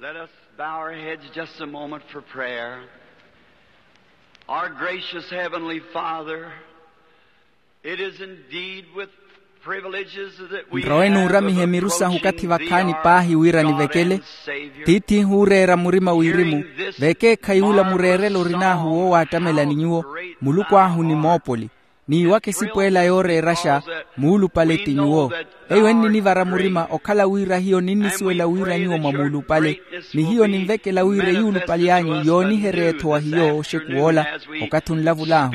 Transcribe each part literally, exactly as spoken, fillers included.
Let us bow our heads just a moment for prayer. Our gracious Heavenly Father, it is indeed with privileges that we nrowe have nuuramiha of emiru sahu okathi approaching thee, vakhaani our paahi wira God nivekele and Savior. Tiith'ihu ooreera murima wirimu. Vekeekhayi ula mureerelo orin'ahu woowaattamelani nyuwo, muluku ahu ni moopoli, n'iwaka esipweela yooreeraxa muulupale ti nyuwo. Eyo enninivara murima okhala wira hiyo ninnisuwela wira nyuwo mwa muulupale, ni hiyo ninvekela wira eyuulupaly'anyu yooniherye-tho wa hiyo oxekuw'ola okathi onlavul'ahu.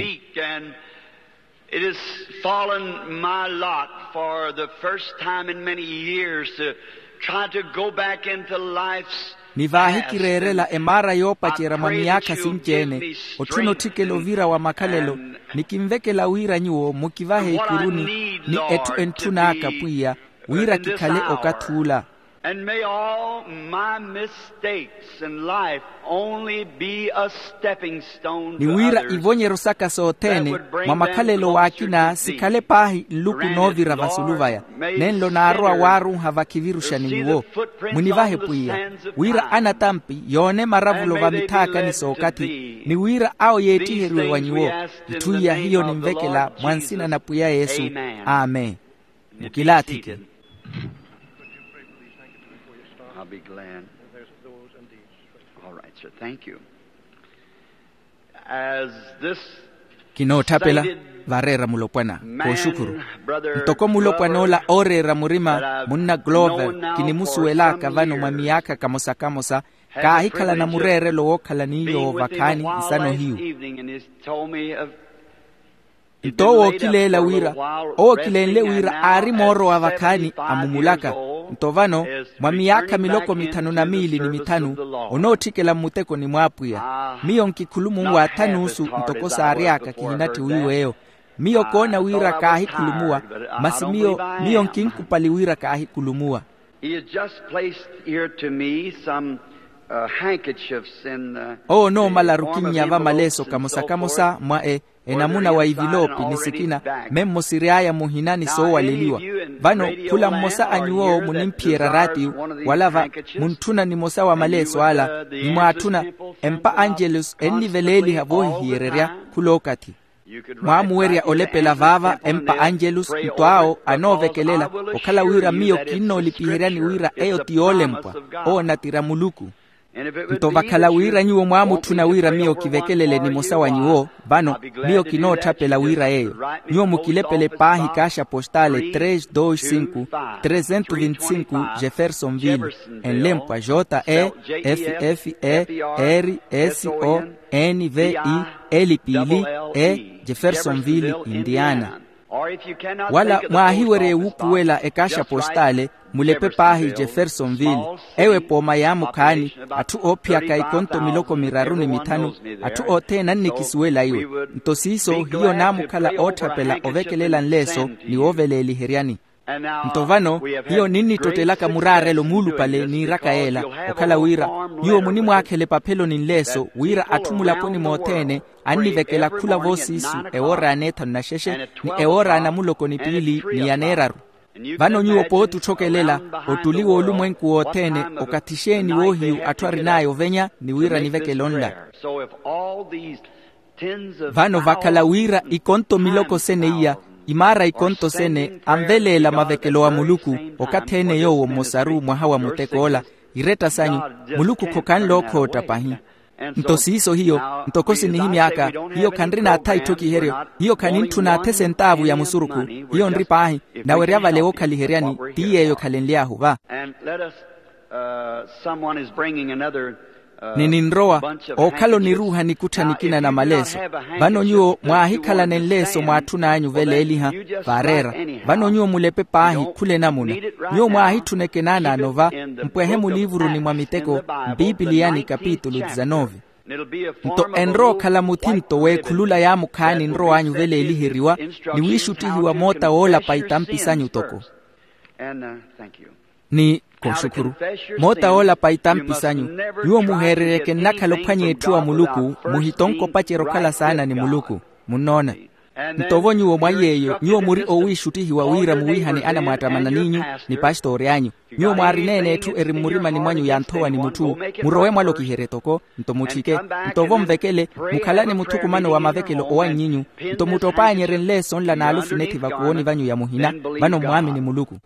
It has fallen my lot for the first time in many years to try to go back into life's ni vaahikireerela emaara yoopacerya mwa miyaakha sinci-ene, otthuna otthikela ovira wa makhalelo, ni kinvekela wira nyuwo mukivahe ikuruni ni etthu entthun'aka pwiya, wira kikhale okathi ula. And may all my mistakes in life only be a stepping stone ni to wira others. Ivonyero saka sothene mwa makhalelo w'akina sikhale paahi nluku noovira vasulu vaya. Nenlo naarowa waarunha vakhiviruxani nyuwo. Munivahe pwiya wira anatampi yoone maravulo va mithaakani sookathi, ni wira awo yeettiheriwe wa nyuwo. Itthu iya hiyo ninvekela mwa nsina na pwiya yesu. Amen. Mukilaathike. I'll be glad. All right, sir. Thank you. As this kinootthapela vareera mulopwana kooxukhuru. Ntoko mulopwan'ola ooreera murima munna glover kinimusuwel'aka vano mwa miyaakha kamosa-kamosa, kaahikhalana mureerelo wookhala ni yoowo vakhaani nsano hiyu. Nto owo ookileela wira owo ookilenle wira aari moorowa vakhaani amumulaka. Nto vano mwa miyaakha miloko mithanu na miili ni mithanu onootthikela mmutekoni mw'apwiya. Miyo nkikhulumunwa atha n'usu ntoko saary'aka kihinatthi wiiw'eyo. Miyo koona wira kaahikhulumuwa, masi miyo miyo nkinkupali wira kaahikhulumuwa. He has just placed here to me some uh, handkerchiefs in the owo onoomalaru kinnya va maleeso kamosa-kamosa mwa e enamuna wa iviloopi ni sikina. Memmo siry'aya muhina ni soowaleliwa. Vano khula mmosa a nyuwo munimphiyerya raatiyo wala va muntthuna nimosa wa maleeso ala ni mwaatthuna empa angelus enniveleeliha voohihiyererya khul'okathi. Mwaamuwerya olepela vaava empa angelus nto awo anoovekelela okhala wira miyo kinnoolipiheryani wira eyo ti yoolempwa. Owo natira muluku. Nto vakhala wira nyuwo mwaamutthuna wira miyo kivekelele nimosa wa nyuwo vano miyo kinootthapela wira yeeyo. Nyuwo mukilepele paahi kaaxa postale tres dos cinco, trezentos vinte cinco jeffersonville, enlempwa j e f f e r s o n v i l p l e jeffersonville indiana. Wala mwaahiwerye wuupuwela ekaaxa postale mulepe paahi jeffersonville. Ewo epooma yaamukhaani atthu oophiyaka ikonto miloko miraru ni mithanu. Atthu othene annikisuwela iwe. Nto siiso hiyo naamukhala ootthapela ovekelela nleeso ni wooveleeliheryani. Nto vano hiyo ninnittottelaka muraarelo muulupale niiraka yeela okhala wira nyuwo munimwaakhela epaphelo ni nleeso wira atthu mulaponi mothene annivekela khula voosiisu ewoora ya neethanu na xexe ni ewoora ya namuloko ni piili ni ya neeraru. Vano nyuwo pooti otthokelela ottuli w'olumwenku wothene okathi xeeni woohiyu atthu arin'aya ovenya ni wira nivekele onla. Vano vakhala wira ikonto miloko sene iya imaara ikonto sene anveleela mavekelo wa muluku okathi ene yoowo mmosaru mwaha wa mutek'ola. Iretta sanyu muluku khokhanle okhootta pahi. Nto siiso hiyo ntoko sinihimy'aka hiyo khanrina atha itthokiheryo. Hiyo khanintthuna atha esentaavu ya musurukhu. Hiyo nri paahi nawerya vale wookhaliheryani ti yeeyo khalenly'ahu va. Ni ninrowa ookhala oniruuha nikuttha nikina na maleeso. Vano nyuwo mwaahikhalane nleeso mwaatthun'anyu veleeliha vaareera. Vano nyuwo mulepe paahi khula enamuna. Nyuwo mwaahitthuneke naanaano va mpwehe muliivuruni mwa miteko mpipiliyani kapitulu dizanove. Nto enrowa okhala muthinto w'ekhulula yaamukhaani nrow'anyu veleeliheriwa ni wiixuttihiwa moota woolapa itampi sanyu toko. Ni kooxukhuru moota woolapa itampi sanyu. Nyuwo muheereryeke nnakhala ophwanya etthu wa muluku muhitonke opacerya okhala saana ni muluku. Munnoona. Nto vo nyuwo mwa iy'eyo nyuwo muri owiixuttihiwa wira muwiihane anamwaattamana n'inyu, ni pastori anyu. Nyuwo mwaarineene etthu eri mmurimani mwanyu yanthowani mutthu, murowe mwalokiherye toko, nto mutthike, nto vo mvekele, mukhalane muthukumano wa mavekelo owanny'inyu, nto muttopaanyerye nleeso nla n'alufinethi vakuwoni vanyu ya muhina, vano mwaamini muluku.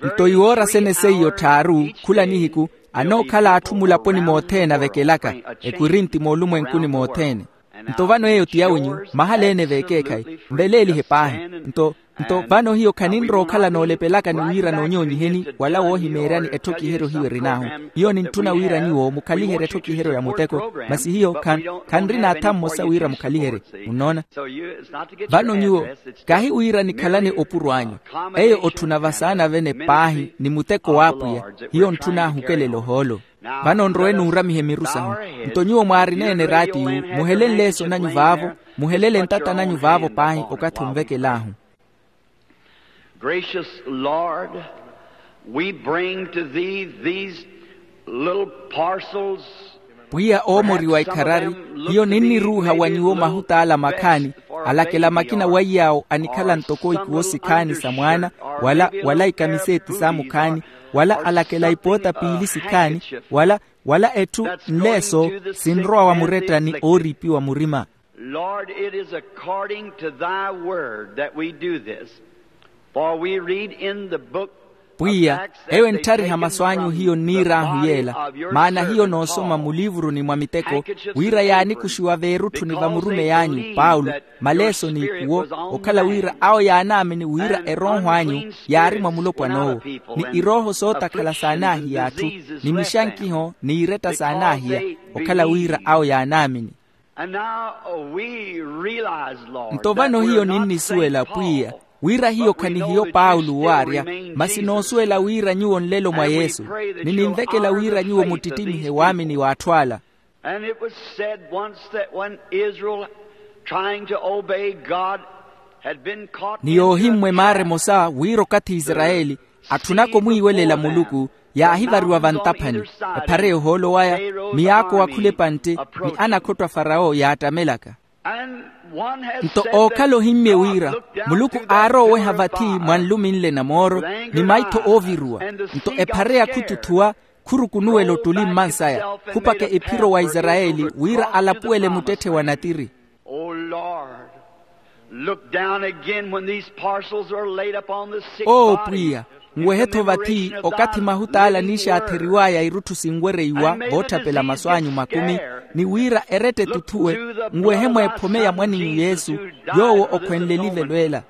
Nto iwoora sene seiyo tthaaru, khula nihiku anookhala atthu mulaponi mothene avekelaka, ekorinti moolumwenkuni mothene. Nto vano eyo ti yawinyu, mahala ene veekeekhayi, nveleelihe paahi. Nto nto vano hiyo khaninrowa okhala noolepelaka ni wira noonyoonyiheni wala woohimeeryani etthokiheryo hiyo erin'ahu. Hiyo nintthuna wira nyuwo mukhaliherye etthokiheryo ya muteko, masi hiyo khanrina atha mmosa wira mukhaliherye. Munnoona? Vano nyuwo kahi wira nikhalane opuro anyu. Eyo otthuna vasaana vene paahi ni muteko w'apwiya. Hiyo ntthuna ahukelele ohoolo. Vano nrowe nuuramihe miru sahu. Nto nyuwo mwaarineene eraatiyu, muhele nleeso nanyu vaavo, muhelele ntata nanyu vaavo paahi okathi onvekel'ahu. Gracious Lord, we bring to thee these little parcels. Pwiya oomoriwa ikharari, hiyo ninniruuha wa nyuwo mahut'ala makhaani, alakela makina waiy'awo anikhala ntoko ikuwo sikhaani sa mwaana, wala wala ikamiseeti saamukhaani, wala alakela ipoota piili sikhaani, wala wala etthu nleeso sinrowa wa muretta ni ooriipiwa murima. Lord, it is according to thy word that we do this. For we read in the book pwiya, eyo entthariha masu anyu hiyo nniir'ahu yeela, maana hiyo noosoma muliivuruni mwa miteko, wira yaanikuxiwa veerutthuni va murumeyi anyu paulo, maleeso n'ikuwo, okhala wira awo yaanaamini wira erooho anyu yaari mwa mulopwan'owo, ni irooho sootakhala saanaahiya atthu, ni mixankiho n'iretta saanaahiya, okhala wira awo yaanaamini. Nto vano hiyo ninnisuwela pwiya, wira hiyo khanihiyo paulo waarya, masi noosuwela wira nyuwo nlelo mwa yesu, ni ninvekela wira nyuwo muttitimihe waamini w'atthu ala. And it was said once that when Israel, trying to obey God, had been caught ni yoohimmwa emaara emosa wira okathi isarayeli atthunaka omwiiwelela muluku, yaahivariwa vantaphani, ephara y'ohoolo waya, miyaako wakhula epantte, ni anakhotto a farawo yaattamelaka. Nto ookhala ohimmye wira muluku aarowa oweha vathi mwa nlumi nle na mooro, ni maitho ooviruwa, nto ephara yakhututhuwa, khurukunuwela ottuli mmansaya, khupaka ephiro wa isarayeli wira alapuwele muttetthe wa natiri. O lord, look down again when these parcels are laid upon the sick body. Oo pwiya, nwehe-tho vathi okathi mahutaala niixaatheriw'aya irutthu sinwereiwa vootthapela masu anyu makumi, ni wira eretta etuthuwe, nwehe mweephome ya mwan'inyu yesu, yoowo okhwenle elivelo ela.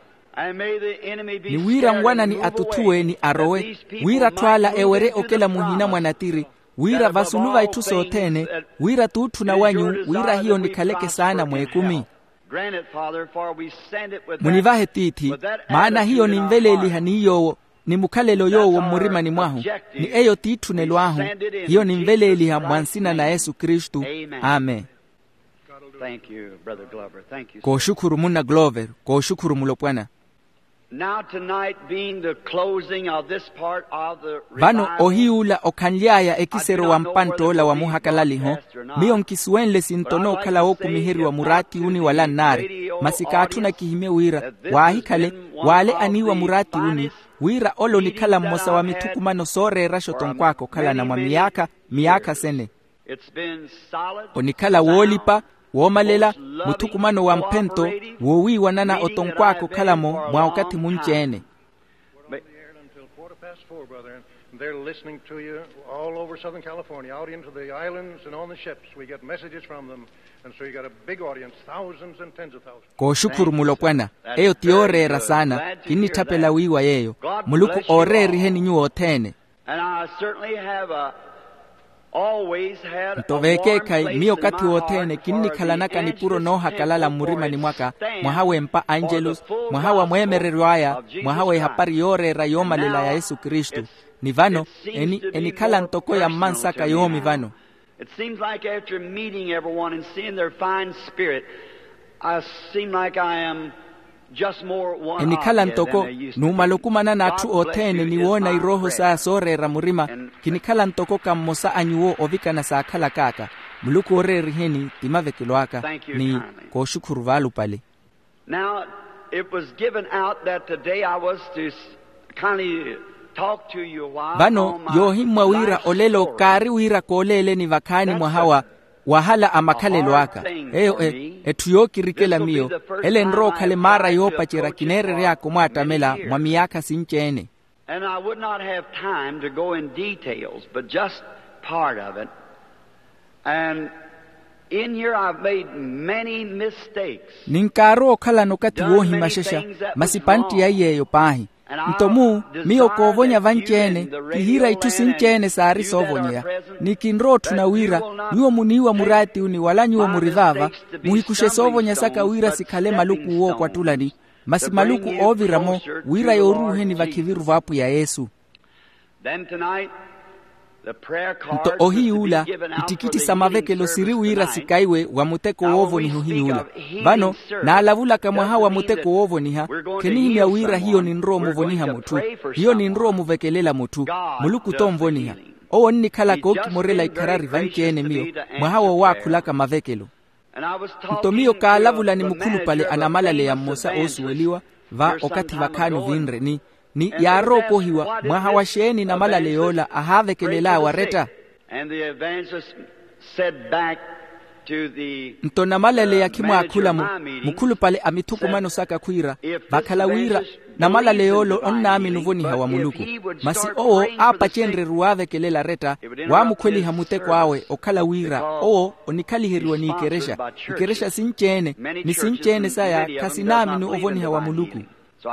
Ni wira nwanani atuthuwe ni arowe, wira atthu ala ewerye okela muhina mwa natiri, wira vasulu va itthu sothene, wira t'utthuna wanyu wira hiyo nikhaleke saana mweekumi. Munivahe tiithi, maana hiyo ninveleeliha ni yoowo, ni mukhalelo yoowo mmurimani mwahu, ni eyo t'itthunelo ahu. Hiyo ninveleeliha mwa nsina na yesu kristu. Amen. Kooxukhuru munna glover. Kooxukhuru mulopwana. Now tonight being the closing of this part of the vano revival, ohiy'ula okhanly'aya ekisero wa mpantt'ola wa muhakalaliho, miyo nkisuwenle sinto nookhala wookumiheriwa muraatiyuni wala nnaari. Masi kaatthuna kihimye wira waahikhale waale aniiwa muraatiyuni, wira ole onikhala mmosa wa mithukumano sooreeraxa otonkw'aka okhalana mwa miyaakha miyaakha sene. Onikhala woolipa, woomalela, muthukumano wa mphento, woowiiwanana otonkw'aka okhala-mo mwa okathi munci-ene. They're listening to you all over Southern California, out into the islands and on the ships. We get messages from them. And so you got a big audience, thousands and tens of thousands. Kooxukhuru mulopwana. Eyo ti yooreera saana. Kinnitthapela wiiwa yeeyo. Muluku ooreeriheni nyuwo othene. Nto veekeekhayi miyo okathi wothene kinnikhalanaka nipuro noohakalala mmurimani mwaka, mwaha w'empa angelus, mwaha wa mweemereryo aya, mwaha w'ehapari yooreera yoomalela ya yesu kristu. Ni vano enikhala ntoko ya mmansaka yoomi vano. It seems like after meeting everyone and seeing their fine spirit, I seem like I am just more one of you than they used to be. Enikhala ntoko numala okumanana atthu othene ni woona irooho saya sooreera murima, kinikhala ntoko ka mmosa a nyuwo ovikana saakhalak'aka. Muluku ooreeriheni ti mavekelo aka. Ni kooxukhuru vaalupale. Now, it was given out that today I was to s- kindly talk to you a while. Vano on my yoohimmwa wira life olelo story. Kaari wira kooleeleni vakhaani mwaha wa wahala a makhalelo aka. Eyo e etthu yookirikela miyo. Ele enrowa okhale maara yoopacerya kineerery'aka omwaattamela mwa miyaakha sinci-ene. And I would not have time to go in details, but just part of it. And in here I've made many mistakes. Ninkaarowa okhalana okathi woohimaxexa, masi pantti ya iy'eyo paahi. Nto mu miyo koovonya vanci-ene, kihiira itthu sinci-ene saari soovonyeya. Ni kinrowa otthuna wira nyuwo muniiwa muraatiwuni wala nyuwo muri vaava, muhikuxe soovonya saka wira sikhale maluku wookwattulani, masi maluku oovira-mo wira yooruuheni vakhiviru v'apwiya yesu. Nto ohiy'ula ittikitti sa mavekelo siri wira sikaiwe wa muteko woovoniha ohiy'ula. Vano naalavulaka mwaha wa muteko woovoniha, khinihimya wira hiyo ninrowa omuvoniha mutthu, hiyo ninrowa omuvekelela mutthu. Muluku t'onvoniha. Owo onnikhalaka ookimorela ikharari vanci-ene miyo mwaha woowaakhulaka mavekelo. Nto miyo kaalavula ni mukhulupale a namalaleya mmosa oosuweliwa va okathi vakhaani ovinre ni ni yaarookohiwa mwaha wa xeeni namalaleya ola ahaavekelel'awe aretta. Nto namalaleya khimwaakhula-mo, mukhulupale a mithukumano saka khwiira vakhala wira namalaleya ola onnaamini ovoniha wa muluku. Masi owo aapacenrye-ru waavekelela aretta, waamukhweliha muteko awe okhala wira owo onikhaliheriwa n'ikerexya, ikerexa sinci-ene ni sinci-ene saya khasinaamini ovoniha wa muluku.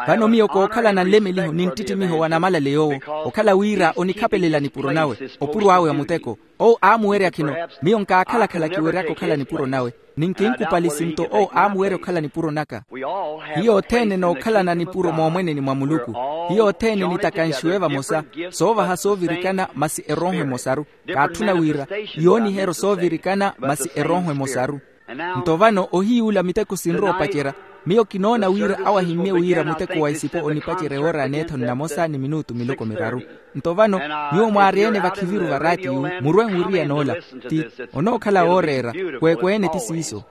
Vano miyo kookhalana nlemeliho ni nttittimiho wa namalaleya owo, okhala wira onikhapelela nipuro nawe opuro awe a muteko. Owo aamuwerya khino, miyo nkaakhala-khala kiweryaka okhala nipuro nawe, ni nkinkupali sinto owo aamuwerya okhala nipuro naka. Hiyo othene nookhalana nipuro moomweneni mwa muluku. Hiyo othene nitakanxiwe vamosa, soovaha soovirikana masi erooho emosaru. Kaatthuna wira yooniheryo soovirikana masi erooho emosaru. Nto vano ohiy'ula miteko sinrowa opacerya, miyo kinoona wira awo ahimmye wira muteko wa isipo onipacerya ewoora ya neethanu namosa ni minutu miloko miraru. Nto vano nyuwo mwaaryene vakhiviru varaatiyu murwe nwiriyana ola, ti onookhala wooreera. Kweekweene ti siiso.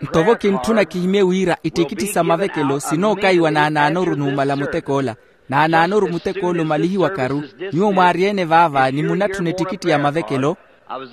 Nto vo kintthuna kihimye wira ittikitti sa mavekelo sinookaiwa naanaanoru numala muteko ola. Naanaanoru muteko ola omalihiwakaru. Nyuwo mwaaryene vaava ni munatthuna ettikitti ya mavekelo.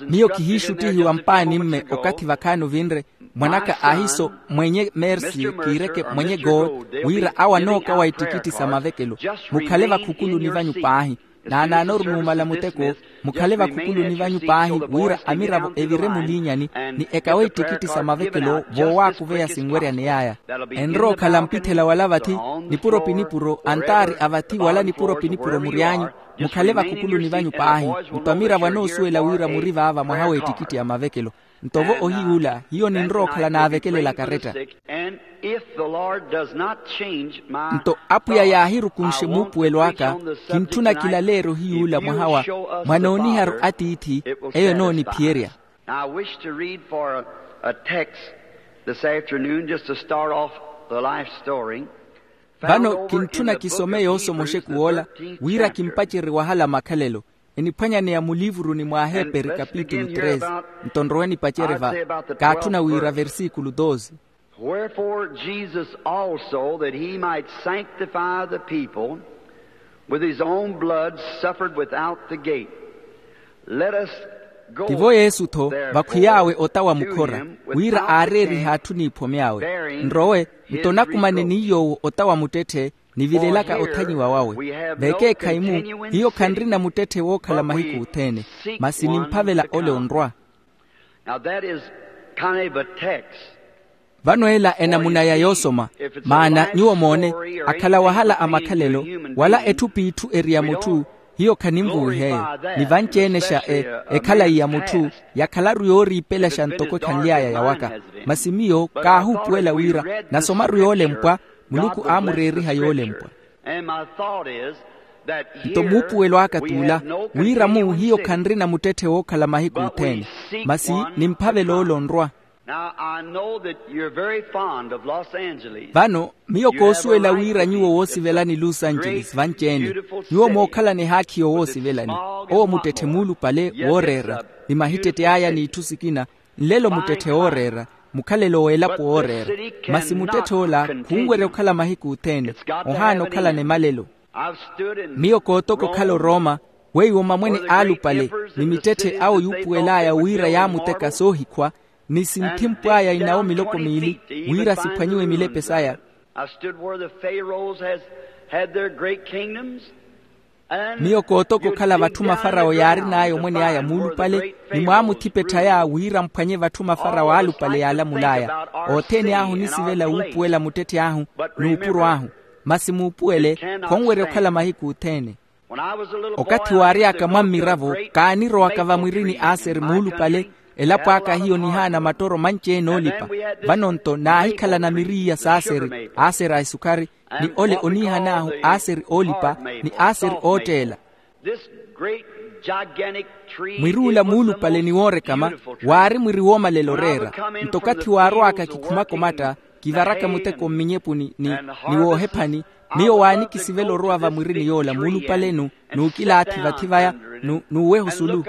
Miyo kihiixuttihiwa mpaani mme okathi vakhaani ovinre, mwanaka aahiso mwenye mersi kiireke mwenye gold, wira awo anookawa ettikitti sa mavekelo. Mukhale vakhukuluni vanyu paahi. Naanaanoru numala muteko, mukhale vakhukuluni vanyu paahi wira amiravo evire muliinyani ni ekawe ettikitti sa mavekelo voowaakuveya sinweryaney'aya. Enrowa okhala mpithela wala vathi, nipuro-pinipuro antaari a vathi wala nipuro-pinipuro muryaanyu. Mukhale vakhukuluni vanyu paahi. Nto amiravo anoosuwela wira muri vaava mwaha w'ettikitti ya mavekelo. Nto vo ohiy'ula hiyo ninrowa okhala naavekelela karetta. Nto apwiya yaahirukunxe muupuwelo aka, kintthuna kilaleerye ohiy'ula mwaha wa mwanooniharu atiithi. Eyo enooniphiyerya. Now I wish to read for a, a text this afternoon just to start off the life story. Vano kintthuna kisome yoosomoxeku woola wira kimpacerye wahala makhalelo. Eniphwanyaneya muliivuruni mw'aheperi kapitulu tres. Nto nrowe nipacerye va kaatthuna wira versikulu doze. Wherefore Jesus also, that he might sanctify the people, with his own blood suffered without the gate. Let us go. Tivo yesu-tho vakhwiy'awe ota wa mukhora, wira aareerihe atthu n'iphomy'awe. Nrowe nto nakumane ni yoowo ota wa muttetthe nivilelaka othanyiwa wawe. Vekeekhayi-mu hiyo khanrina muttetthe wookhala mahiku othene, masi nimphavela ole onrwa. Now that is kind of a text. Vano ela enamuna ya yoosoma. Maana nyuwo moone, akhala wahala a makhalelo wala etthu p'itthu eri ya mutthu, hiyo khaninvuwiheeyo. Ni vanci-ene xa e ekhalayi ya mutthu yakhalaru yooriipelaxa ntoko ekhanly'aya yawaka. Masi miyo kaahuupuwela wira nasomaru yoolempwa, muluku aamureeriha yoolempwa. Nto muupuwelo aka t'ula, wira-mu hiyo khanrina muttetthe wookhala mahiku othene, masi nimphavela ole onrwa. Now I know that you're very fond of Los Angeles. Vano miyo koosuwela wira nyuwo woosivelani los angeles vanci-ene. Nyuwo mookhalani ehaakhi yoowoosivelani. Owo muttetthe muulupale wooreera, ni mahittette aya n'itthu sikina. Nlelo muttetthe wooreera. mukhalelo w'elapo wooreera. Masi muttetthe ola khunwerya okhala mahiku othene, ohaana okhalana emalelo. Miyo kootoka okhala orooma, weiwo mamwene aalupale ni mittetthe awo yuupuwel'aya wira yaamuteka soohikhwa, ni sinthimpw'aya inawo miloko miili wira siphwanyiwe milepe saya. Miyo kootoka okhala vatthu mafarawo yaarin'aya omwen'aya muulupale, ni mwaamuthipetthaya wira mphwanye vatthu mafarawo aalupale yaalamul'aya. Othene ahu onisivela wuupuwela muttetthe ahu n'upuro ahu. Masi muupuwele, khonwerya okhala mahiku othene. Okathi waary'aka mwa mmiravo, kaanirowaka vamwirini aseri muulupale, elapo aka hiyo nihaana mattoro manci-ene oolipa. Vano-nto naahikhalana miri iya s'aseri, aseri a esukhari, ni ole oniihan'ahu aseri oolipa, ni aseri ootteela. Mwir'ula muulupale ni woorekama, waari mwiri woomalela oreera. Nto okathi waarow'aka kikhumaka omatta, kivaraka muteko mminyepuni ni, ni woohephani, miyo waanikisivela orowa vamwirini yoola muulupale-nu, n'ukilaathi vathi vaya, n'uweha osulu.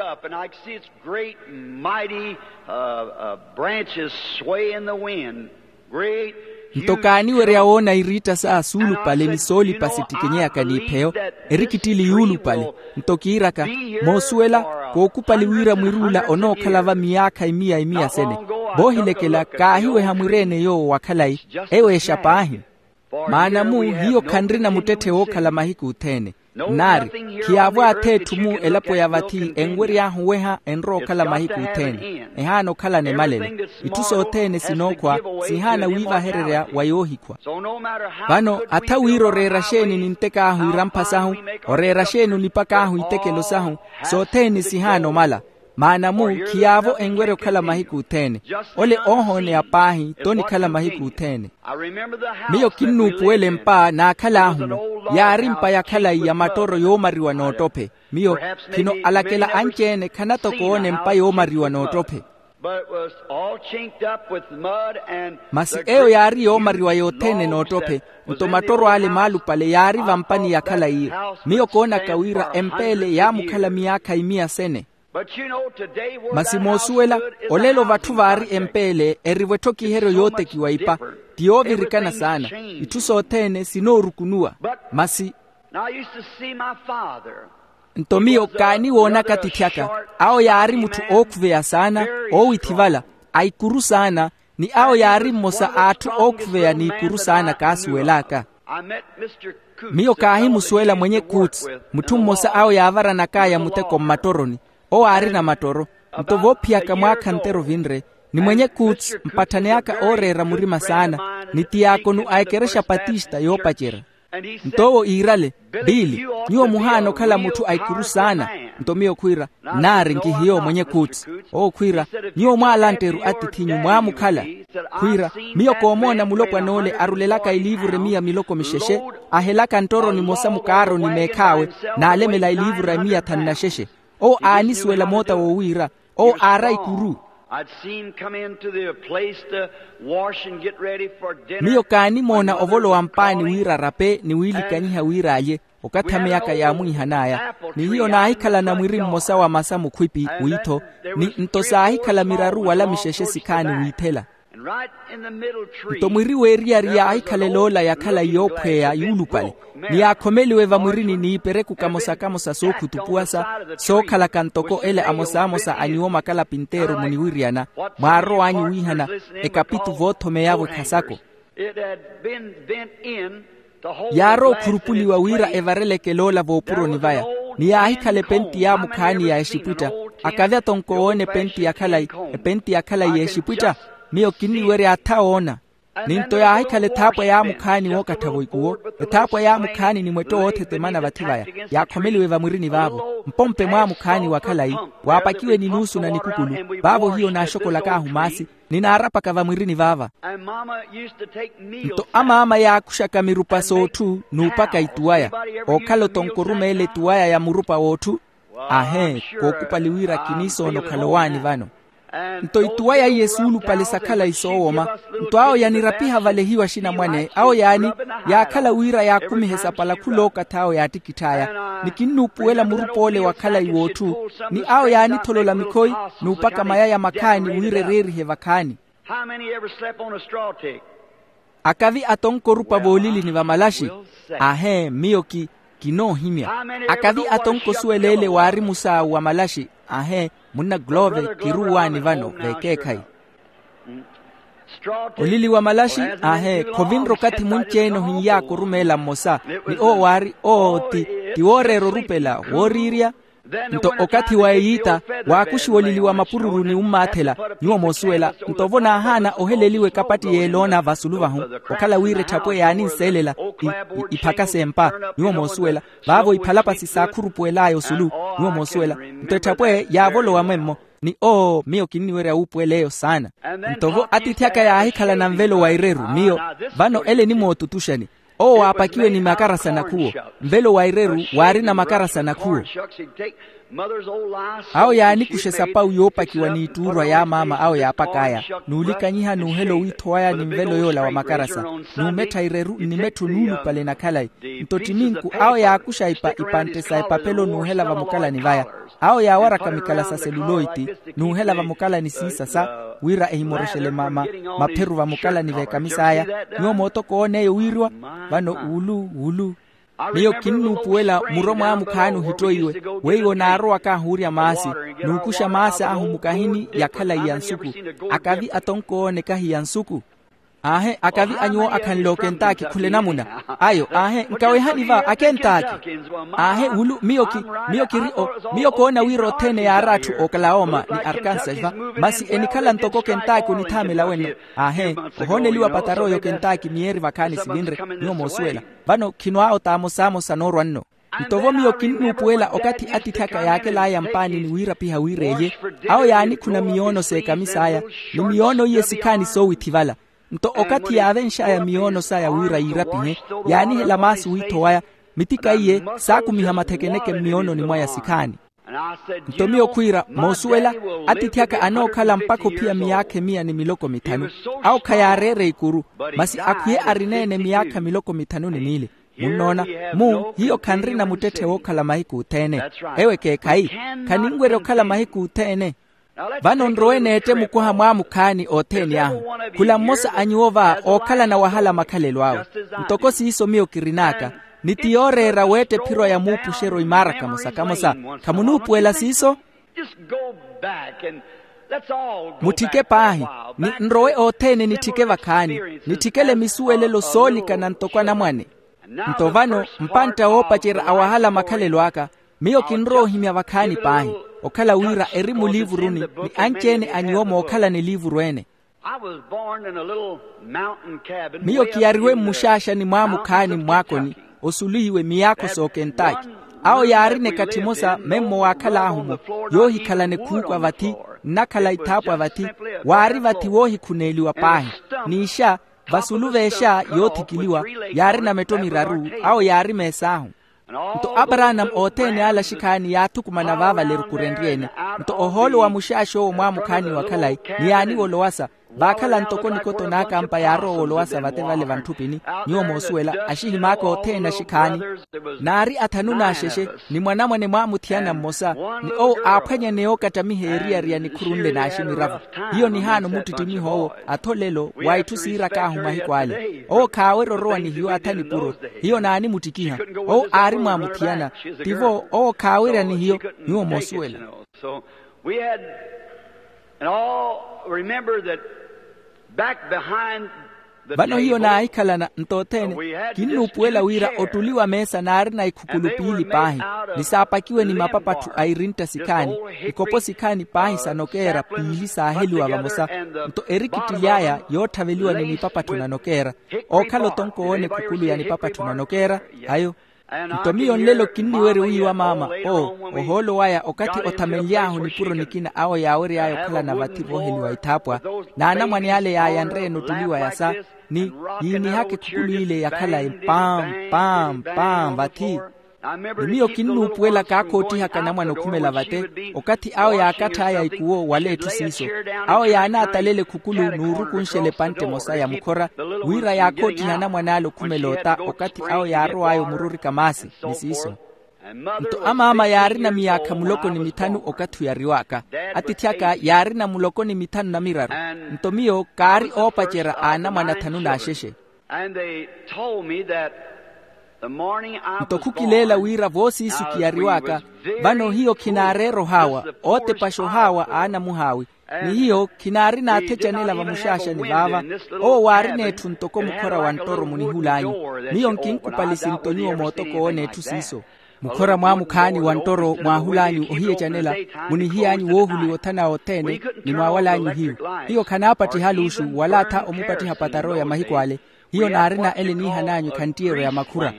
Nto kaaniwerya woona iriitta sa suulupale ni soolipa sittikinyeyaka n'ipheyo, erikittili yuulupale. Nto kiiraka, moosuwela, kookupali wira mwir'ula onookhala va miyaakha imiya imiya sene. Voohilekela kaahiweha mwir'ene yoowo wa khalayi, eyo exa paahi. Maana-mu hiyo khanrina muttetthe wookhala mahiku othene. Nnaari, khiyaavo ath'etthu-mu elapo ya vathi enwery'ahu oweha enrowa okhala mahiku othene. Ehaana okhalana emalelo. Itthu sothene sinookhwa, sihaana wiivahererya wa yoohikhwa. Vano atha wira oreera xeeni nintek'ahu irampha sahu, oreera xeeni onipak'ahu itekelo sahu, sothene sihaana omala. Maana-mu khiyaavo enwerya okhala mahiku othene. Ole oohooneya paahi t'onikhala mahiku othene. Miyo kinnuupuwela empa naakhal'ahu-mu, yaari mpa ya khalayi ya matoro yoomariwa n'ottophe. Miyo khino alakela anci-ene khanatoka oona empa yoomariwa n'ottophe. Masi eyo yaari yoomariwa yothene n'ottophe, nto mattoro ale maalupale yaari vampani ya khalayi. Miyo koonaka wira empa ele yaamukhala miyaakha imiya sene. Masi moosuwela, olelo vatthu vaari empa ele erivo etthokiheryo yootekiwa ipa, ti yoovirikana saana. Itthu sothene sinoorukunuwa. Masi nto miyo kaaniwoonaka attiithi aka, awo yaari mutthu ookhuveya saana, oowithivala, a ikuru saana, ni awo yaari mmosa a atthu ookhuveya n'ikuru saana kaasuwel'aka. Miyo kaahimusuwela mwenye coots, mutthu mmosa awo yaavaranak'aya muteko mmattoroni. Owo aarina mattoro. Nto voophiyaka mwaakha ntteru vinre, ni mwenye coots mpatthane aka ooreera murima saana, ni tiyaakono a ekerexa patista yoopacerya. Nto owo iirale, biili, nyuwo muhaana okhala mutthu a ikuru saana. Nto miyo khwiira, nnaari nkihiyo mwenye coots. Owo khwiira, nyuwo mwaalantta-ru atiith'inyu mwaamukhala. Khwiira, miyo koomoona mulopwan'ole arulelaka iliivuru emiya miloko mixexe, ahelaka nttoro nimosa mukaaroni meekh'awe, n'alemela iliivuru emiya thanu na xexe. Owo aanisuwela moota woowiira, owo aara ikuru. Miyo kaanimoona ovolowa mpaani wira arape ni wiilikanyiha wira alye, okathi ameyaka yaamwiihan'aya. Ni hiyo naahikhalana mwiri mmosa wa masa mukhwipi wiitho, ni nto saahikhala miraru wala mixexe sikhaani wiithela. Nto mwiri w'eriyari yaahikhalela ola ya khalayi yookhweya yuulupale, ni yaakhomeliwe vamwirini n'ipereku kamosa-kamosa sookhutupuwasa, sookhalaka ntoko ele amosa-amosa a nyuwo makalapinteeru muniwiriyana, mwaarow'anyu wiihana ekapitu voothomeyavo ekhasako. Yaarowa okhurupuliwa wira evareleke loola voopuroni vaya, ni yaahikhala epenti yaamukhaani ya exipwitta. Akavya tonko woona epenti ya khalayi, epenti ya khalayi ya exipwitta. Miyo kinniwerya atha woona. Ni nto yaahikhala ethaapwa yaamukhaani wookattha-vo ikuwo, ethaapwa yaamukhaani ni mwetto woothetemana vathi vaya. Yaakhomeliwe vamwirini vaavo mpompe mwaamukhaani wa khalayi, waapakiwe ni nuusu na nikukulu. Vaavo hiyo naaxokolak'ahu maasi, ni naarapaka vamwirini vaava. Nto amaama yaakuxaka mirupa s'otthu n'upaka ituwaya. Ookhala otonko orumeela etuwaya ya murupa w'otthu. Ahee, kookupali wira kiniisoona okhala owaani vano. Nto ituwaya iye suulupale sa khalayi soowoma. Nto awo yanirapiha valehiwa axinamwane awo yaani, yaakhala wira yaakumihe sapala khulookathi awo yaattikitth'aya. Ni kinnuupuwela murup'ole wa khalayi w'otthu, ni awo yaanitholola mikhoyi, n'upaka mayaya makhaani wira ereerihe vakhaani. How many ever slept on a straw tick? Akavi atonko orupa voolilini vamalaxi? Ahee miyo ki kinoohimya. Akavi atonko osuweleele waari musaawu wa malaxi? Ahee munna glove kiruwaani vano vekeekhayi. Olili wa malaxi? Ahee khovinre okathi munci-ene ohinyaaka orumeela mmosa. Ni owo waari owo ti ti wooreera orupela wooriirya. Nto okathi wa eyiita waakuxiwa olili wa mapururu ni ummaathela. Nyuwo moosuwela nto vo naahaana oheleliwa ekapatti y'eloona vasulu vahu okhala wira etthapwe yaaninseelela iphaka s'empa. Nyuwo moosuwela vaavo iphalapasi saakhurupuwel'aya osulu. Nyuwo moosuwela nto etthapwe yaavolowa mwemmo. Ni oo miyo kinniwerya wuupuwela eyo saana. Nto vo atiithi aka yaahikhalana nvelo wa ireru miyo vano ele enimootutuxani. Owo waapakiwe ni makarasa nakhuwo. Nvelo wa ireru waarina makarasa nakhuwo. Awo yaanikuxa esapawu yoopakiwa n'ittuurwa y'amaama awo yaapak'aya n'ulikanyiha n'uhela owiitho waya ni nvelo yoola wa makarasa. N'umettha ireru nnimettho nuulupale na khalayi. Nto ttiminku awo yaakuxa ipantte sa epapelo n'uhela vamukalani vaya. Awo yaawaraka mikala sa seluloiti n'uhela vamukalani siisa sa wira ehimoroxele mapheru vamukalani v'ekamisa aya. Nyuwo mootokoona eyo wiiriwa vano wulu wulu. Miyo kinnuupuwela muro mwaamukhaani ohittoiwe weiwo naarowaka ahuurya maasi n'ukuxa maasi ahu mukahini ya khalayi ya nsuku. Akavi atonkoone kahi ya nsuku. Aahe akavi a nyuwo akhanle okentaaki khula enamuna ayo aahe nkawehani va akentaaki. Aahe wulu miyo ki miyo kiri o miyo koona wira othene yaari atthu oklahoma ni arkansas va masi enikhala ntoko kentaaki onithaamela wenno. Aahe ohooneliwa pataroyo kentaaki miyeeri vakhaani sivinre. Nyuwo moosuwela vano khinwaawo t'amosamosa noorwa nno. Nto vo miyo kinnuupuwela okathi atiithi aka yaakel'aya mpaani ni wiirapiha wira elye awo yaanikhuna miyoono s'ekamisa aya ni miyoono iye sikhaani soowitthi vala. Nto okathi yaavenx'aya miyoono saya wira yiirapihe yaanihela maasi wiitho waya. Mitika iye saakumiha mathekeneke mmiyoononi mwaya sikhaani. Nto miyo khwiira moosuwela atiithi aka anookhala mpakha ophiya miyaakha emiya ni miloko mithanu. Awo khayaareera ikuru masi akhwiye arineene miyaakha miloko mithanu ni miili. Munnoona mu hiyo khanrina muttetthe wookhala mahiku othene. Ewo ekeekhayi khaninwerya okhala mahiku othene. Vano nrowe neette mukoha mwaamukhaani othene ahu. Khula mmosa a nyuwo va ookhalana wahala makhalelo awe. Ntoko siiso miyo kirin'aka ni ti yooreera weetta ephiro ya muupuxeryo imaara kamosa kamosa. Khamunuupuwela siiso? Mutthike paahi ni nrowe othene nitthike vakhaani nitthikele misuwelelo soolikana ntoko anamwane. Nto vano mpantta woopacerya a wahala makhalelo aka miyo kinrowa ohimya vakhaani paahi okhala wira eri muliivuruni ni anci-ene a nyuwo mookhalana eliivuru ene. Miyo kiyariwe mmuxaaxani mwaamukhaani mmwaakoni osuluhiwe miyaakho s'okentaki. Awo yaarina ekathi emosa memmo waakhal'ahu-mo yoohikhalana ekhuuku a vathi nnakhala ithaapwa vathi. Waari vathi woohikhuneeliwa paahi n'ixa vasulu v'exa yoothikiliwa yaarina metto miraru. Awo yaari mees'ahu. Nto aparanama othene ale axikhaani yaathukumana vaavale erukurenrye-ene. Nto ohoolo wa muxaaxi owo mwaamukhaani wa khalayi ni yaaniwa olowasa vaakhala ntoko nikoto n'akampa yaarowa olowasa vate vale vantthupini. Nyuwo moosuwela axihim'aka othene axikhaani naari athanu n'axexe ni mwanamwane mwaamuthiyana mmosa ni owo aaphwanyane yookattamiha eriyari ya nikhuru nle n'aximiravo. Hiyo nihaana omuttittimiha owo atholelo wa itthu siirak'ahu mahiku ale owo khaawerya orowa ni hiyo atha nipuro. Hiyo naanimuttikiha owo aari mwaamuthiyana tivo owo khaawerya ni hiyo. Nyuwo moosuwela. Vano hiyo naahikhalana nto othene kinnuupuwela wira ottuli wa meesa naarina ikhukulu piili paahi ni saapakiwe ni mapapattho a irintta sikhaani ikopo sikhaani paahi sa nokeera piili saaheliwa vamosa. Nto erikittily'aya yootthaveliwa ni nipapattho na nokeera ookhala otonko woona ekhukulu ya nipapattho na nokeera. Ayo nto miyo nlelo kinniwerya wiiwa maama owo ohoolo waya okathi othamenly'ahu nipuro nikina awo yaawery'aya okhalana vathi vooheliwa ithaapwa n'anamwane ale yaayanre-ene ottuli waya sa ni yiinihaka ekhukulu ile ya khalayi mpaam mpaam mpaam vathi. Ni miyo kinnuupuwela kaakhoottihaka anamwane okhumela vate okathi awo yaakatth'aya ikuwo wala etthu siiso. Awo yaanaatalela ekhukulu n'urukunxela epantte emosa ya mukhora wira yaakhoottiha anamwane ale okhumela ota okathi awo yaarow'aya omururika maasi ni siiso. Nto amaama yaarina miyaakha muloko ni mithanu okathi oyariwaka. Atiithi aka yaarina muloko ni mithanu na miraru. Nto miyo kaari oopacerya a anamwane athanu n'axexe. Nto khukileela wira voosiisu kiyariwaka, vano hiyo khinaareera ohaawa ootepaxa ohaawa a anamuhaawi. Ni hiyo khinaarina athecanela vamuxaaxani vaava. Owo waarina etthu ntoko mukhora wa nttoro munihulanyu. Miyo nkinkupalisi nto nyuwo mootokoowo n'etthu siiso. Mukhora mwaamukhaani wa nttoro mwaahulanyu ohiyecanela, munihiy'anyu woohuliwa othana othene, ni mwaawalanyu hiyu. Hiyo khanaapattiha luuxu wala atha omupattiha pataro ya mahiku ale. Hiyo naarina ele niihan'anyu ekhanttiyeryo ya makhura.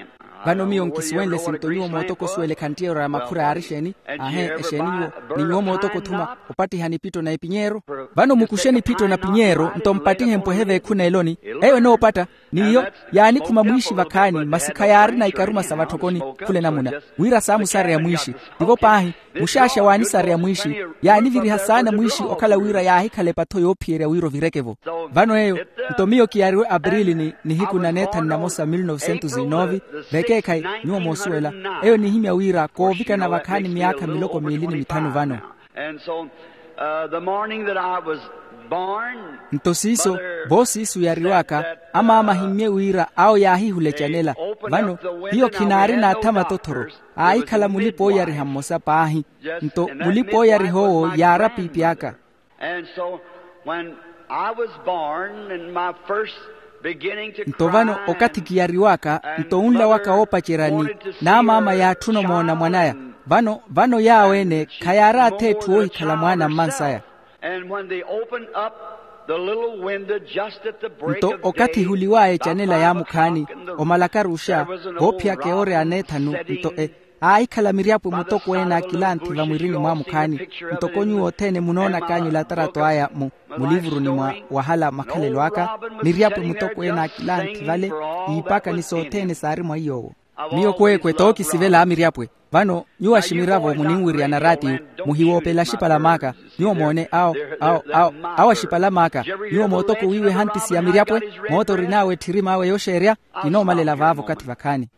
Vano miyo nkisuwenle sinto nyuwo mootoko osuwela ekhanttiyeryo ya makhura yaari exeeni. Aahe, exeeni nyuwo? Ni nyuwo mootoko othuma opattiha nipitto na epinyeero. Vano mukuxe nipitto na pinyeero nto mpattihe mpwehe veekhuneeloni. Eyo enoopatta. N'iyo yaanikhuma mwiixi vakhaani masi khayaarina ikaruma sa vatthokoni. Khula enamuna wira saamusareya mwiixi. Tivo paahi, muxaaxa waanisareya mwiixi. Yaaniviriha saana mwiixi okhala wira yaahikhala epatho yoophiyerya wira ovireke-vo. Vano eyo, nto miyo kiyariwe aprili ni nihiku na neethanu na mosa mil novecentos e nove. Vekeekhayi nyuwo moosuwela, eyo nihimya wira koovikana vakhaani miyaakha miloko miili ni mithanu vano. Nto siiso, voosiisu yariwaka, amaama ahimmye wira awo yaahihula ecanela. Vano hiyo khinaarina atha matothoro, aahikhala mulipa ooyariha mmosa paahi. Nto mulipa ooyariha owo yaara piipi aka. Nto vano okathi kiyariwaka nto onla waka woopacerya ni naamaama yaatthuna omoona mwan'aya. Vano vano yaawo-ene khayaari atha etthu oohikhala mwaana mmansaya. Nto okathi ehuliw'aya ecanela yaamukhaani omalakaruxa, voophiyaka ewoori ya neethanu nto e aahikhala miryapwe mutokweene a kilanthi vamwirini mwaamukhaani. Ntoko nyuwo othene munoonak'anyu elatarato aya mu mulivuruni mwa wahala makhalelo aka, miryapwe mutokweene a kilanthi vale, iipaka ni sothene saari mwa iy'owo. Miyo kweekwe tookisivela a miryapwe. Vano nyuwo aximiravo muninwiriyana raatiyo, muhiwoopele axipala m'aka. Nyuwo moone awo awo awo awo axipala m'aka. Nyuwo mootoko wiiwe ehantisi ya miryapwe, moota orin'awe etthirima awe yooxeerya. Kinoomalela vaavo okathi vakhaani.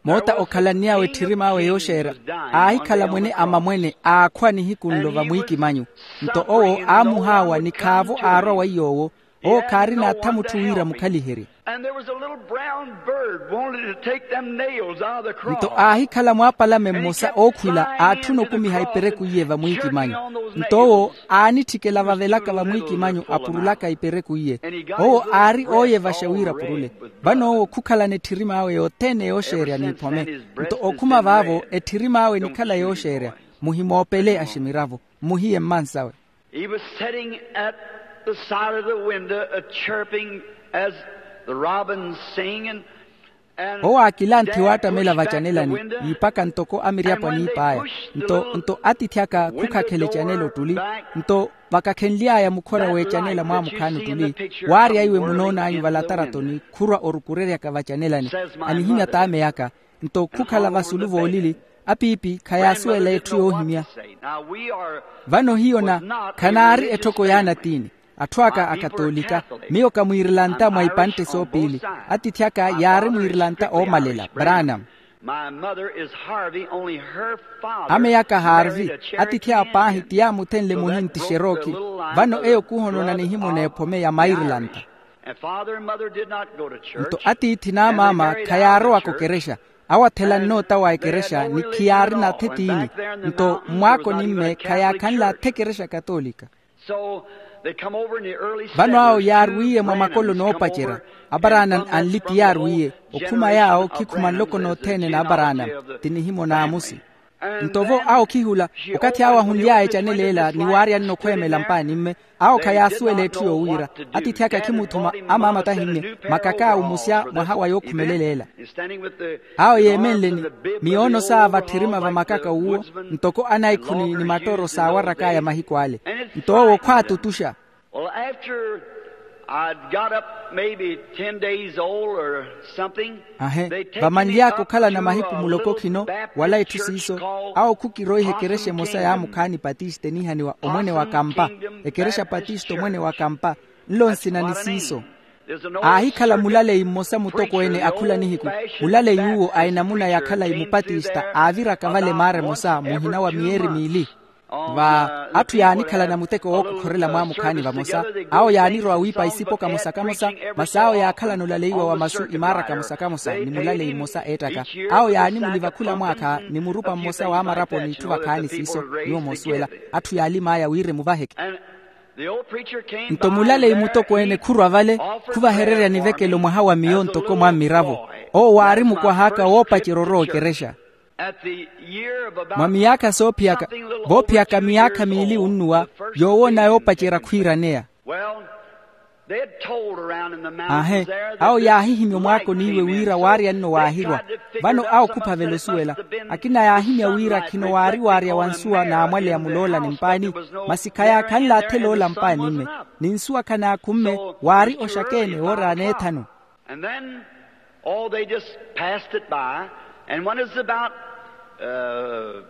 Moota okhalann'awe etthirima awe yooxeerya, aahikhala mwene a mamwene aakhwa nihiku nlo vamwiikimanyu. Nto owo aamuhaawa ni khaavo aarwa wa iy'owo. Owo khaarina atha mutthu wira mukhaliherye. Nto aahikhala mwaapalame mmosa ookhwila aatthuna okumiha ipereku iye vamwiikimanyu. Nto owo aanitthikela vavelaka vamwiikimanyu apurulaka ipereku iye. Owo aari ooyevaxa wira apurule. Vano owo khukhalana etthirima awe yothene yooxeerya n'iphome. Nto okhuma vaavo etthirima awe enikhala yooxeerya. Muhimoopele aximiravo, mmuhiye mmansawe. He was sitting at the side of the window a chirping as the robins sing and owo aakilanthi waattamela vacanelani, iipaka ntoko amiryapwa niip'aya. Nto nto atiithi aka khukhakhela ecanela ottuli. Nto vakakhenly'aya mukhora w'ecanela mwaamukhaani ottuli, waarya iwe munoon'anyu valataratoni khurwa orukureryaka vacanelani. Anihimya t'ame aka. Nto khukhala vasulu voolili, apiipi khayaasuwela etthu yoohimya. Vano hiyo na khanaari etthoko y'anatiini. Atthu aka akatolika. Miyo ka mwiirilanta mwa ipantte soopiili. Atiithi aka yaari mwiirilanta oomalela branam. Ame aka harvi. Atiithi aka paahi ti yaamuthenle muhinti xerooki. Vano eyo khuhonona nihimuna ephome ya mairilanta. Nto atiithi n'amaama khayaarowaka okerexa. Awo athela nnoota wa ekerexa ni khiyaarina athe tiini. Nto mmwaakoni mme khayaakhanle athe ekerexa katolika. Vano awo yaarwiiye mwa makolo noopacerya. Abarana anli ti yaarwiiye. Okhuma yaawo khikhuma nloko nothene n'abarana. Ti nihimo n'amusi. Nto vo awo khihula, okathi awo ahunly'aya ecanela ela ni waaryanne okhweemela mpaani mme. Awo khayaasuwela etthu yoowiira. Atiithi aka khimuthuma. Amaama tahimme makaka awo musya mwaha wa yookhumelela ela. Awo yeemenleni miyoono saava tthirima va makaka uwo, ntoko anaikhuni ni mattooro saawarak'aya mahiku ale. Nto owo khwaatutuxa. Well, after I'd got up maybe ten days old or something, ahe, vamanly'aka okhalana mahiku muloko khino wala etthu siiso. Awo khukiroiha ekerexa emosa yaamukhaani patiste niihaniwa omwene wa kampa. Ekerexa patiste omwene wa kampa. Nlo nsina ni siiso. Aahikhala mulaleyi mmosa mutokweene akhula nihiku. Mulaleyi uwo a enamuna ya khalayi mupatista aaviraka vale maara emosa muhina wa miyeeri miili. Va atthu yaanikhalana muteko wookokhorela mwaamukhaani vamosa. Awo yaanirowa wiipa isipo kamosa-kamosa. Masi awo yaakhalana olaleiwa wa masu imaara kamosa-kamosa ni mulaleyi mmosa eettaka. Awo yaanimuliva khula mwaakha ni murupa mmosa w'amarapo n'itthu vakhaani siiso. Nyuwo moosuwela atthu yaalim'aya wira emuvaheke. Nto mulaleyi mutokweene khurwa vale, khuvahererya nivekelo mwaha wa miyo ntoko mwa mmiravo. Owo waari mukwah'aka woopacerya orowa okerexa. Mwa miyaakha soophiyaka, voophiyaka miyaakha miili onnuwa, yoowoona yoopacerya khwiiraneya. Aahe, awo yaahihimya omwaakoni iwe wira waarya nno waahirwa. Vano awo khuphavela osuwela. Akina yaahimya wira khino waari waarya wa nsuwa naamwaleya muloola ni mpaani. Masi khayaakhanle athela ola mpaani-mme, ni nsuwa khanaakhumme. Waari oxakeene woora aneethanu. And then, oh, they just passed it by. And when it's about, uh,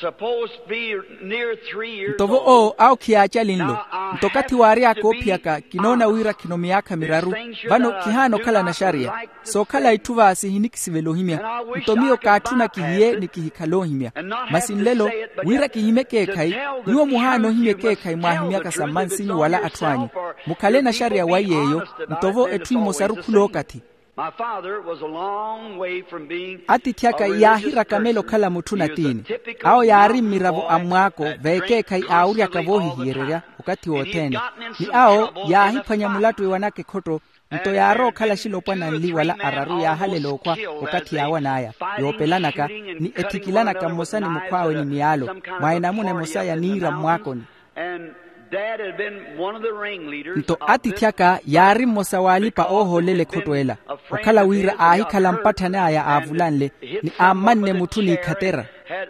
supposed to be near three years ntovo owo awo khiyaacalinlo. Nto okathi waary'aka oophiyaka kinoona wira khino miyaakha miraru. Vano khihaana okhala naxariya. Sookhala itthu va sihinikisivela ohimya. Nto miyo kaatthuna kihiye ni kihikhala ohimya. Masi nlelo, wira kihimye ekeekhayi, nyuwo muhaana ohimya ekeekhayi mwaahimyaka sa mmansinyu wala atthu anyu. Mukhale naxariya wa iy'eyo. Ntovo etthu emosaru khulookathi. Atiithi aka yaahirakamela okhala mutthu natiini. Awo yaari mmiravo a mmwaako veekeekhayi aawuryaka voohihiyererya okathi wothene. Ni awo yaahiphwanya mulattu ewanaka ekhotto. Nto yaarowa okhala axilopwana anli wala araru yaahalela okhwa okathi yaawan'aya, yoopelanaka ni ethikilanaka mmosa ni mukhw'awe ni miyaalo mwa enamuna emosa ya niira mmwaakoni. Nto atiithi aka yaari mmosa w'alipa-oohoolela ekhotto ela, okhala wira aahikhala mpatthani aya aavulanle, ni aammanne mutthu n'ikhatera.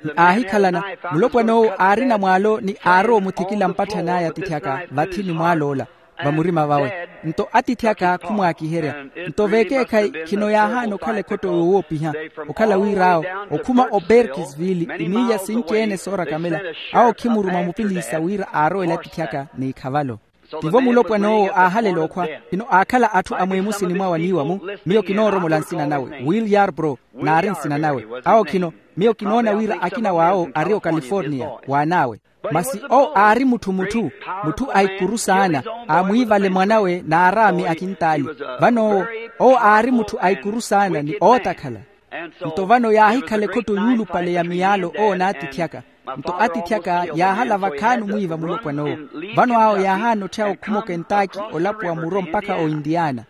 Ni aahikhalana, mulopwana owo aarina mwaalo ni aarowa omuthikila mpatthani aya atiithi aka vathi ni mwaal'ola va murima vawe. Nto atiithi aka khumwaakiherya. Nto veekeekhayi khino yaahaana okhala ekhotto yoowoopiha, okhala wira awo okhuma oberkisville imiilya sinci-ene soorakamela. Awo khimuruma mupiliisa wira aarowele atiithi aka n'ikhavalo. Tivo mulopwana owo aahalela okhwa. Khino aakhala atthu a mweemusini mwawe aniiwa-mu. Miyo kinooromola nsina nawe will yarbro, naari nsina nawe. Awo khino, miyo kinoona wira akina w'awo ari okaliforniya w'an'awe. Masi owo aari mutthu mutthu, mutthu a ikuru saana. Aamwiivale mwan'awe n'araami akintaali. Vano owo, owo aari mutthu a ikuru saana ni ootakhala. Nto vano yaahikhala ekhotto yuulupale ya miyaalo owo n'atiithi aka. Nto atiithi aka yaahala vakhaani omwiiva mulopwana owo. Vano awo yaahaana otthya okhuma okentaki olapuwa muro mpakha oindiyaana.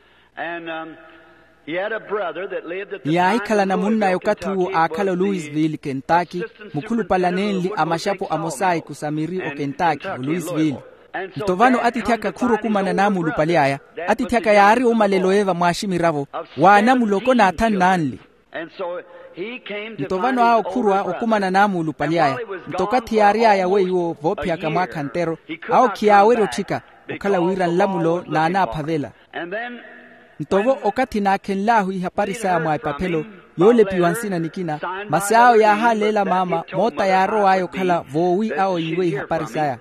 Ni yaahikhalana munn'aya okathi uwo aakhala oluwisville kentaki, mukhulupale anenli a maxapo amos'aya ikusamiri okentaki oluwisville. Nto vano atiithi aka khurwa okumana n'amulupale aya. Atiithi aka yaari omalelo eva mwaaximiravo w'anamuloko n'athanu n'anli. Nto vano awo khurwa okumana n'amulupale aya. Nto okathi yaary'aya weiwo voophiyaka mwaakha ntero, awo khiyaawerya otthika, okhala wira nlamulo n'anaaphavela. Nto vo okathi naakhenl'ahu ihapari saya mwa epaphelo yoolepiwa nsina nikina. Masi awo yaahaleela maama moota yaarow'aya okhala voowi awo yiiwe ihapari saya.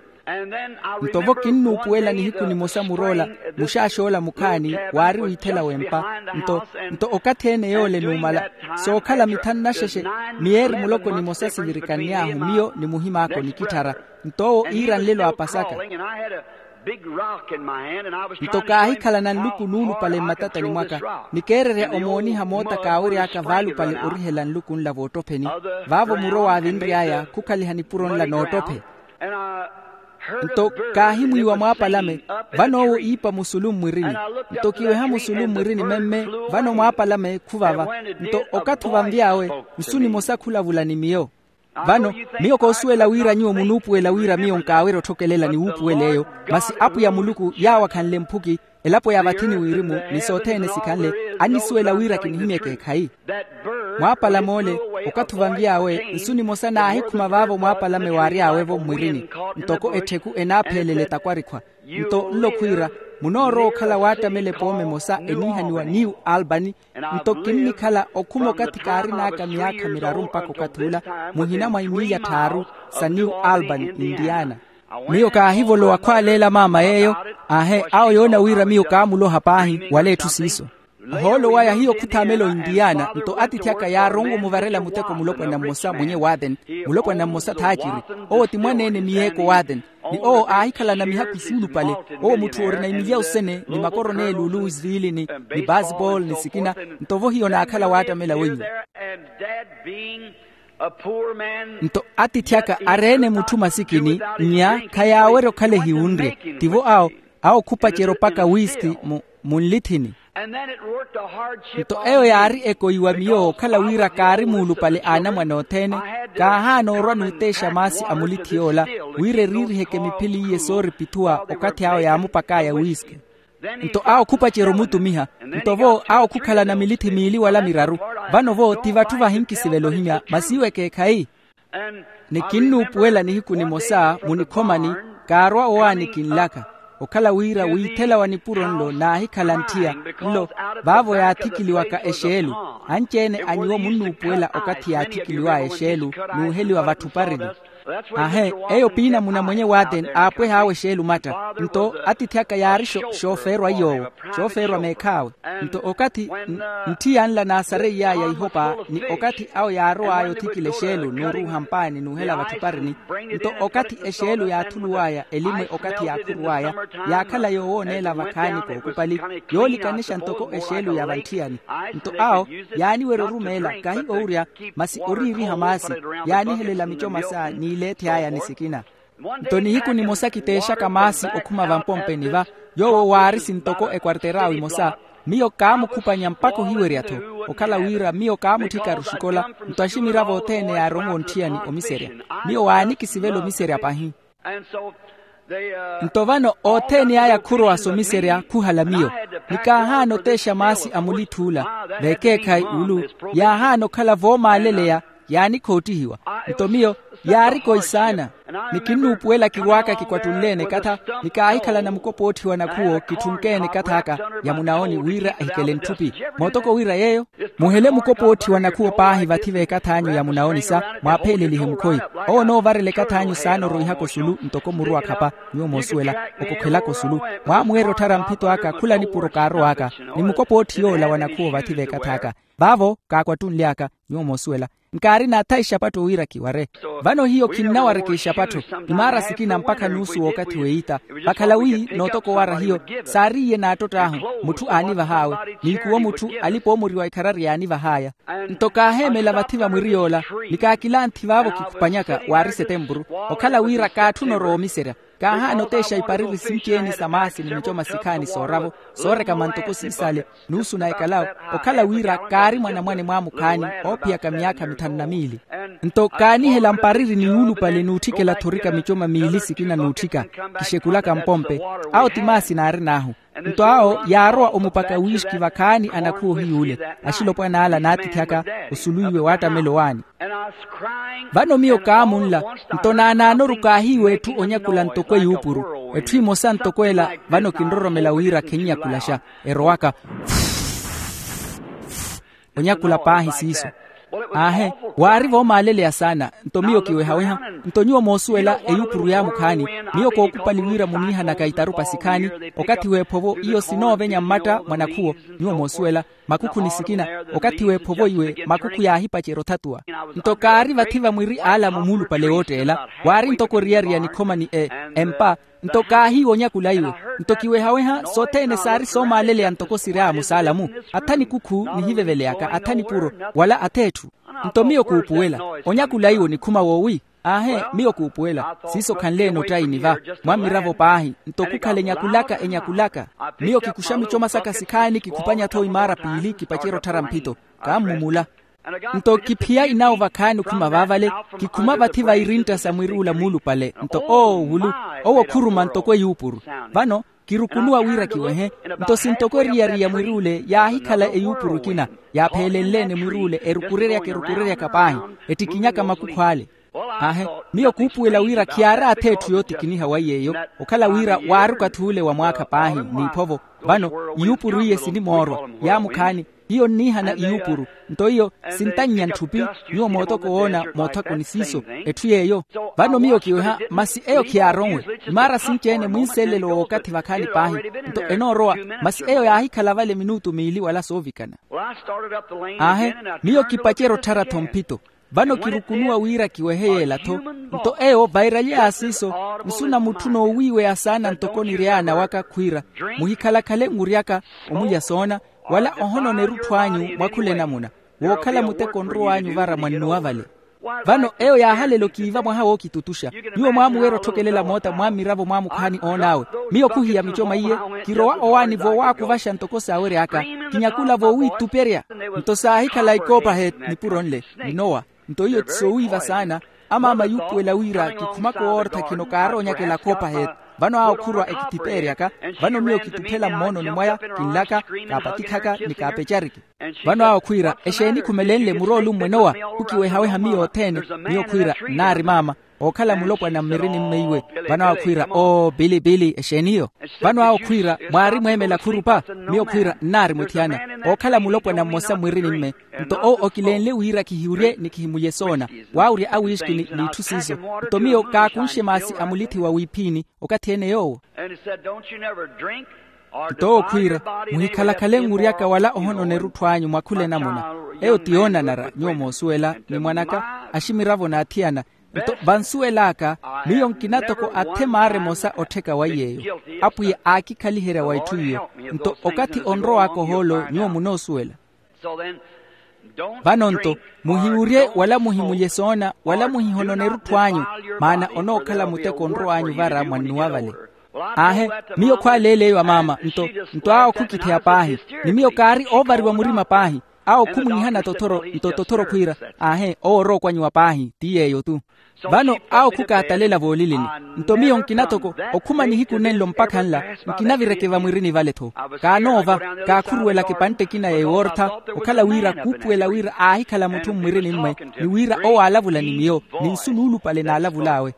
Nto vo kinnuupuwela nihiku nimosa mur'ola, muxaax'ola mukhaani waari wiithela w'empa. Nto, nto okathi-ene yoole numala sookhala mithanu naxexe, miyeeri muloko nimosa sivirikanny'ahu miyo ni muhim'aka onikitthara. Nto owo iira nlelo a pasaka. Nto kaahikhalana nluku nuulupale mmatatani mwaka, ni keererya omooniha moota kaawery'aka vaalupale orihela nluku nla voottopheni. Vaavo muro waavinry'aya khukhaliha nipuro nla noottophe. Nto kaahimwiiwa mwaapalame, vano owo iipa musulu mmwirini. Nto kiweha musulu mmwirini memme, vano mwaapalame khuvava. Nto okathi ovanvy'awe, nsu nimosa khulavula ni miyo. Vano, miyo koosuwela wira nyuwo munuupuwela wira miyo nkaawerya otthokelela ni wuupuwela eyo. Masi apwiya muluku yaawakhanle mphuki, elapo ya vathini wirimu ni sothene sikhanle, annisuwela wira kinihimyeke ekhayi. Mwaapalame ole, okathi ovanvy'awe nsu nimosa naahikhuma vaavo mwaapalame waary'awe-vo mmwirini, ntoko ettheku enaapheelele takwarikhwa. Nto nlo khwiira, munoorowa okhala waattamela epooma emosa eniihaniwa new albany. Nto kinnikhala okhuma okathi kaarin'aka miyaakha miraru mpakha okathi ula, muhina mwa imiilya tthaaru sa new albany, indiana. Miyo kaahivolowa khwaleela maama yeeyo. Aahe, awo yoona wira miyo kaamuloha paahi wala etthu siiso. Ohoolo waya hiyo khuthaamela ointiyana nto atiithi aka yaaronwa omuvarela muteko mulopwana mmosa mwenye waathen. Mulopwana mmosa thaaciri, owo ti mwaneene miyeeko waathen. Ni owo aahikhalana mihakhu suulupale. Owo mutthu orina imilya osene ni makoroneeli oluwisviili ni baseball ni sikina. Nto vo hiyo naakhala waattamela wenyu. Nto atiithi aka areene mutthu masikini nnya khayaawerya okhala ehiwunrye. Tivo awo awo khupacerya opaka wiski mu munlithini. Nto eyo yaari ekoiwa miyo okhala wira kaari muulupale a anamwane othene. Kaahaana orwa n'uteexa maasi a mulithi yoola wira eriiriheke miphili iye sooripithuwa okathi awo yaamupak'aya wiski. Nto awo khupacerya omutumiha. Nto vo awo khukhalana milithi miili wala miraru. Vano vo ti vatthu vahinkisivela ohimya masi iwo ekeekhayi. Ni kinnuupuwela nihiku nimosa munikhomani kaarwa owaani kinlaka okhala wira wiithela wa nipuro nlo naahikhala ntthiya nlo. Vaavo yaathikiliwaka exeelu. Anci-ene a nyuwo munnuupuwela okathi yaathikiliw'aya exeelu n'uheliwa vatthu parini. Aahe, eyo piinamuna mwenye waateni aapweh'awe exeelu matta. Nto atiithi aka yaari xoofeerwa iy'owo xoofeerwa meekh'awe. Nto okathi ntthiya nla naasareiy'aya ihopa ni okathi awo yaarow'aya othikila exeelu n'uruuha mpaani n'uhela vatthu parini. Nto okathi exeelu yaathuluw'aya elimwe okathi yaakhuruw'aya yaakhala yoowooneela vakhaani kookupali yoolikanexa ntoko exeelu ya vantthiyani. Nto awo yaaniwerya orumeela kahi owurya masi oriiriha maasi yaanihelela mico masa n'ileethi aya ni sikina. Nto nihiku nimosa kiteexaka maasi okhuma vampompeni va yoowo waari sintoko ekwarter'awe imosa. Miyo kaamukhupanya mpakha ohiwerya-tho okhala wira miyo kaamutthika ruxikola. Nto aximiravo othene yaaronwa ontthiyani omiserya. Miyo waanikisivela omiserya pahi. Nto vano othene aya khurowa somiserya khuhala miyo ni kaahaana oteexa maasi a mulitthuula. Vekeekhayi ulu yaahaana okhala voomaaleleya yaanikhootihiwa. Nto miyo yaari koisaana ni kinnuupuwela kirwaaka kikwattunleene ekatha ni kaahikhalana mukopootthi wa nakhuwo kitthunkeene ekath'aka ya munaoni wira ehikele ntthupi. Mootoko wira yeeyo muhele mukopootthi wa nakhuwo paahi vathi v'ekath'anyu ya munaoni sa mwaapheelelihe mukhoyi. Owo onoovarela ekath'anyu saana oroihaka osulu ntoko muru akhapa. Nyuwo moosuwela okokhwelaka osulu mwaamweerya otthara mphito aka khula nipuro kaarow'aka ni mukopootthi yoola wa nakhuwo vathi v'ekath'aka. Vaavo kaakwattunly'aka nyuwo moosuwela nkaari naatha ixapatto wira kiware. Vano hiyo khinnawareke ixapatto imaara sikina mpakha nuusu w'okathi w'eita vakhala wi nootoko owara hiyo saariiye naattott'ahu mutthu aanivah'awe n'ikuwo mutthu alipa-oomoriwa ikharari yaanivah'aya. Nto kaaheemela vathi va mwiri yoola ni kaakilanthi vaavo kikhupanyaka waari setempuru okhala wira kaatthuna orowa omiserya. Kaahaana oteexa ipariri sinci-ene sa maasi ni mico masikhaani sooravo sooreka mantoko siisale nuusu na ekalawo okhala wira kaari mwanamwane mwaamukhaani oophiyaka myaakha mithanu na miili. Nto kaanihela mpariri ni yuulupale n'utthikela-tho orika mico mamiili sikina n'utthika kixekulaka mpompe. Awo ti maasi naarin'ahu. Nto awo yaarowa omupaka wiiski vakhaani anakhuwa ohiy'ule axilopwan'ala naatithyaka osuluwiwe waattamela owaani. Vano miyo kaamunla nto naanaanoru kaahiiwa etthu onyakula ntoko eyuupuru. Etthu emosa ntoko ela vano kinroromela wira khennyakulaxa erowaka onyakula paahi siiso. Aahe, waari voomaaleleya saana. Nto miyo kiwehaweha nto nyuwo moosuwela eyuupuru yaamukhaani miyo kookupali wira muniihanaka itarupa sikhaani okathi w'ephovo iyo sinoovenya mmatta mwa nakhuwo. Nyuwo moosuwela makukhu ni sikina okathi w'ephovo iwe makukhu yaahipacerya othatuwa. Nto kaari vathi va mwiri aalamu muulupale wootteela waari ntoko oriyariya nikhoma ni empa. Nto kaahiiwa onyakula iwe nto kiwehaweha sothene saari soomaaleleya ntoko siri amusaalamu atha nikukhu nihiveveleyaka atha nipuro wala atha etthu. Nto miyo kuupuwela onyakula iwe onikhuma woowi. Aahe, miyo kuupuwela siiso khanle-ene ottaini va mwa mmiravo paahi nto khukhale enyakulaka enyakulaka. Miyo kikuxa mico masaka sikhaani kikhupanya-tho imaara piili kipacerya otthara mphito. Kaammumula nto kiphiya inawo vakhaani okhuma vaavale kikhuma vathi va irintta sa mwiri ula muulupale nto oowulu owo khuruma ntoko eyuupuru. Vano kirukunuwa wira kiwehe nto sintoko eriyari ya mwiri ule yaahikhala eyuupuru ekina yaapheelenle-ene mwiri ule erukureryaka erukureryaka paahi ettikinyaka makukhu ale. Aahe, miyo kuupuwela wira khiyaari atha etthu yootikiniha wa iy'eyo okhala wira waari okathi ule wa mwaakha paahi n'iphovo. Vano iyuupuru iye sinimoorwa yaamukhaani Hiyo nniihana iyuupuru. Nto iyo sintannya ntthupi. Nyuwo mootoko woona moothakoni siiso. Etthu yeeyo. Vano miyo kiweha masi eyo khiyaaronwe. Imaara sinci-ene mwinselelo w'okathi vakhaani paahi. Nto enoorowa. Masi eyo yaahikhala vale minutu miili wala soovikana. Aahe, miyo kipacerya otthara-tho mphito. Vano kirukunuwa wira kiwehe yeela-tho. Nto eyo vairalye ya siiso, nsu na mutthu noowiiweya saana ntoko oniryaana waka khwiira, muhikhalakhale nwiryaka omulya soona, wala ohononera otthu anyu mwa khula enamuna, wookhala muteko onrow'anyu vara mwannuwa vale. Vano eyo yaahalela okiiva mwaha wookitutuxa. Nyuwo mwaamuwerya otthokelela moota mwa mmiravo mwa mukhaani oon'awe. Miyo khuhiya micoma iye, kirowa owaani voowakuvaxa ntoko saawery'aka, kinyakula voowiituperya. Nto saahikhala ikoopahe nipuro nle, nnowa. Nto iyo ti soowiiva saana. Amaama yuupuwela wira kikhumaka owoortha khino kaaroonyakela koopahe. Vano awo khurwa ekithipeeryaka. Vano miyo kituphela mmoononi mwaya, kinlaka, kaapatikhaka ni kaapecariki. Vano awo khwiira, exeeni khumelenle muroolummwe nowa? Khukiwehaweha miyo othene. Miyo khwiira, nnaari maama, ookhala mulopwana mmirini mmeiwe. Vano awo khwiira, oo pili pili exeeni iyo? Vano awo khwiira, mwaari mweemela khurupa? Miyo khwiira, nnaari mwetthiyana, ookhala mulopwana mmosa mmirini mme. Nto owo okilenle wira khihiwurye ni khihimulye soona, waawurya awiiski ni itthu siiso. Nto miyo kaakunxe maasi a mulithi wa wiiphiini. Okathi ene yoowo. Nto owo khwiira, muhikhalakhale nwiryaka wala ohononera otthu anyu mwa khula enamuna. Eyo ti yoonanara nyuwo moosuwela ni mwan'aka, aximiravo n'athiyana. Nto vansuwel'aka, miyo nkina toko athe maara emosa ottheka waiy'eyo. Apwiya aakikhaliherya wa itthu iyo. Nto okathi onrow'aka ohoolo nyuwo munoosuwela. Vano nto, muhiwurye wala muhimulye soona wala muhihononere otthu anyu, maana onookhala muteko onrow'anyu vara mwannuwa vale. Aahe, miyo khwaaleela eyo amaama. Nto, nto awo khukitheya paahi. Ni miyo kaari oovariwa murima paahi. Awo khumwiihana tothoro nto tothoro khwiira, aahe owo orookwanyiwa paahi ti yeeyo-tu. Vano awo khukaatalela voolilini. Nto miyo nkina toko okhuma nihiku nenlo mpakha nla, nkinavireke vamwirini vale-tho. Kaanoova, kaakhuruwelaka epantte ekina ya ewoortha, okhala wira khuupuwela wira aahikhala mutthu mmwirini mme, ni wira owo aalavula ni miyo ni nsu nuulupale naalavul'awe.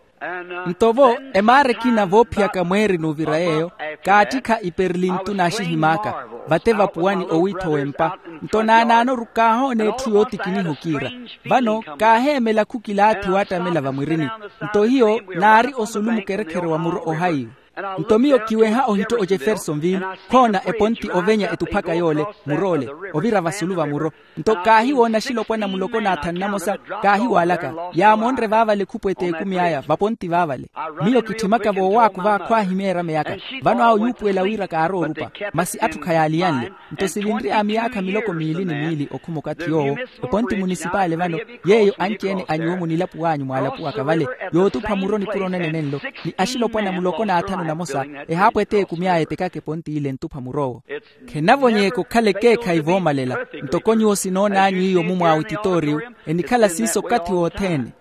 Nto-vo, emaara ekina voophiyaka mweeri n'uvira yeeyo, kaattikha iperlintu naaxihim'aka, vate vapuwani owiitho w'empa. Nto naanaanoru kaahoona etthu yootikiniha okiira. Vano kaaheemela khukilaathi waattamela vamwirini. Nto hiyo naari osulu mukerekhere wa muro ohaiwe. Nto miyo kiweha ohitto ojefersonville, khoona eponti ovenya etuphaka yoole, muroole, ovira vasulu va muro. Nto kaahiwoona axilopwana muloko n'athanu namosa, kaahiwaalaka, yaamoonre vaavale khupwete ekumi aya vaponti vaavale. Miyo kitthimaka voowaakuva khwaahimeerya miyakha. Vano awo yuupuwela wira kaaroorupa, masi atthu khayaaliyanle. Nto sivinry'aya miyaakha miloko miili ni miili okhuma okathi yoowo. Eponti munisipaali vano, yeeyo anci-ene a nyuwo munilapuw'anyu mwaalapuwaka vale, yootupha muro nipuro nene nenlo, ni axilopwana muloko n'athanu namosa, ehaapwete ekumi aya etekaka eponti ile ntupha mur'owo. Khenavonyeeka okhala ekeekhayi voomalela. Ntoko nyuwo sinoon'anyu iyo mumwaawe titooriyu, enikhala siiso okathi wothene.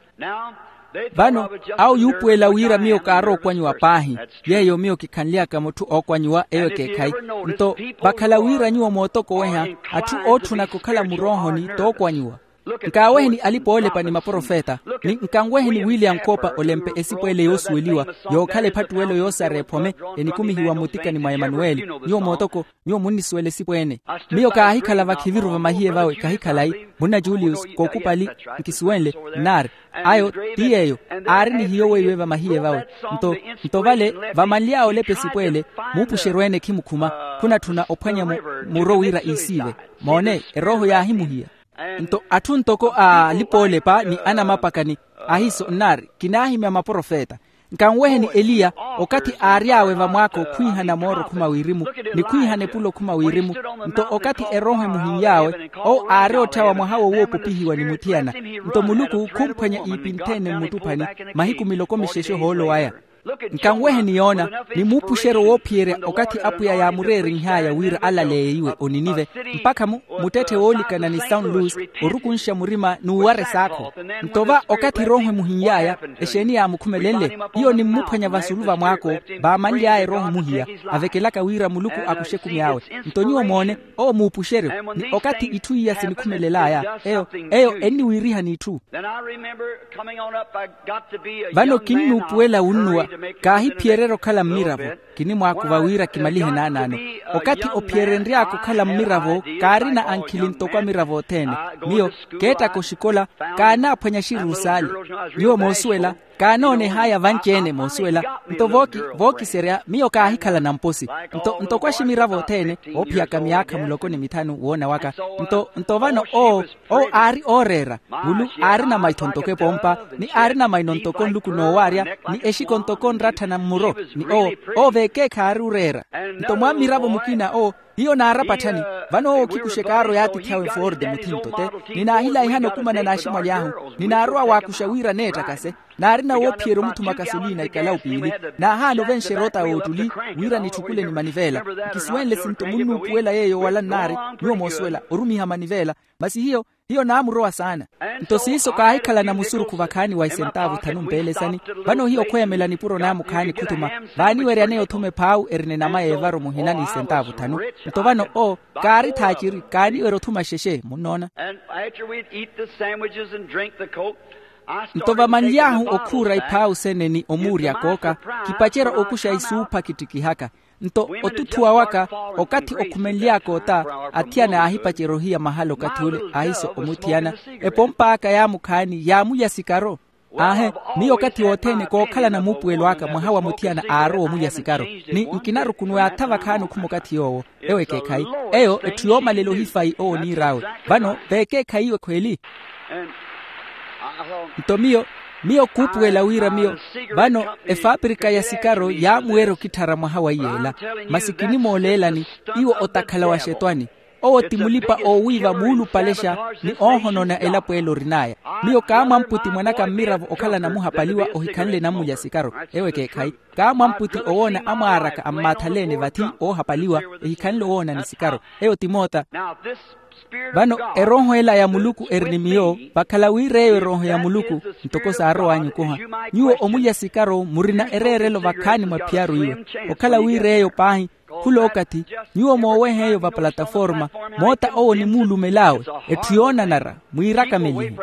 Vano, awo yuupuwela wira miyo kaarookwanyiwa paahi. Yeeyo miyo kikhanly'aka mutthu ookwanyiwa eyo ekeekhayi. Nto, vakhala wira nyuwo mootokoweha, atthu ootthunaka okhala muroohoni tookwanyiwa. Nkaaweheni alipa-oolepa ni maprofeta, ni nkanweheni william cooper olempe esipu ele yoosuweliwa, yookhala ephattuwelo yoosara ephome, enikumihiwa mmutikani mwa emanuweli. Nyuwo mootoko, nyuwo munnisuwela esipu ene. Miyo kaahikhala vakhiviru vamahiye vawe, kahikhala-i, munna julius kookupali, nkisuwenle, nnaari. Ayo ti yeeyo, aari ni hiyo weiwe vamahiye vawe. Nto, nto vale, vamanly'awe olepa esipu ele, muupuxeryo ene khimukhuma, khunatthuna ophwanya mu, muro wira iisiive. Moone, erooho yaahimuhiya. Nto atthu ntoko a alipa-oolepa ni anamapakani, ahiiso nnaari kinaahimya maprofeta. Nkanweheni eliya, okathi aary'awe vamwaakha okhwiihana mooro okhuma wirimu, ni khwiihana epulo okhuma wirimu. Nto okathi erooho emuhin'y'awe, owo aari otthawa mwaha wo woopupihiwa ni muthiyana. Nto muluku khumphwanya iipi nthene mmuttuphani, mahiku miloko mixexe ohoolo waya. Nkanweheni yoona, ni muupuxeryo woophiyerya okathi apwiya yaamureerinh'aya wira alaleiwe oninive, mpakha mu, muttetthe woolikana ni sawn lus, orukunxa murima n'uwara esaakho. Nto va okathi erooho emuhin'y'aya, exeeni yaamukhumelenle? Iyo nimmuphwanya vasulu vamwaako, vaamanly'aya erooho muhiya, avekelaka wira muluku akuxe ekumi awe. Nto nyuwo moone, owo muupuxeryo, ni okathi itthu iya sinikhumelel'aya, eyo, eyo enniwiiriha n'itthu. Vano kinnuupuwela wunnuwa, Kaahiphiyererya okhala mmiravo. Kinimwaakuva wira kimalihe naanaano. Okathi ophiyerenry'aka okhala mmiravo, kaarina ankhili ntoko amiravo othene. Miyo keettaka oxikola, kaanaaphwanya axiruusaali. Nyuwo moosuwela, kaanooneh'aya vanci-ene moosuwela. Nto vooki vookiserya miyo kaahikhala namposi. Nto ntoko aximiravo othene, oophiyaka myaakha muloko ni mithanu woona waka. Nto nto vano owo owo aari ooreera. Mulu aarina maitho ntoko epompa, ni aarina maino ntoko nluku noowaarya, ni exiko ntoko nratthana mmuro. Ni owo owo veekeekhayi aari oreera. Nto mwammiravo mukina owo hiyo naarapatthani. Vano owo okhikuxa ekaaro yaatiithi awe ford muthinto te, ni naahilaihana okumana n'aximwali ahu, ni naarowa waakuxa wira neettakase. Naarina woophiyerya omuthuma kasolina ikalawu piili, naahaana ovenxerya ota woottuli, wira nitthukule ni manivela. Nkisuwenle sinto munnuupuwela yeeyo wala nnaari. Nyuwo moosuwela orumiha manivela. Masi hiyo hiyo naamurowa saana. Nto siiso kaahikhalana musurukhu vakhaani wa isentaavu thanu mpeelesani. Vano hiyo khweemela nipuro naamukhaani khuthuma, vaaniweryaneya othuma ephaawu erina enama y'evaro muhina n'isentaavu thanu. Nto vano owo kaari thaaciri, kaaniwerya othuma xexe munnoona. Nto vamanly'ahu okhuura iphaawu sene ni omuurya kooka, kipacerya okuxa isuupha kittikihaka. Nto otutthuwa waka, okathi okhumenly'aka ota, athiyana aahipacerya ohiya mahala okathi ule, ahiso omuthiyana. Epomp'aka yaamukhaani yaamulya sikaro. Aahe, miyo okathi wothene kookhalana muupuwelo aka mwaha wa muthiyana aarowa omulya sikaro. Ni nkinarukunuwa yaatha vakhaani okhuma okathi yoowo. Ewo ekeekhayi. Eyo etthu yoomalela ohifayi owo oniir'awe. Vano veekeekhayi iwe khweeli. Nto miyo miyo kuupuwela wira miyo, vano efaapirika ya sikaro yaamuwerya okitthara mwaha wa iyeela. Masi kinimooleelani, iwo otakhala wa xetwani. Owo ti mulipa-oowiiva muulupalexa, ni oohonona elapo ele orin'aya. Miyo kaamwamputi mwan'aka mmiravo okhala namuhapaliwa ohikhanle nammulya sikaro. Ewo ekeekhayi. Kaamwamputi owoona amwaaraka ammaathaleene vathi oohapaliwa, ehikhanle owoona ni sikaro. Eyo ti moota. Vano erooho ela ya muluku eri ni miyo, vakhala wira eyo erooho ya muluku, ntoko saarow'anyu okuha. Nyuwo omulya sikaro murina ereerelo vakhaani mwa phiyaru iwe. Okhala wira eyo paahi, khul'okathi, nyuwo mooweha eyo va plataforma, moota owo onimuulumel'awe. Etthu yoonanara, mwiirakamelihe.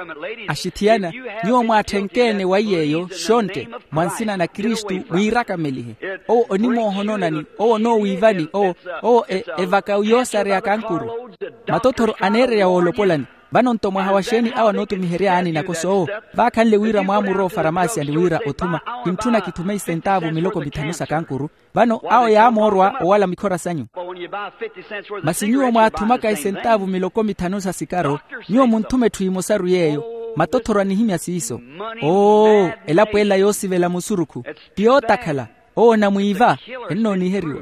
Axithiyana, nyuwo mwaatthenke-ene wa iy'eyo xontte, mwa nsina na kristu mwiirakamelihe. Owo onimoohononani, owo onoowiivani owo, owo evaka yoosareya kankuru. Matothoro aneererya woolopolani. Vano nto mwaha wa xeeni awo anootumiherya yaani nakoso owo? Vaakhanle wira mwaamurowa ofaramaasiyani wira othuma, kintthuna kithume isentaavu miloko mithanu sa kankuru. Vano awo yaamoorwa owala mikhora sanyu. Masi nyuwo mwaathumaka isentaavu miloko mithanu sa sikaro, nyuwo munthume etthu emosaru yeeyo. Matothoro anihimya siiso. Oo, elapo ela yoosivela musurukhu, ti yootakhala. Owo onamwiiva, ennooniheriwa.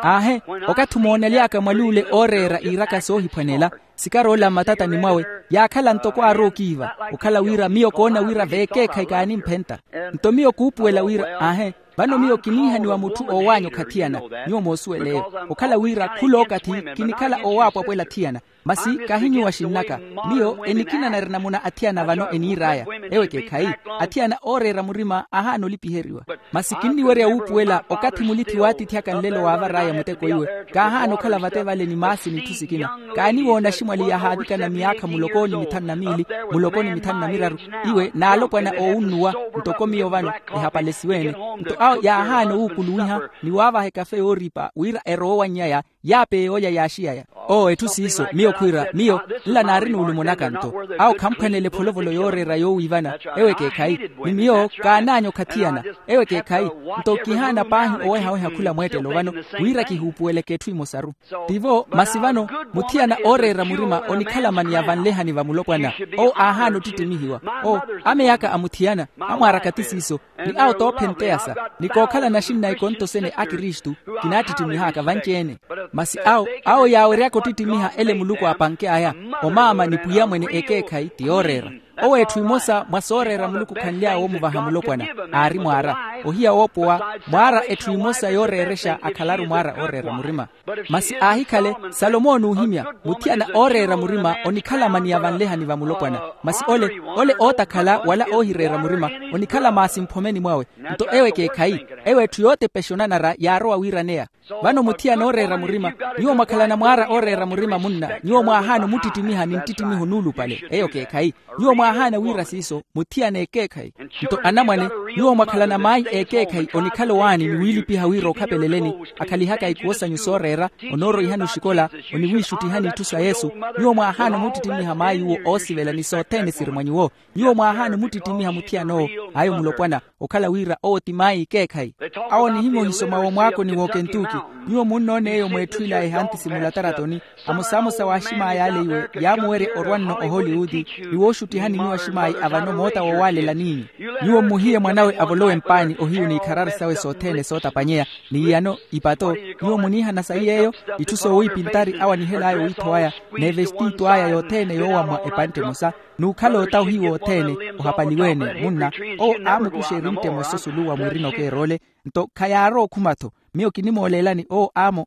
Aahe, okathi omoonely'aka mwal'ule ooreera iiraka soohiphwanela, sikar'ola mmatatani mwawe, yaakhala ntoko aarowa okiiva. Okhala wira miyo koona wira veekeekhayi kaanimphenta. Nto miyo kuupuwela wira aahe, vano miyo kiniihaniwa mutthu oow'anyu okhathiyana. Nyuwo moosuwel'eyo. Okhala wira khul'okathi kinikhala oowaapwapwela athiyana. Masi kahi nyuwo axinn'aka. Miyo enikinanarya namuna athiyana vano eniir'aya. Ewo ekeekhayi. Athiyana ooreera murima ahaana olipiheriwa. Masi kinniwerya wuupuwela okathi mulithi waatiithi aka nlelo waavar'aya muteko iwe. Kaahaana okhala vate vale ni maasi n'itthu sikina. Kaaniwoona aximwali yahaavikana miyaakha muloko ni mithanu na miili, muloko ni mithanu na miraru. Iwe n'alopwana oowunnuwa, ntoko miyo vano ehapalesiwe-ene. Nto awo yaahaana owuukuluwiha ni waavaha ekafe yooripa wira erowe owanny'aya. Yaapeya olya yaaxiyaya. Oo etthu siiso miyo khwiira miyo, nla naari nuulumo naka nto. Awo khamphwanele epholovolo yooreera yoowiivana. Ewo ekeekhayi. Ni miyo kaanaanya okhathiyana. Ewo ekeekhayi. Nto kihaana paahi owehaweha khula mweettelo vano, wira kihuupuweleke etthu emosaru. Tivo masi vano, muthiyana ooreera murima onikhala mani ya vanlehani va mulopwana. Owo aahaana ottittimihiwa. Oo, amey'aka a muthiyana, amwaaraka ti siiso. Ni awo toophenteya sa, ni kookhala naxinna ikonto sene a kristu, kinaattittimihaaka vanci-ene. Masi awo awo yaaweryaka ottittimiha ele muluku aapanke aya. Omaama ni pwiya mwene ekeekhayi ti yooreera. Owo etthu imosa mwa sooreera muluku khanly'awe woomuvaha mulopwana. Aari mwaara, ohiya woopowa, mwaara etthu imosa yooreerexa akhalaru mwaara ooreera murima. Masi aahikhale, salomo onuuhimya, muthiyana ooreera murima onikhala mani ya vanlehani va mulopwana. Masi ole ole ootakhala wala oohireera murima, onikhala maasi mphomeni mwawe. Nto ewo ekeekhayi. Ewo etthu yootepexa onanara yaarowa wiiraneya. Vano muthiyana ooreera murima, nyuwo mwakhalana mwaara ooreera murima munna, nyuwo mwaahaana omuttittimiha ni nttittimiho nuulupale. Eyo keekhayi. Nyuwo mwaahaana wira siiso muthiyana ekeekhayi. Nto anamwane, Nyuwo mwakhalana maayi ekeekhayi onikhala owaani ni wiilipiha wira okhapeleleni, akhalihaka ikuwo sanyu sooreera, onooroihani oxikola, oniwiixuttihani itthu sa yesu. Nyuwo mwaahaana omuttittinniha maayi uwo oosivela ni sothene siri mwa nyuwo. Nyuwo mwaahaana omuttittinniha muthiyan'owo. Ayo mulopwana, okhala wira owo ti maayi ekeekhayi. Awo onihimya ohisoma womwaakoni wookentuki. Nyuwo munnoona eyo mweetthu ila ehanti simulataratoni, amosamosa wa aximaayi ale iwe yaamuwerya orwa nno ohollywood, ni wooxuttihani nyuwo aximaayi avano moota wowaalela n'inyu. Nyuwo mmuhiye mwan'awe avolowe mpaani ohiyu n'ikhararu sawe sothene sootapanyeya, n'iyano, ipato. Nyuwo muniihana sayi yeeyo? Itthu soowiipintari awanihel'aya owiitho waya, n'evestiitu aya yothene yoowamwa epantte emosa, n'ukhala ota ohiyu othene. Ohapaliwe-ene munna, owo aamukuxa erintte emosa osulu wa mwirina okeer'ole. Nto khayaari okhuma-tho. Miyo kinimooleelani owo aamo.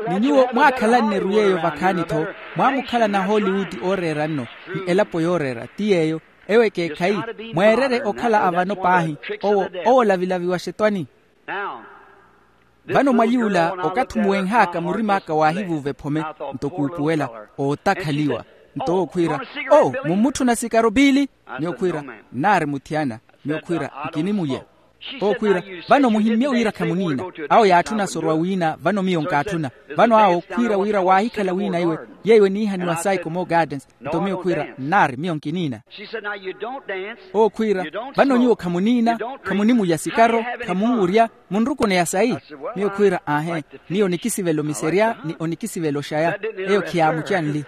Ni nyuwo mwaakhalanneru yeeyo vakhaani-tho, mwaamukhalana hollywood ooreera nno, ni elapo yooreera ti yeeyo. Eyo ekeekhayi, mweererye okhala avano paahi. Owo owo olavilavi wa xetwani. Vano mwaliy'ula, okathi omuwenh'aka murim'aka waahivuuva ephome, nto kuupuwela, ootakhaliwa. Nto owo khwiira, o, mummutthuna sikaro piili? Miyo khwiira, nnaari muthiyana. Miyo khwiira, nkinimulya. Owo khwiira, vano muhimmye wira khamuniina. Awo yaatthuna asorwa wiina, vano miyo nkaatthuna. Vano awo khwiira wira waahikhala wiina iwe, yeeyo eniihaniwa saiko mo gardens. Nto miyo khwiira, nnaari miyo nkiniina. Owo khwiira, vano nyuwo khamuniina, khamunimulya sikaro, khamunwurya, munrukuneya sayi? Miyo khwiira, aahe, miyo onikisivela omiserya ni onikisivela oxaya. Eyo khiyaamucanli.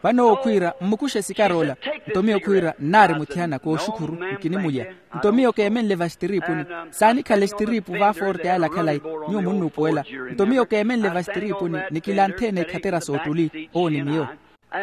Vano owo khwiira, mmukuxe sikaro ola. Nto miyo khwiira, nnaari muthiyana kooxukhuru, nkinimulya. Nto miyo keemenle vastiriipuni. Saanikhala estiriipu vaaforte ala khalayi. Nyuwo munnuupuwela. Nto miyo keemenle vastiriipuni, nikilanthe-ene ekhatera soottuli. Owo ni miyo.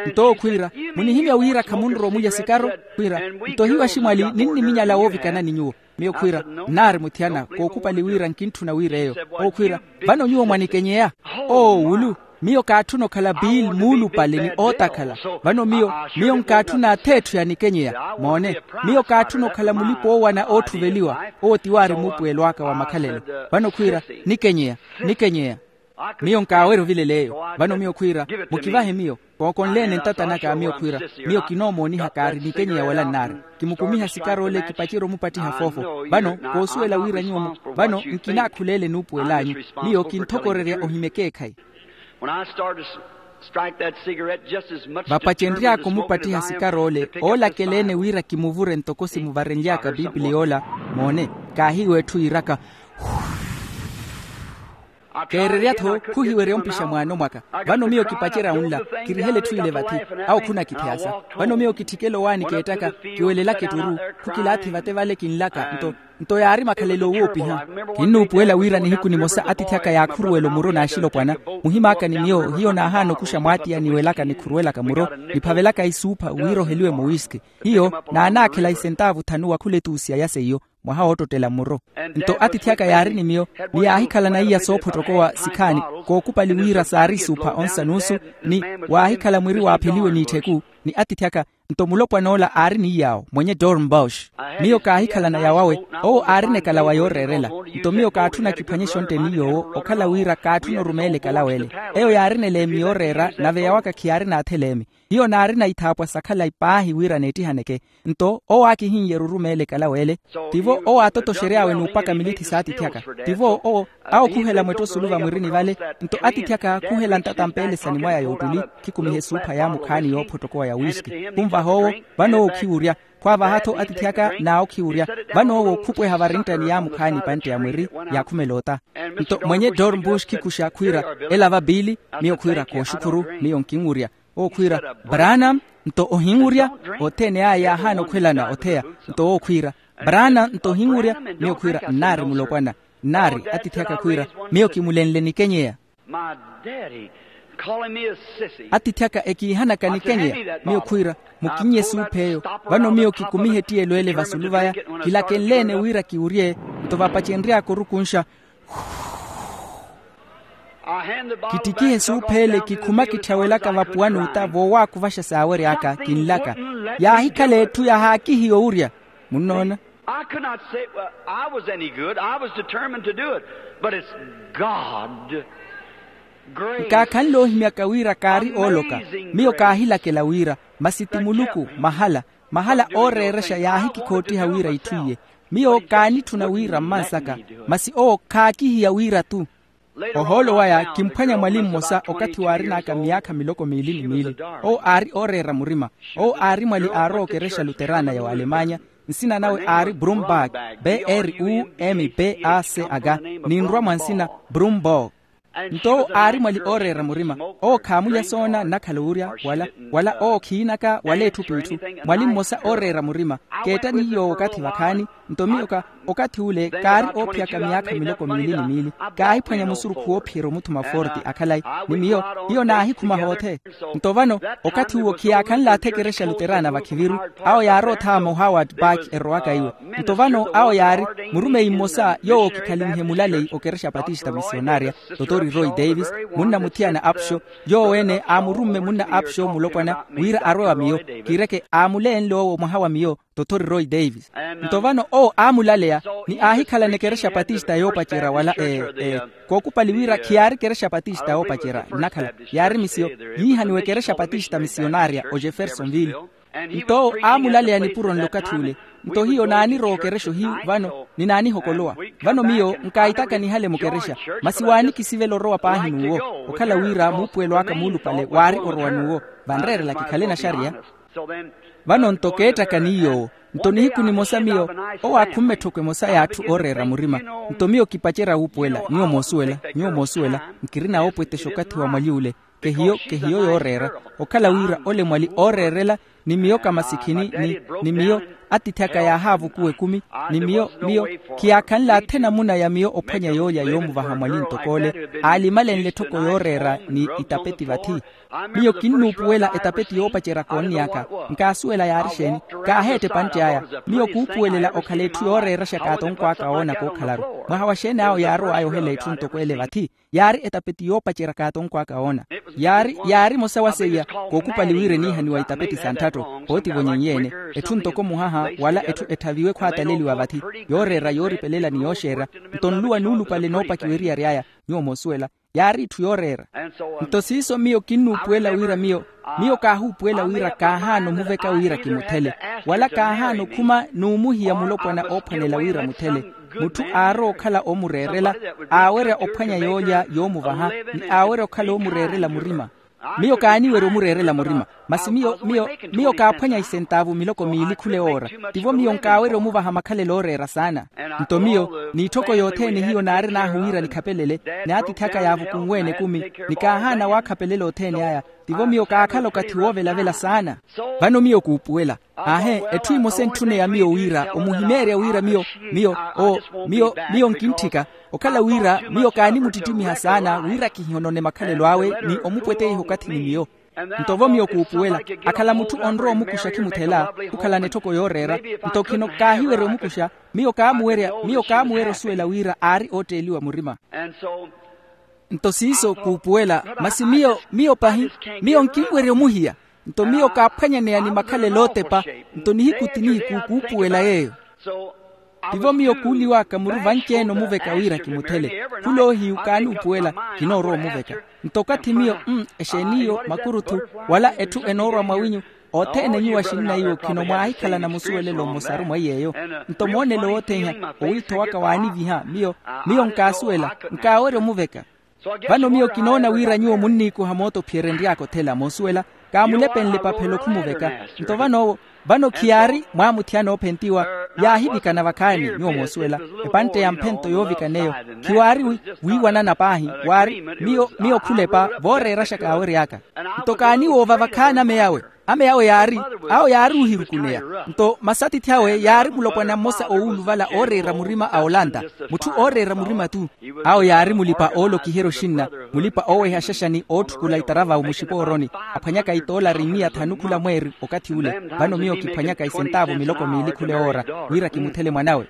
Nto owo khwiira, munihimya wira khamunrowa omulya sikaro? Khwiira, nto hiyo aximwali ninniminyala woovikanani nyuwo. Miyo khwiira, nnaari muthiyana kookhupali wira nkintthuna wira eyo. Owo khwiira, vano nyuwo mwanikenyeya? Oo wulu, miyo kaatthuna okhala piili muulupale ni ootakhala. Vano miyo, miyo nkaatthuna ath'etthu yanikenyeya. Moone, miyo kaatthuna okhala mulipa-oowana ootthuveliwa. Owo ti waari muupuwelo aka wa makhalelo. Vano khwiira, nikenyeya, nikenyeya. Miyo nkaawerya ovilela eyo. Vano miyo khwiira, mukivahe miyo. Kookonle-ene ntata naka miyo khwiira, miyo kinoomooniha kaari nikenyeya wala nnaari. Kimukumiha sikaro ole kipacerye omupattiha foofo. Vano koosuwela wira nyuwo mu- vano nkinaakhula ele nuupuwel'anyu. Miyo kinthokorerya ohimya ekeekhayi. Vapacenry'aka omupattiha sikaro ole, oolakela-ene wira kimuvure ntoko simuvarenly'aka piipili yoola. Moone, kaahiiwa etthu yiiraka. Keererya-tho khuhiwerya ompixa mwaano mwaka. Vano miyo kipacerya wunla, kirihela etthu ile vathi. Awo khunakittheyasa. Vano miyo kitthikela owaani keettaka, kiwelelaka etturu. Khukilaathi vate vale kinlaka nto, nto yaari makhalelo owoopiha. Kinnuupuwela wira nihiku nimosa atiithi aka yaakhuruwela omuro n'axilopwana. Muhim'aka ni miyo hiyo naahaana okuxa mwaatiya niwelaka nikhuruwelaka muro, niphavelaka isuupha wira oheliwe mowiski. Hiyo naanaakhela isentaavu thanu wa khuletuusiya ya seiyo, mwaha woottottela mmuro. Nto atiithi aka yaari ni miyo, ni yaahikhalana iya soophottokowa sikhaani, kookupali wira saari isuupha onsa nuusu, ni waahikhala mwiri waapheliwe n'itthiku. Ni atiithi aka, nto mulopwan'ola aari ni iy'awo mwenye dornbosch. Miyo kaahikhalana yawawe, owo aarina ekalawa yooreerela. Nto miyo kaatthuna kiphwanye exontte ni yoowo okhala wira kaatthuna orumeela ekalawa ele. Eyo yaarin'eleemi yooreera nave yawaka khiyaarina atheleemi. Hiyo naarina ithaapwa sa khalayi paahi wira neettihaneke. Nto owo aakihinyerya orumeela ekalawa ele. Tivo owo aatotoxery'awe n'upaka milithi s'atiithi aka. Tivo owo, awo khuhela mwetto osulu vamwirini vale. Nto atiithi aka khuhela ntata mpeelesani mwaya yoottuli, khikumiha esuupha yaamukhaani yoophottokowa ya wiski. Khunvaha owo, vano owo khiwurya. Khwaavaha-tho atiithi aka n'awo khiwurya. Vano owo khupweha varinttani yaamukhaani epantte ya mwiri, yaakhumela ota. Nto mwenye dornbush khikuxa khwiira, ela va piili? Miyo khwiira kooxukhuru, miyo nkinwurya. Owo khwiira, branam, nto ohinwurya? Othene aya yaahaana okhwelana otheya. Nto owo khwiira, branam nto ohinwurya? Miyo khwiira, nnaari mulopwana. Nnaari atiithi aka khwiira, miyo kimulenle nikenyeya. Atiithi aka ekiihanaka nikenyeya. Miyo khwiira, mukinnye esuupha eyo. Vano miyo kikumihe ettiyelo ele vasulu vaya, kilakenle-ene wira kiwurye. Nto vapacenry'aka orukunxa, kittikihe esuupha ele kikhuma kitthawelaka vapuwa n'uta voowaakuvaxa saawery'aka kinlaka. Yaahikhala etthu yahaakihiya owurya. Munnoona? I could not say, well, I was any good. I was determined to do it. But it's God. Grace. Nkaakhanle ohimyaka wira kaari ooloka. Miyo kaahilakela wira, masi ti muluku mahala. Mahala ooreerexa yaahikikhottiha wira itthu iye. Miyo kaanitthuna wira mmansaka, masi owo khaakihiya wira-tu. Ohoolo waya kimphwanya mwali mmosa okathi waarin'aka myaakha miloko miili ni miili. Owo aari ooreera murima. Owo aari mwali aarowa okerexa luterana ya w'alemanya. Nsina nawe aari brumberg, b r u m b a c aka, ninrwa mwa nsina brumberg. Nto owo aari mwali ooreera murima. Owo khaamulya soona nnakhala owurya, wala wala owo khiinaka wala etthu p'itthu. Mwali mmosa ooreera murima, keetta ni yoowo okathi vakhaani. Nto miyo ka okathi ule kaari oophiyaka myaakha miloko miili ni miili. Kaahiphwanya musurukhu woophiyerya omuthuma forti akhalayi. Ni miyo hiyo naahikhuma hoothe. Nto vano okathi uwo khiyaakhanle athekerexa luterana vakhiviru. Awo yaarootha mu howard park erowaka iwe. Nto vano awo yaari murumeyi mmosa yoowo okikhalinhe mulaleyi okerexa patista misionarya, totori roy davis, munna muthiyana apxo. Yoowo ene aamurumme munna apxo mulopwana wira arwe wa miyo. Kiireke aamuleenle owo mwaha wa miyo, totori roy davis. Nto vano owo aamulaleya ni aahikhalana ekerexa patista yoopacerya wala e e kookupali wira khiyaari kerexa patista yoopacerya nnakhala, yaari misiyo yiihaniwa ekerexa patista misionarya ojeffersonville. Nto owo aamulaleya nipuro nlokathi ule. Nto hiyo naanirowa okerexa ohiyu vano, ni naanihokolowa. Vano miyo nkaahitaka nihale mukerexa, masi waanikisivela orowa paahi n'uwo. Okhala wira muupuwelo aka muulupale waari orowa n'uwo, vanreerela kikhale naxariya. Vano nto keettaka ni yoowo. Nto nihiku nimosa miyo, owo aakhumme etthoko emosa y'atthu ooreera murima. Nto miyo kipacerya wuupuwela nyuwo moosuwela, nyuwo moosuwela, nkirina woopwetexa okathi wa mwali ule. Kehiyo kehiyo yooreera, okhala wira ole mwali ooreerela, ni miyo kamasikhini ni ni miyo, atiithi aka yaahaavukuwa ekumi. Ni miyo miyo khiyaakhanle athe namuna ya miyo ophwanya yoolya yoomuvaha mwali ntok'ole. Aalimalenle etthoko yooreera ni itapeti vathi. Miyo kinnuupuwela etapeti yoopacerya koonnyaka. Nkaasuwela yaari exeeni. Kaaheetta epantte aya. Miyo kuupuwelela okhala etthu yooreeraxa kaatonko aka oona kookhalaru. Mwaha wa xeeni awo yaarow'aya ohela etthu ntoko ele vathi. Yaari etapeti yoopacerya kaatonko aka oona. Yaari yaari emosa wa seiya. Kookupali wira eniihaniwa itapeti sa ntthatto. Pootivo nyenyeene. Etthu ntoko muhaha wala etthu etthaviwe khwaataleliwa vathi, yooreera yooripelela ni yooxeerya. Nto nluwa nuulupale noopakiwa eriyari aya. Nyuwo moosuwela, yaari itthu yooreera. Nto siiso miyo kinnuupuwela wira miyo miyo kaahuupuwela wira kaahaana omuveka wira kimuthele, wala kaahaana okhuma n'umuhiya mulopwana oophwanela wira muthele. Mutthu aarowa okhala oomureerela, aawerya ophwanya yoolya yoomuvaha, ni aawerya okhala oomureerela murima. Miyo kaaniwerya omureerela murima, masi miyo miyo miyo kaaphwanya isentaavu miloko miili khula ewoora. Tivo miyo nkaawerya omuvaha makhalelo ooreera saana. Nto miyo n'itthoko yothene hiyo naarin'ahu wira nikhapelele, ni atiithi aka yaavukunweene ekumi, ni kaahaana waakhapelela othene aya. Tivo miyo kaakhala okathi woovelavela saana. Vano miyo kuupuwela. Aahe, etthu emosa entthuneya miyo wira omuhimeerya wira miyo miyo o miyo miyo nkintthika, okhala wira miyo kaanimuttittimiha saana wira kihihonone makhalelo awe ni omupweteiha okathi ni miyo. Nto vo miyo kuupuwela, akhala mutthu onrowa omukuxa khimuthela, khukhalana etthoko yooreera. Nto khino kaahiwerya omukuxa, miyo kaamuwerya miyo kaamuwerya osuwela wira aari ootteeliwa murima. Nto siiso kuupuwela, masi miyo miyo pahi, miyo nkinwerya omuhiya. Nto miyo kaaphwanyaneya ni makhalelo ootepa. Nto nihiku ti nihiku kuupuwela yeeyo. Tivo miyo kuuliw'aka muru vanci-ene omuveka wira kimuthele. Khuloohiyu kaanuupuwela, kinoorowa omuveka. Nto okathi miyo mm exeeniyo makuruthu, wala etthu enoorwa mwawinyu, othene nyuwo axinna iwo khino mwaahikhalana musuwelelo mmosaru mwa iy'eyo. Nto moonelo wothene iha, owiitho waka waaniviha miyo miyo nkaasuwela, nkaawerya omuveka. Vano miyo kinoona wira nyuwo munniikuha mootophiyerya enry'aka othela moosuwela, kaamulepenle epaphelo khumuveka. Nto van'owo vano khiyaari mwaamuthiyana oophentiwa, yaahivikana vakhaani nyuwo moosuwela. Epantte ya mphento yoovikana eyo, khiwaari wiiwanana paahi, waari miyo miyo khulepa vooreeraxa kaawery'aka. Nto kaaniwoova vakhaani ame yawe. Ame yawe yaari awo yaari oohirukuneya. Nto masatithi awe yaari mulopwana mmosa owuuluvala ooreera murima a olanta, mutthu ooreera murima-tu. Awo yaari mulipa-oolokiherya oxinna, mulipa-ooweha axaxani ootthukula itaravawu muxipooroni, aphwanyaka itoolari miya thanu khula mweeri okathi ule. Vano miyo kiphwanyaka isentaavu miloko miili khula ewoora, wira kimuthele mwan'awe.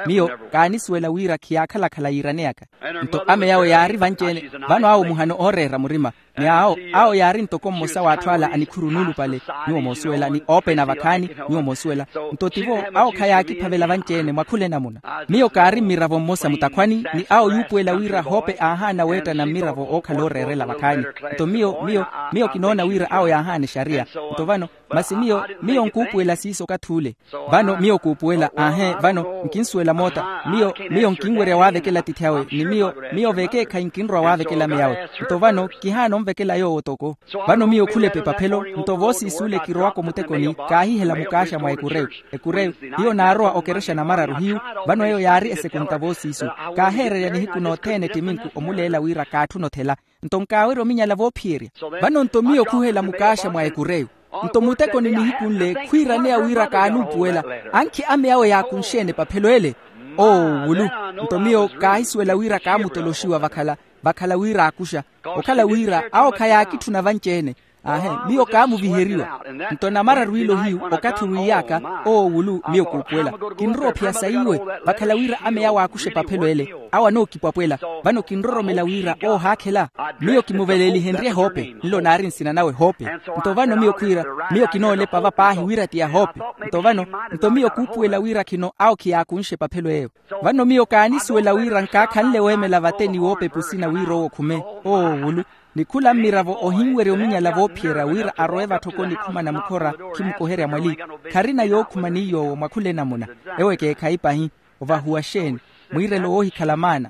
Miyo kaanisuwela wira khiyaakhala-khala yiiraneyaka. Nto ame yawe yaari vanci-ene. Vano awo muhano ooreera murima. Ni awo awo yaari ntoko mmosa w'atthu ala anikhuru nuulupale, nyuwo moosuwela ni oopena vakhaani, nyuwo moosuwela. Nto tivo awo khayaakiphavela vanci-ene mwa khula enamuna. Miyo kaari mmiravo mmosa mutakhwani ni awo yuupuwela wira hoope aahaana weettana mmiravo ookhala ooreerela vakhaani. Nto miyo miyo miyo kinoona wira awo yaahaana exariya. Nto vano Masi miyo miyo nkuupuwela siiso okathi ule. Vano miyo kuupuwela aahe vano nkinsuwela moota. Miyo miyo nkinwerya waavekela atiithi awe ni miyo miyo vekeekhayi nkinrowa waavekela ameya awe. Nto vano kihaana onvekela yoowo toko. Vano miyo khula epepaphelo nto voosiis'ule kirowaka omutekoni kaahihela mukaaxa mwa ekureyo. Ekureyo hiyo naarowa okerexa namararu hiyu. Vano eyo yaari esekunta voosiisu kaaheererya nihiku nothene ettiminku omuleela wira kaatthuna othela. Nto nkaawerya ominyala voophiyerya. Vano nto miyo khuhela mukaaxa mwa ekureyo. Nto mutekoni nihiku nle khwiiraneya wira kaanuupuwela. Ankhi ameya awe yaakunxeene epaphelo ele. Oo wulu. Nto miyo kaahisuwela wira kaamutoloxiwa vakhala vakhala wira aakuxa. Okhala wira awo khayaakitthuna vanci-ene. Aahe miyo kaamuviheriwa. Nto namararu ilo hiyu okathi wiiy'aka owo wulu miyo kuupuwela kinrowa ophiya saiwe. Vakhala wira ameya awe aakuxa epaphelo ele awo anookipwapwela. Vano kinroromela wira oohaakhela. Miyo kimuveleelihenrye hoope nlo naari nsina nawe hoope. Nto vano miyo khwiira miyo kinoolepa va paahi wira ti ya hoope. Nto vano nto miyo kuupuwela wira khino awo khiyaakunxe epaphelo eyo. Vano miyo kaanisuwela wira nkaakhanle weemela vate ni woopepa osina wira owo okhume. Oo wulu. Ni khula mmiravo ohinwerya ominyala voophiyerya wira arowe vatthoko nikhumana mukhora. Khimukoherya mwali kharina yookhuma ni yoowo mwa khula enamuna. Ewo ekeekhayi pahi. Ovahuwa xeeni? Mwiirelo woohikhala maana.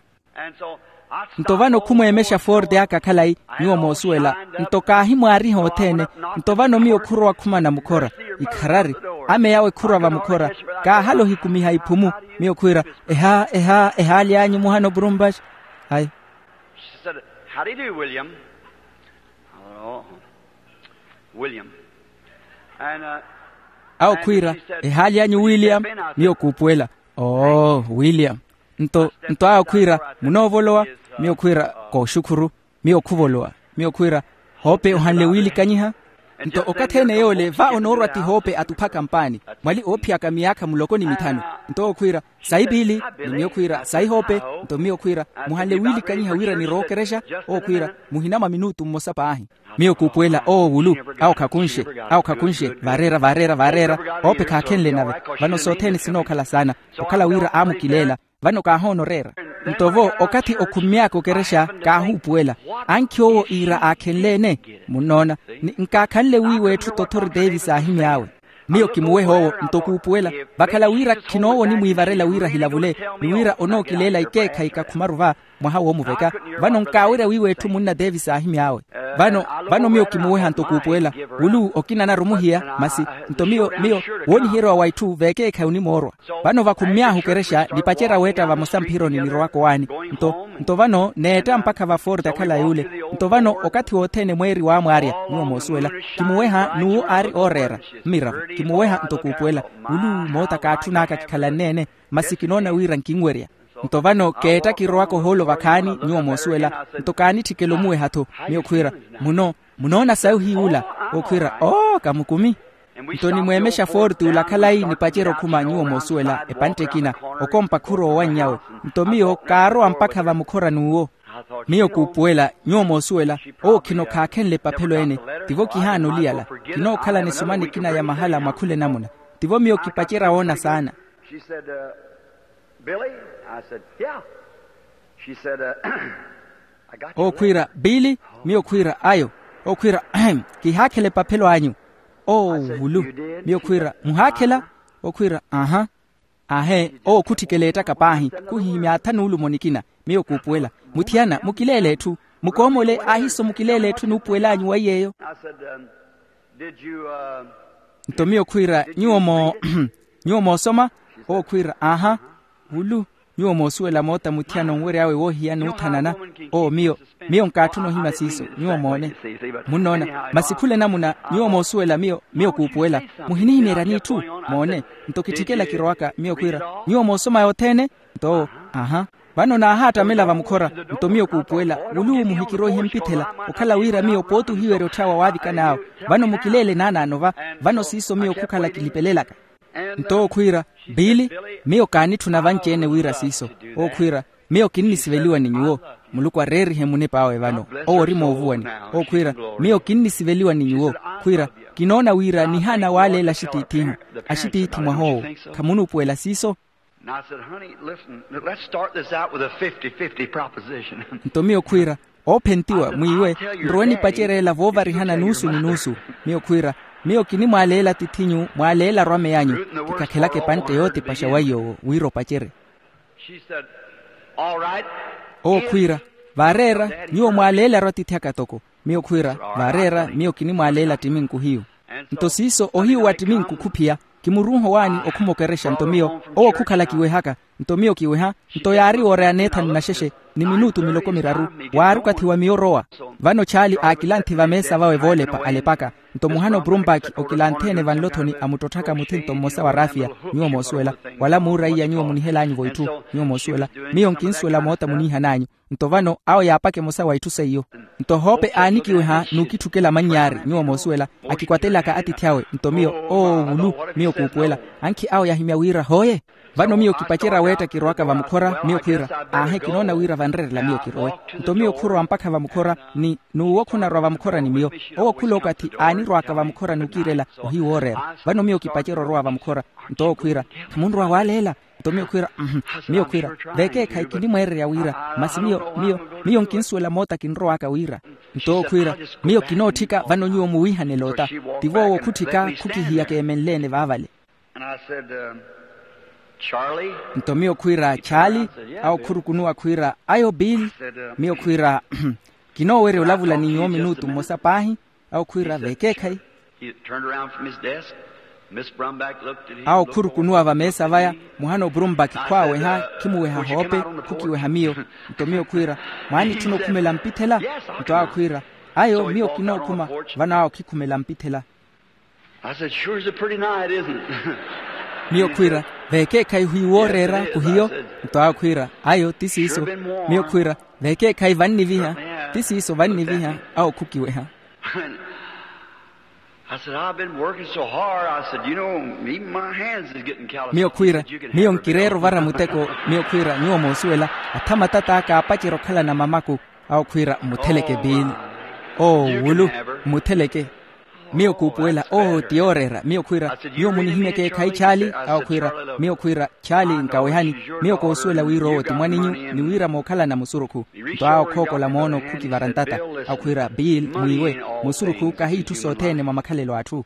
Nto vano khumweemexa forte aka khalayi nyuwo moosuwela. Nto kaahimwaariha othene. Nto vano miyo khurowa khumana mukhora. Ikharari ameya awe khurwa vamukhora. Kaahala ohikumiha iphumu. Miyo khwiira eha eha ehaali anyu muhana opurumpaxi. Hayi. Awo khwiira ehaali anyu william. Miyo kuupuwela oo william. Nto nto awo khwiira munoovolowa? Miyo khwiira kooxukhuru. Miyo khuvolowa. Miyo khwiira hoope ohanle wiilikanyiha. Nto okathi ene yoole va onoorwa ti hoope atuphaka mpaani. Mwali oophiyaka miyaakha muloko ni mithanu. Nto owo khwiira sayi piili. Ni miyo khwiira sayi hoope. Nto miyo khwiira muhanle wiilikanyiha wira nirowa okerexa. Owo khwiira muhina mwa minutu mmosa paahi. Miyo kuupuwela owo wulu. Awo khakunxe. Awo khakunxe. Vareera vareera vareera. Oope khaakhenle nave. Vano sothene sinookhala saana okhala wira aamukileela. Vano kaahoona oreera. Nto vo okathi okhummy'aka okerexa kaahuupuwela. Ankhi owo iira aakhenle-ene. Munnoona? Ni nkaakhanle wiiwa etthu tothori teevisi aahimy'awe. Miyo kimuweha owo nto kuupuwela. Vakhala wira khinoowa onimwiivarela wira hilavule ni wira onookileela ikeekhayi kakhumaru va mwaha woomuveka. Vano nkaawerya wiiwa etthu munna teevisi aahimy'awe. Vano vano miyo kimuweha nto kuupuwela. Wulu okina anarumu hiya masi nto miyo miyo wooniherywa wa itthu vekeekhayi onimoorwa. Vano vakhummy'ahu okerexa nipacerya weetta vamosa mphironi nirowaka owaani. Nto nto vano neetta mpakha va forte akhala yuule. Nto vano okathi wothene mweeri waamwaarya nyuwo moosuwela. Kimuweha n'uwo aari ooreera mmiravo. Kimuweha nto kuupuwela. Wulu moota kaatthun'aka kikhalanne-ene. Masi kinoona wira nkinwerya. Nto vano keetta kirowaka ohoolo vakhaani nyuwo moosuwela. Nto kaanitthikela omuweha-tho. Miyo khwiira muno munoona sayi ohiy'ula? Okhwiira oo kamukumi. Nto nimweemexa forte ula khalayi nipacerya okhuma nyuwo moosuwela epantte ekina. Okompa khurowa owannyawe. Nto miyo kaarowa mpakha vamukhora n'uwo. Miyo kuupuwela nyuwo moosuwela. Owo khino khaakhenle epaphelo ene. Tivo kihaana oliyala. Kinookhala nisoma nikina ya mahala mwa khula enamuna. Tivo miyo kipacerya woona saana. Billy? I said, yeah. She said, uh, I got you. Okhwiira biili. Miyo khwiira ayo. Okhwiira kihaakhela epaphelo anyu. Oo vulu. Miyo khwiira muhaakhela? Okhwiira aha. Ahe owo khutthikela ettaka paahi. Khuhihimya atha nuulumo nikina. Miyo kuupuwela muthiyana mukileele etthu. Mukoomole ahiso mukileele etthu enuupuwel'anyu wa iy'eyo. Nto miyo khwiira nyuwo mo nyuwo moosoma? Owo khwiira aha. Wulu nyuwo moosuwela moota muthiyana onwery'awe woohiya n'uthanana. Owo miyo miyo nkaatthuna ohimya siiso nyuwo moone. Munnoona? Masi khula enamuna nyuwo moosuwela miyo miyo kuupuwela. Muhinihimeeryani itthu? Moone. Nto kitthikela kirowaka miyo khwiira nyuwo moosoma yothene? Nto owo aha. Vano naahaattamela vamukhora. Nto miyo kuupuwela wulu muhikiroihe mpithela okhala wira miyo pooti ohiwerya otthaawa waavikan'awe. Vano mukileele naanaano va. Vano siiso miyo khukhala kilipelelaka. Nto owo khwiira biili. Miyo kaanitthuna vanci-ene wira siiso. Owo khwiira miyo kinnisiveliwa ni nyuwo. Muluku areerihe munip'awe vano owo ori moovuwani. Owo khwiira miyo kinnisiveliwa ni nyuwo. Khwiira kinoona wira nihaana waaleela axitiithihu. Axitiithi mwah'owo khamunuupuwela siiso. Nto miyo khwiira oophentiwa mwiiwe nrowe nipacereela voovarihana nuusu ni nuusu. Miyo khwiira Miyo kinimwaaleela atith'inyu, mwaaleelaru ameyanyu. Kikakhelaka epantte yootipaxa wa iy'owo wira opacerye. Owo khwiira, vaareera, nyuwo mwaaleelaru atiithi aka toko. Miyo khwiira, vaareera, miyo kinimwaaleela attiminku hiyu. Nto siiso ohiyu wa attiminku khuphiya, kimurunha owaani okhumokerexa nto miyo owo khukhala kiwehaka. Nto miyo kiweha, nto yaari wooreya neethanu naxexe ni minutu miloko miraru, waari okathi wa miyo orowa. Vano chaali aakilanthi vameesa vawe voolepa alepaka. Nto muhana opurumpaki okilanthi-ene vanlothoni amuttotthaka muthinto mmosa wa raafiya. Nyuwo moosuwela, wala muuraiya nyuwo munihelaanyu-vo itthu. Nyuwo moosuwela, miyo nkinsuwela moota muniihan'anyu. Nto vano awo yaapaka emosa wa itthu seiyo. Nto hoope aanikiweha n'ukitthukela mannyaari nyuwo moosuwela, akikwatelaka atiithi awe. Nto miyo, oowulu, miyo kuupuwela. Ankhi awo yahimya wira hooye. Vano miyo kipacerya weetta kirowaka vamukhora miyo khwiira, aahe kinoona wira vanrerela miyo kirowe. Nto miyo khurowa mpakha vamukhora, ni n'uwo khunarwa vamukhora ni miyo. Owo khula okathi aanirwaka vamukhora n'ukiirela ohiyu wooreera. Vano miyo kipacerya orowa vamukhora. Nto owo khwiira, khamunrowa waaleela? Nto miyo khwiira, mhm. Miyo khwiira, veekeekhayi kinimweererya wira, masi miyo miyo miyo nkinsuwela moota kinrowaka wira. Nto owo khwiira, miyo kinootthika vano nyuwo muwiihane loota. Tivo owo khutthika khukihiyaka eemenle-ene vaavale. Nto miyo khwiira chaali. Awo khurukunuwa khwiira, ayo bill. Miyo khwiira, kinoowerya olavula ni nyuwo minutu mmosa paahi. Awo khwiira veekeekhayi. Awo khurukunuwa vameesa vaya, muhana opurumpaki khwaaweha, khimuweha hoope, khukiweha miyo. Nto miyo khwiira, mwaanitthuna okhumela mpithela? Nto awo khwiira, ayo miyo kinookhuma. Vano awo khikhumela mpithela. Miyo khwiira, veekeekhayi hwi wooreera khuhiyo? Nto awo khwiira, ayo ti siiso. Miyo khwiira, veekeekhayi vanniviha? Ti siiso vanniviha. Awo khukiweha. Miyo khwiira, miyo nkireera ovara muteko. Miyo khwiira nyuwo moosuwela, atha matat'aka aapacerya okhalana mamaku. Awo khwiira mmutheleke bill. Oowulu, mmutheleke. Miyo kuupuwela, oo ti yooreera. Miyo khwiira, nyuwo munihimyeke khayi chaali? Awo khwiira, miyo khwiira, chaali nkawehani. Miyo koosuwela wira owo ti mwaninyu ni wira mookhalana musurukhu. Nto awo khookola moono khukivara ntata. Awo khwiira, bill mwiiwe, musurukhu kahi itthu sothene mwa makhalelo a atthu.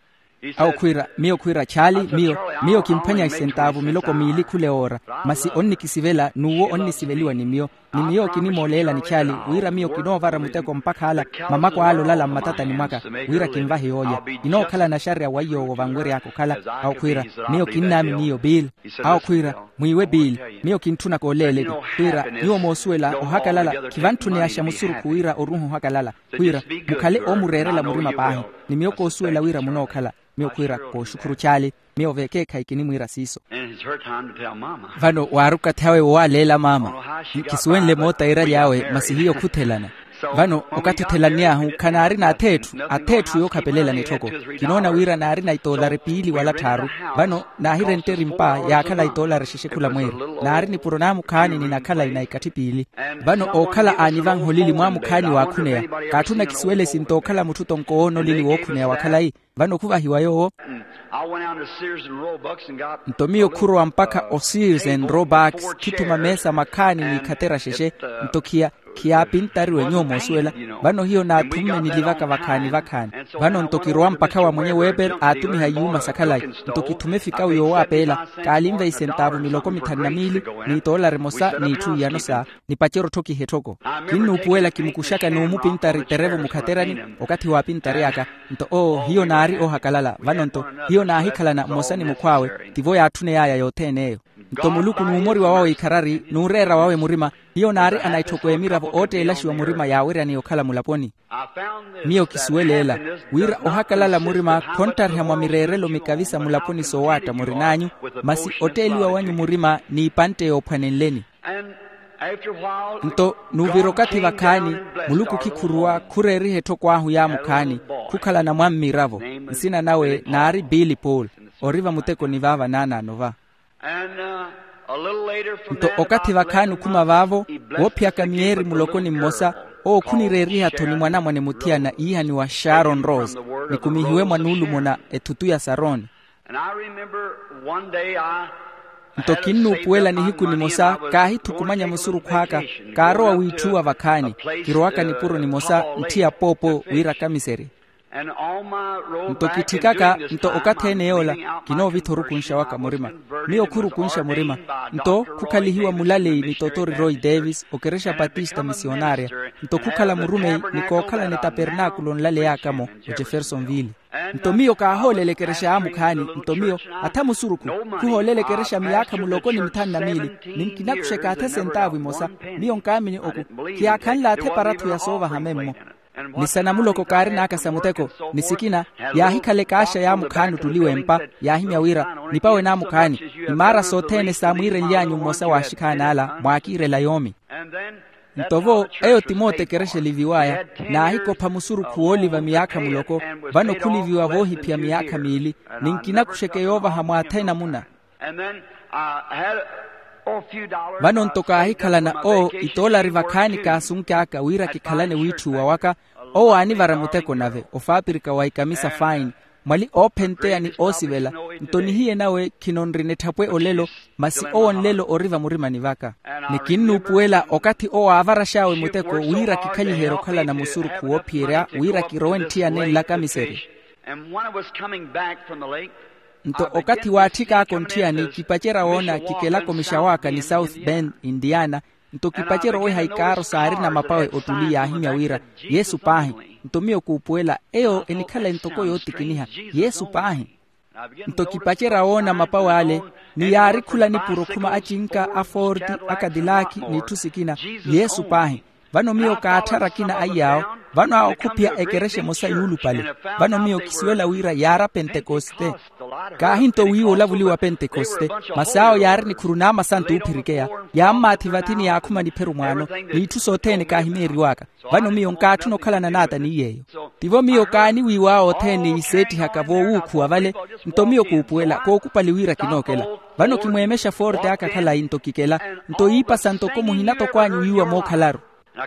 Awo khwiira, miyo khwiira chaali, miyo miyo kimphwanya isentaavu miloko miili khule oora. Masi onnikisivela n'uwo onnisiveliwa ni miyo. Ni miyo kinimooleela ni chaali wira miyo kinoovara muteko mpakha ala, mamako ale olala mmatatani mwaka, wira kinvahe yoolya. Kinookhala naxarya wa iy'owo vanwery'aka okhala. Awo khwiira, miyo kinnaamini iyo bill. Awo khwiira, mwiiwe bill, miyo kintthunaka oleeleni. Khwiira, nyuwo moosuwela ohakalala khivantthuneyaxa musurukhu wira oruuha ohakalala. Khwiira, mukhale oomureerela murima paahi. Ni miyo koosuwela wira munookhala. Miyo khwiira, kooxukhuru chaali. Miyo veekeekhayi kinimwiira siiso. Vano waari okathi awe wowaaleela maama. Nkisuwenle moota iraly'awe masi hiyo khuthelana. Vano okathi othelann'ahu khanaarina atheetthu atheetthu yookhapelela nitthoko. Kinoona wira naarina itoolari piili wala tthaaru. Vano naahirenteri mpa yaakhala itoolari xexe khula mweeri. Naari nipuro naamukhaani ninakhala inayikatthi piili. Vano ookhala aanivanha olili mwaamukhaani waakhuneya. Kaatthuna kisuwele sinto okhala mutthu tonkowoono olili wookhuneya wa khalayi. Vano khuvahiwa yoowo. Nto miyo khurowa mpakha o sears and roebucks khithuma meesa makhaani n'ikhatera xexe. Nto khiya khiyaapintariwe nyuwo moosuwela. Vano hiyo naathumme nilivaka vakhaani vakhaani. Vano nto kirowa mpakha wa mwenye weber aatumiha iyuuma sa khalayi. Nto kithume efikawu yoowaapeela. Kaalinve isentaavu miloko mithanu na miili n'itoolari emosa n'itthu iyano sa. Nipacerya otthokiha etthoko. Kinnuupuwela kimukuxaka n'umupintari terevo mukhaterani. Okathi waapintary'aka. Nto oo hiyo naari oohakalala vano nto hiyo naahikhalana mmosa ni mukhw'awe. Tivo yaatthuney'aya yothene eyo. Nto muluku n'umoriwa wawe ikharari n'ureera wawe murima. Hiyo naari anaitthoko emiravo ootteelaxiwa murima yaaweryaneya okhala mulaponi. Miyo kisuweleela wira ohakalala murima khonttariha mwa mireerelo mikavisa mulaponi soowaatta murin'anyu. Masi otteeliwa wanyu murima n'ipantte yoophwanenleni. Nto n'uvira okathi vakhaani, muluku khikhuruwa khureeriha etthoko ahu yaamukhaani. Khukhalana mwa mmiravo. Nsina nawe naari bill paul. Ori vamutekoni vaava naanaano va. Nto okathi vakhaani okhuma vaavo, woophiyaka miyeeri muloko ni mmosa, owo khunireeriha-tho ni mwanamwane muthiyana iihaniwa sharon rose. Nikumihiwe mwa nuulumo na ethutu ya saroni. Nto kinnuupuwela nihiku nimosa kaahithukumanya musurukhu aka, kaarowa wiitthuwa vakhaani. Kirowaka nipuro nimosa ntthiya poopo wira kamiserye. Nto kitthikaka nto okathi ene yoola, kinoovitha orukunxa waka murima. Miyo khurukunxa murima. Nto khukhalihiwa mulaleyi ni totori roy davis okerexa patista misionarya. Nto khukhala murumeyi ni kookhala ni tapernakulo nlaleyaka-mo, ojeffersonville. Nto miyo kaahoolela ekerexa yaamukhaani. Nto miyo atha musurukhu, khuhoolela ekerexa miyaakha muloko ni mithanu na miili, ni nkinakuxeka athe sentaavu imosa. Miyo nkaamini oku, khiyaakhanle athe parathu ya soovaha memmo. Ni sa namuloko kaarin'aka sa muteko, ni sikina, yaahikhala ekaaxa yaamukhaani ottuliwa empa, yaahimya wira, nipawe naamukhaani, ni maara sothene saamwiirenly'anyu mmosa w'axikhaani ala mwaakiirela yoomi. Nto-vo, eyo ti mootekerexa eliviw'aya, naahikopha musurukhu wooliva miyaakha muloko. Vano khuliviwa voohiphiya miyaakha miili, ni nkinakuxeke yoovaha mwaathene namuna. Vano nto kaahikhalana owo itoolari vakhaani kaasunk'aka wira kikhalane wiitthuwa waka. Owo aanivara muteko nave ofaapirika wa ikamisa fine, mwali oophenteya ni oosivela. Nto nihiye nawe khinonrina etthapwe olelo, masi owo nlelo ori vamurimani vaka. Ni kinnuupuwela okathi owo aavarax'awe muteko wira kikhaliherye okhalana musurukhu woophiyerya wira kirowe ntthiya nenlaka miseri. Nto okathi waatthik'aka ontthiyani kipacerya woona kikelaka omixaw'aka ni south bend, indiana. Nto kipacerya oweha ikaaro saarina mapawe ottuli yaahimya wira, yesu paahi. Nto miyo kuupuwela eyo enikhala entoko yootikiniha, yesu paahi. Nto kipacerya woona mapawe ale, ni yaari khula nipuro khuma acinka a forti, a kadilaki n'itthu sikina, yesu paahi. Vano miyo kaatthara akina aiy'awo. Vano awo khuphiya ekerexa emosa yuulupale. Vano miyo kisuwela wira yaara pentekoste. Kaahi nto wiiwa olavuliwa pentekoste, masi awo yaari nikhuru n'amasantu oophirikeya, yaammaathi vathi ni yaakhuma nipheru mwaano, n'itthu sothene kaahimeeriw'aka. Vano miyo nkaatthuna okhalana n'ata ni yeeyo. Tivo miyo kaaniwiiw'awe othene iseettihaka voowuukhuwa vale. Nto miyo kuupuwela kookupali wira kinookela. Vano kimweemexa forte aka khalayi nto kikela. Nto iipasa ntoko muhinatokwaanyu wiiwa mookhalaru.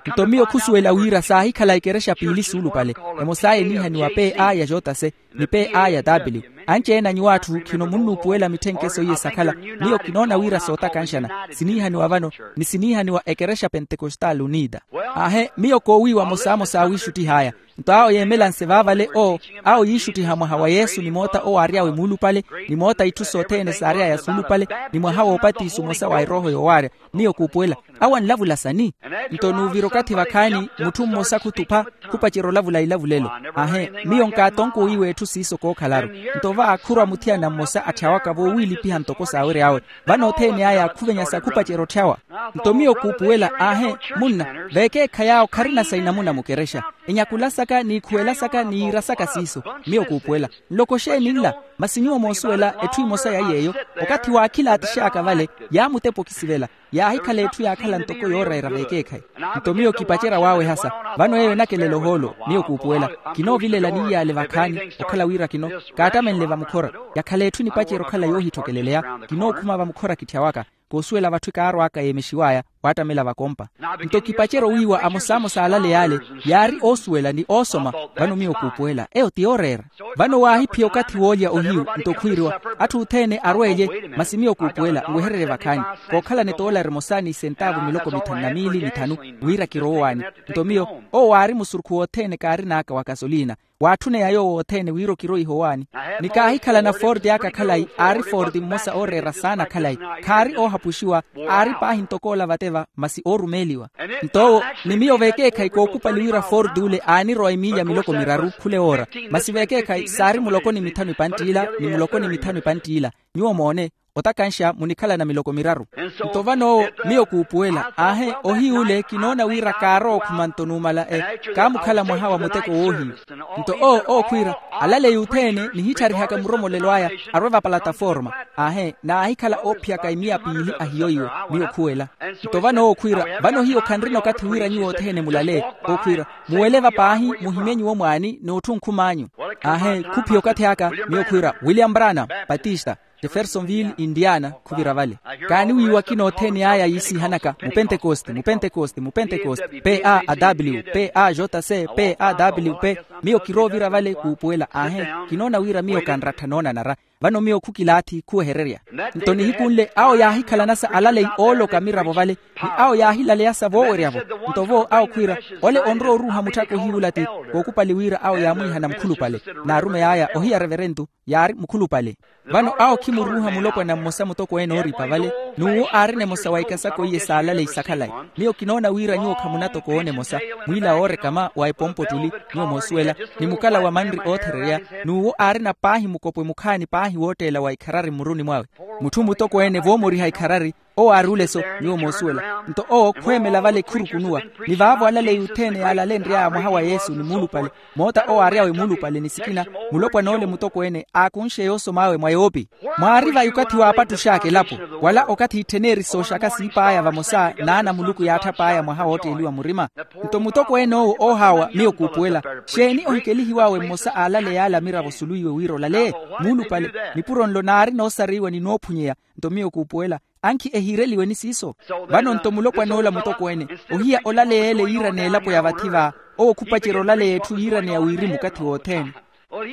Nto miyo khusuwela wira saahikhala ekerexa piili suulupale, emos'aya eniihaniwa p a ya jotase, ni p a ya w. Anci-ene a nyuw'atthu khino munnuupuwela mitthenkese iye sakhala. Miyo kinoona wira sootakanxana siniihaniwa vano, ni siniihaniwa ekerexa pentekostal unida. Aahe miyo koowiiwa mosamosa awiixuttih'aya. Nto awo yeemelanse vaavale owo, awo yiixuttiha mwaha wa yesu ni moota owo aary'awe muulupale, ni moota itthu sothene saary'aya suulupale, ni mwaha w'opatiso omosa wa erooho yoowaarya. Miyo kuupuwela, awo anlavula sani? Nto nuuvira okathi vakhaani mutthu mmosa khutupha, khupacerya olavula ilavulelo. Aahe miyo nkaatonko wiiwa etthu siiso kookhalaru. Nto va khurwa muthiyana mmosa atthawaka voowiilipiha ntoko saawery'awe. Vano othene aya khuvenyasa khupacerya otthyawa. Nto miyo kuupuwela, aahe, munna, veekeekhayi awo kharina sa inamuna mukerexa. Enyakulasaka n'ikhuwelasaka n'iirasaka siiso. Miyo kuupuwela, nloko xeeni nla? Masi nyuwo moosuwela etthu emosa ya yeeyo. Okathi waakhilaatix'aka vale, yaamutepa okisivela, yaahikhala etthu yaakhala ntoko yoorayira veekeekhayi. Nto miyo kipacerya waawehasa. Vano eyo enakelela ohoolo. Miyo kuupuwela, kinoovilela niiyaale vakhaani, okhala wira kino kaattamenle vamukhora. Yakhala etthu enipacerya okhala yoohitthokeleya. Kinookhuma vamukhora kitthya waka. Koosuwela vatthu kaarw'aka yeemexiw'aya, waattamela vakompa. Nto kipacerya owiiwa amosamosa aalale yaale, yaari oosuwela ni oosoma. Vano miyo kuupuwela eyo ti yooreera. Vano waahiphiya okathi woolya ohiyu nto khwiiriwa, atthu othene arweelye. Masi miyo kuupuwela nwehererye vakhaani, kookhalana etoolari emosa ni isentaavu miloko mithanu na miili mithanu, wira kirowe owaani. Nto miyo, owo waari musurukhu wothene kaarin'aka wa kasoliina. Waatthuneya yoowo othene wira okiroiha owaani. Ni kaahikhalana forte aka khalayi aari forte mmosa ooreera saana khalayi, khaari oohapuxiwa, aari paahi ntoko ola vateva masi oorumeeliwa. Nto owo, ni miyo veekeekhayi kookupali wira forte ule aanirowa emiilya miloko miraru khula ewoora. Masi veekeekhayi saari muloko ni mithanu epanttiila ni muloko ni mithanu epanttiila. Nyuwo moone, otakanxa munikhalana miloko miraru. Nto vano owo, miyo kuupuwela aahe ohiyu ule kinoona wira kaarowa okhuma nto numala e, kaamukhala mwaha wa muteko woohiyu. Nto owo ookhwiira, alaleyi othene nihittharihaka muromolelo aya, arwe va palataforma. Aahe naahikhala oophiyaka emiya piili ahiyo iwe. Miyo khuwela. Nto vano ookhwiira, vano hiyo khanrina okathi wira nyuwo othene mulale. Ookhwiira, muwele va paahi, muhimye nyuwo mwaani n'otthu nkhum'anyu. Aahe khuphiya okathi aka. Miyo khwiira, william brana, patista, jeffersonville indiana khuvira vale. Kaaniwiiwa akina othene aya yiisihanaka mupentekoste mupentekoste mupentekoste p a a w p a j c p a w p. Miyo kiroovira vale kuupuwela aahe, kinoona wira miyo kanrattha noonanara. Vano miyo khukilaathi khuwehererya. Nto nihiku nle awo yaahikhalanasa alaleyi ooloka miravo vale, ni awo yaahilaleyasa voowerya-vo. Nto vo awo khwiira, ole onrowa oruuha mutthaka ohiyuula ti, kookupali wira awo yaamwiihana mukhulupale. N'arumeyi aya ohiya reverentu yaari mukhulupale. Vano awo khimuruuha mulopwana mmosa mutokweene ooripa vale, n'uwo aarina emosa wa ikasakho iye s'alaleyi sakhalayi. Miyo kinoona wira nyuwo khamunatokoona emosa, mwiila woorekama wa epompo ttuli, nyuwo moosuwela, ni mukala wa manri oothererya, n'uwo aarina paahi mukopwe mukhaani paahi wootteela wa ikharari mmuruni mwawe. Mutthu mutokweene voomoriha ikharari, owo aari oleso, nyuwo moosuwela. Nto owo khweemela vale khurukunuwa, ni vaavo alaleyi othene yaalalenry'aya mwaha wa yesu ni muulupale, moota owo aary'awe muulupale ni sikina, mulopwan'ole mutokweene aakunxe yoosom'awe mwa yoopi. Mwaari vayi okathi waapattux'aka elapo, wala okathi itthen'eri sooxaka siip'aya vamosa n'ana a muluku yaatthap'aya mwaha wootteeliwa murima. Nto mutokweene owo oohaawa miyo kuupuwela, xeeni ohikelihiw'awe mmosa aalaleyi ala miravo suluwiwe wira olaleye? Muulupale, nipuro nlo naari noosariwa ni noophunyeya. Nto miyo kuupuwela, ankhi ehiireliweni siiso. Vano nto mulopwan'ola mutokweene, ohiya olaleya ele yiira n'elapo ya vathi va, owo khupacerya olaleya etthu yiiraneya wirimu okathi wothene.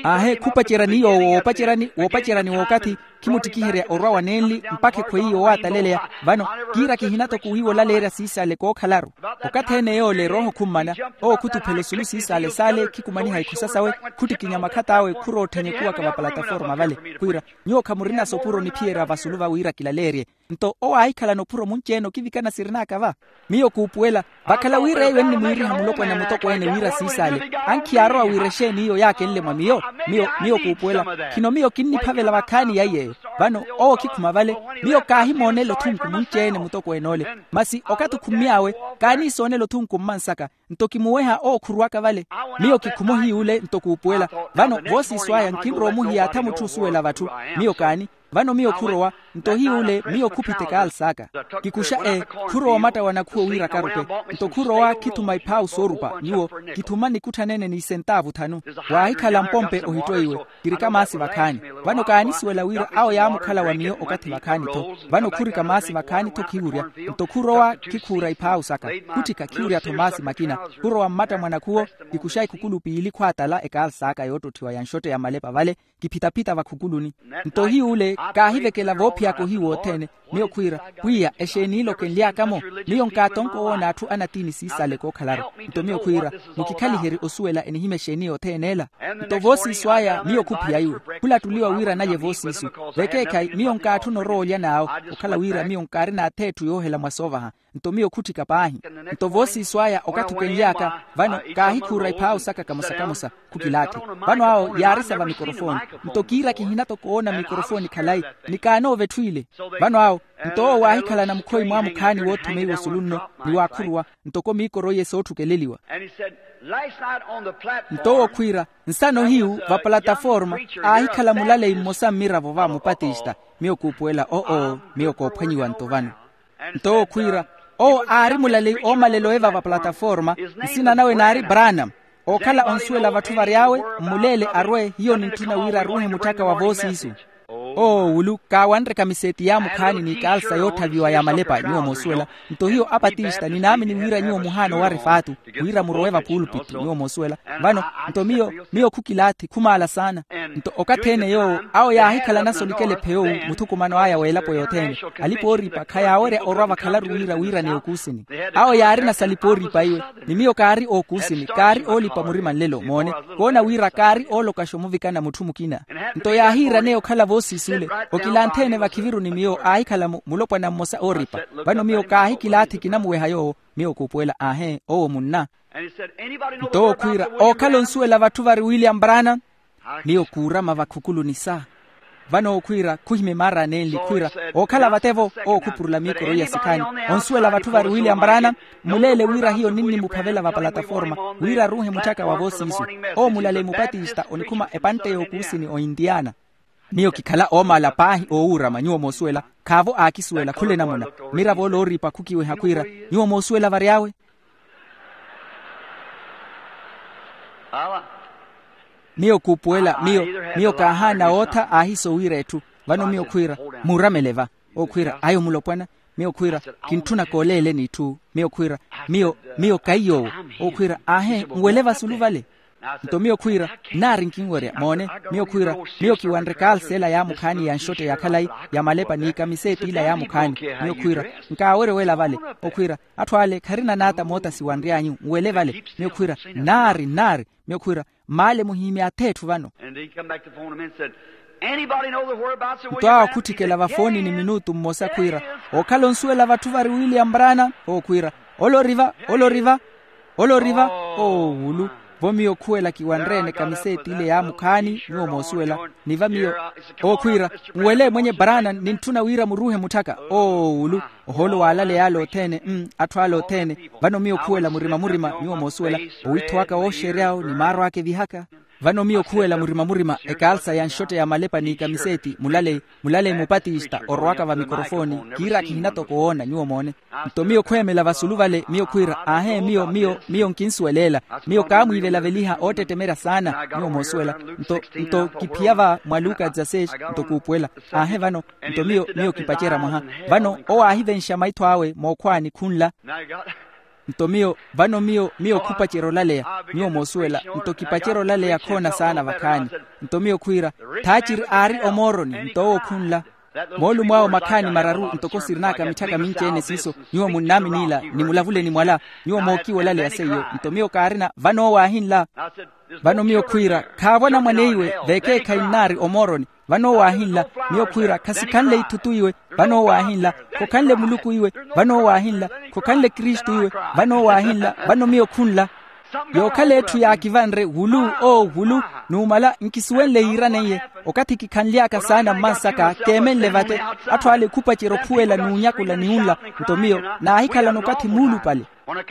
Aahe khupacerya ni yoowo woopacerya ni wookathi, khimuttikiherya orwa wa nenli mpakha ekhweiye owaataleleya. Vano kiira kihinatoko wiiwa olaleerya siisale kookhalaru. Okathi ene yoole erooho khummana, owo khutuphela osulu siisale saale khikumaniha ikhosa sawe, khuttikinya makhat'awe khurowa otthenya ekuwaka vapalataforma vale, khwiira, nyuwo khamurina sopuro niphiyerya vasulu va wira kilaleerye. Nto owo aahikhalana ophuro munci-ene okivikana sirin'aka va. Miyo kuupuwela, vakhala wira eyo ennimwiiriha mulopwana mutokweene wira siisale, ankhi yaarowa wira exeeni iyo yaakenle mwa miyo. Miyo miyo kuupuwela, khino miyo kinniphavela vakhaani ya iy'eyo. Vano owo khikhuma vale, miyo kaahimoonela othunku munci-ene mutokweene ole. Masi okathi okhummy'awe, kaaniisoonela othunku mmansaka. Nto kimuweha owo khuruwaka vale. Miyo kikhuma ohiy'ule nto kuupuwela. Vano voosiiso aya nkinrowa omuhiyaatha mutthu osuwela vatthu. Miyo kaani? Vano miyo khurowa, nto ohiy'ule miyo khuphita ekaals'aka. Kikuxa ee, khurowa omattawa nakhuwo wira karupe. Nto khurowa khithuma iphaawu soorupa nyuwo, kithuma nikutthanene n'isentaavu thanu. Waahikhala mpompe ohittweiwe. Kirika maasi vakhaani. Vano kaanisuwela wira awo yaamukhala wa miyo okathi vakhaani-tho. Vano khurika maasi vakhaani-tho khiwurya. Nto khurowa khikhuura iphaawu saka, khutthika khiwurya-tho maasi makina. Khurowa mmatta mwa nakhuwo, kikuxa ikhukulu piili khwaatala ekaals'aka yoottotthiwa ya nxotte ya malepa vale, kiphitaphita vakhukuluni. Nto ohiy'ule kaahivekela voophiyaka ohiyu wothene. Miyo khwiira, pwiya exeeni ilo kenly'aka-mo? Miyo nkaatonko owoona atthu anatiini siisale kookhalaru. Nto miyo khwiira, mukikhaliherye osuwela enihimya exeeni yothene ela. Nto voosiiso aya miyo khuphiya iwe, khulattuliwa wira nalye voosiiso. Vekeekhayi miyo nkaatthuna orowa olya n'awo, okhala wira miyo nkaarina ath'etthu yoohela mwa soovaha. Nto miyo khutthika paahi. Nto voosiiso aya okathi okenly'aka, vano kaahikhuura iphaawu saka kamosa-kamosa, khukilaathi. Vano awo yaarisa va mikorofoni. Nto kiira kihinatoko owoona mikorofoni khalayi, ni kaanoova etthu ile. Vano awo, nto owo waahikhalana mukhoyi mwamukhaani woothumeiwa osulu nno, ni waakhuruwa, ntoko miikoro iye sootthukeleliwa. Nto owo khwiira, nsana ohiyu vapalataforma, aahikhala mulaleyi mmosa mmiravo va mupatista. Miyo kuupuwela oo, miyo koophwanyiwa nto vano. Nto owo khwiira, owo aari mulaleyi oomalela eva vapalataforma, nsina nawe naari branam. Ookhala onsuwela vatthu vary'awe, mmuleele arwe hiyo nintthuna wira aruuhe mutthaka wa voosiisu. Owo wulu kaawanreka miseeti yaamukhaani n'ikaalsa yootthaviwa ya malepa nyuwo moosuwela. Nto hiyo apatista ninaamini wira nyuwo muhaana owara efaatu, wira murowe vapuulupittu nyuwo moosuwela. Vano, nto miyo miyo khukilaathi khumaala saana. Nto okathi-ene yoowo awo yaahikhalanasa olikela ephey'owu muthukumano aya w'elapo yothene. Alipa-ooripa khayaawerya orwa vakhalaru wira wiiraneya okuusini. Awo yaarina salipa-ooripa iwe, ni miyo kaari ookuusini kaari oolipa murima nlelo moone, koona wira kaari oolokaxa omuvikana mutthu mukina. Nto yaahiiraneya okhala voosiis'ule, okilanthe-ene vakhiviru ni miyo aahikhala mulopwana mmosa ooripa. Vano miyo kaahikilaathi kinamuweha yoowo. Miyo kuupuwela aahe owo munna. Nto owo khwiira, ookhala onsuwela vatthu vari william branam. Miyo kuurama vakhukuluni sa. Vano owo khwiira khuhimya emaara anenli khwiira, ookhala vate-vo. Owo khupurula miikoro iya sikhaani, onsuwela vatthu vari william branam. Mmuleele wira hiyo ninnimuphavela vapalataforma, wira aruuhe mutthaka wa voosiisu. Owo mulaleyi mupatista onikhuma epantte y'okuusini o indiana. Miyo kikhala oomaala paahi oowuurama nyuwo moosuwela. Khaavo aakisuwela khula enamuna. Miravo ole ooripa khukiweha khwiira, nyuwo moosuwela vary'awe? Miyo kuupuwela miyo, miyo kaahaana wootha aahiso wiira etthu. Vano miyo khwiira, muuramele va. Owo khwiira ayo mulopwana. Miyo khwiira, kintthuna kooleeleni itthu. Miyo khwiira, miyo miyo kaiy'owo. Owo khwiira aahe nwele vasulu vale. Nto miyo khwiira, nnaari nkinwerya moone. Miyo khwiira, miyo kiwanre kaalsa ela yaamukhaani ya nxotte ya khalayi, ya malepa n'ikamiseeti ila yaamukhaani. Miyo khwiira, nkaawerya owela vale. Okhwiira, atthu ale kharina naata moota siwanry'anyu nwele vale. Miyo khwiira, nnaari nnaari. Miyo khwiira, mmaale muhiimi atha etthu vano. Nto awo khutthikela vafoonini minutu mmosa khwiira, ookhala onsuwela vatthu vari william brana? Okhwiira, ole ori va, ole ori va. Ole ori va. Oowulu. Vo miyo khuwela kiwanre-ene kamiseeti ile yaamukhaani nyuwo moosuwela. Ni va miyo. Okhwiira, nwele mwenye brana nintthuna wira muruuhe mutthaka. Oowulu. Ohoolo waalaleya ale othene. Atthu ale othene. Vano miyo khuwela murima murima nyuwo moosuwela. Owiitho waka wooxery'awo ni maaro aka evihaka. Vano miyo khuwela murima murima ekaalsa ya nxotte ya malepa n'ikamiseeti mulaleyi. Mulaleyi mupatista orowaka va mikorofooni. Kiira khihina toko woona nyuwo moone. Nto miyo khweemela vasulu vale miyo khwiira aahe miyo miyo miyo nkinsuweleela. Miyo kaamwiivelaveliha oottettemerya saana nyuwo moosuwela. Nto nto kiphiya va mwa luka dzaseis. Nto kuupuwela. Aahe vano. Nto miyo miyo kipacerya mwaha. Vano owo aahivenxa maitho awe mookhwaani khunla. Nto miyo vano miyo miyo khupacerya olaleya. Nyuwo moosuwela. Nto kipacerya olaleya khoona saana vakhaani. Nto miyo khwiira, thaaciri aari omooroni nto owo khunla. Moolumo awo makhaani mararu ntoko sirin'aka mitthaka minci-ene siiso. Nyuwo munnaaminiila ni mulavuleni mwala. Nyuwo mookiwa olaleya seiyo nto miyo kaarina vano owo aahinla. Vano miyo khwiira, khaavo anamwane iwe veekeekhayi nnaari omooroni. Vano owo aahinla. Miyo khwiira khasikhanle ithutu iwe. Vano owo aahinla. Khokhanle muluku iwe. Vano owo aahinla. Khokhanle kristu iwe. Vano owo aahinla. Vano miyo khunla. Yookhala etthu yaakivanre wulu oo wulu. Numala nkisuwenle yiiraneiye. Okathi kikhanly'aka saana mmansaka keemenle vate. Atthu ale khupacerya okhuwela n'unyakula ni unla. Nto miyo naahikhalana okathi muulupale.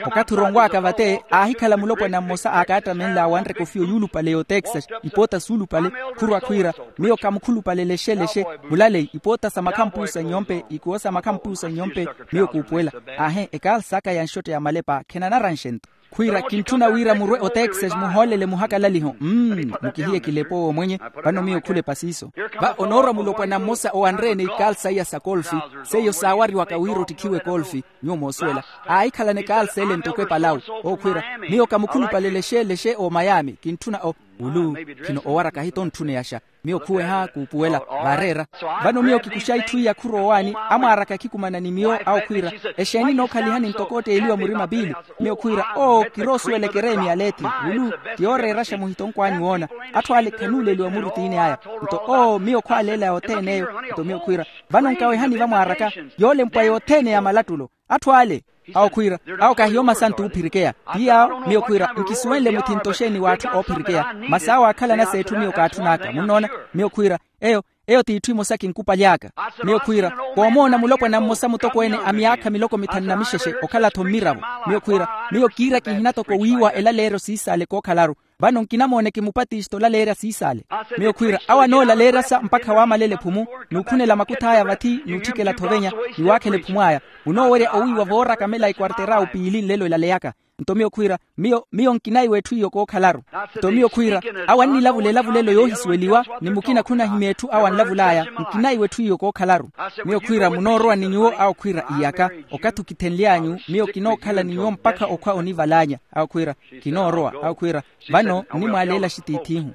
Okathi oronw'aka vate aahikhala mulopwana mmosa aakaattamenle awanre kofiyo yuulupale y'otexas. Ipoota suulupale. Khurwa khwiira, miyo kamukhulupalele exelexi. Mulaleyi ipoota sa makhampuusa nyompe ikuwo sa makhampuusa nyompe. Miyo kuupuwela. Aahe ekaals'aka ya nxotte ya malepa khenanaranxe nto. Khwiira kintthuna wira murwe otexas muhoolele muhakalaliho. Mmm. Mukihiye kilepa owo mwenye. Vano miyo khulepa siiso. Va onoorwa mulopwana mmosa owanre-ene ikaalsa iya sa kolfi. Seiyo saawariwaka wira ottikhiwe kolfi. Nyuwo moosuwela. Aahikhalana ekaalsa ele ntoko epalawu. Okhwiira, miyo kamukhulupalele exeele exe oomayami kintthuna o. Wulu. Khino owaraka hito ntthuneyaxa. Miyo khuweha kuupuwela. Vaareera. Vano miyo kikuxa itthu iya khurowaani. Amwaaraka akhikumana ni miyo awo khwiira, exeeni nookhalihani ntoko otteeliwa murima piili? Miyo khwiira, oo kiroosuwela ekereemi ya leethi. Wulu. Ti yooreeraxa muhito nkwani woona. Atthu ale khanuuleliwa murutiini aya. Nto oo miyo khwaaleelaya othene eyo. Nto miyo khwiira, vano nkawehani vamwaaraka. Yoolempwa yothene ya malattulo. Atthu ale. Awo khwiira, awo kahiyo masantu oophirikeya. Ti yaawo miyo khwiira nkisuwenle muthinto xeeni w'atthu oophirikeya. Masi awo aakhalana s'etthu miyo kaatthun'aka munnoona. Miyo khwiira, eyo, eyo t'itthu imosa kinkupaly'aka. Miyo khwiira, koomoona mulopwana mmosa mutokweene a myaakha miloko mithanu na mixexe okhala-tho mmiravo. Miyo khwiira, miyo kiira kihina toko wiiwa elaleeryo siisaale kookhalaru. Vano nkinamooneke mupatista olaleerya siisaale. Miyo khwiira awo anoolaleeryasa mpakha waamalele ephumu, n'ukhunela makuth'aya vathi n'utthikela-tho ovenya, ni waakhela ephumu aya. Munoowerya owiiwa vooraka mela ekwarter'awe piili nlelo elaleyaka. Nto miyo khwiira, miyo miyo nkinaiwa etthu iyo kookhalaru. Nto miyo khwiira, awo annilavula elavulelo yoohisuweliwa ni mukina khunahimya etthu awo anlavul'aya. Nkinaiwa etthu iyo kookhalaru. Miyo khwiira munoorowa ni nyuwo awo khwiira iyaka, okathi okithenly'anyu miyo kinookhala ni nyuwo mpakha okhwa onival'anya. Awo khwiira, kinoorowa. Awo khwiira, vano nnimwaaleela axitiith'ihu.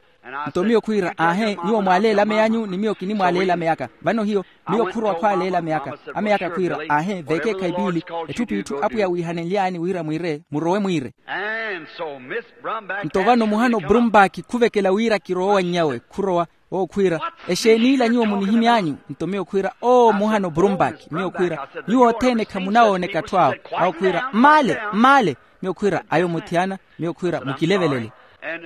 Nto miyo khwiira aahe nyuwo mwaaleela amey'anyu ni miyo kinimwaaleela amey'aka. Vano hiyo, miyo khurowa khwaaleela amey'aka. Amey'aka khwiira aahe veekeekhayi piili, etthu p'itthu apwiya wiihanenly'ani wira mwiire murowe mwiire. Nto vano muhano brumbaki khuvekela wira kirowe wa nnyawe khurowa. Owo khwiira, exeeni ila nyuwo munihimy'anyu? Nto miyo khwiira, oo muhano brumbaki. Miyo khwiira, nyuwo othene khamunawooneka atthu awo. Awo khwiira, mmaale, mmaale. Miyo khwiira, ayo muthiyana. Miyo khwiira, mukilevelele.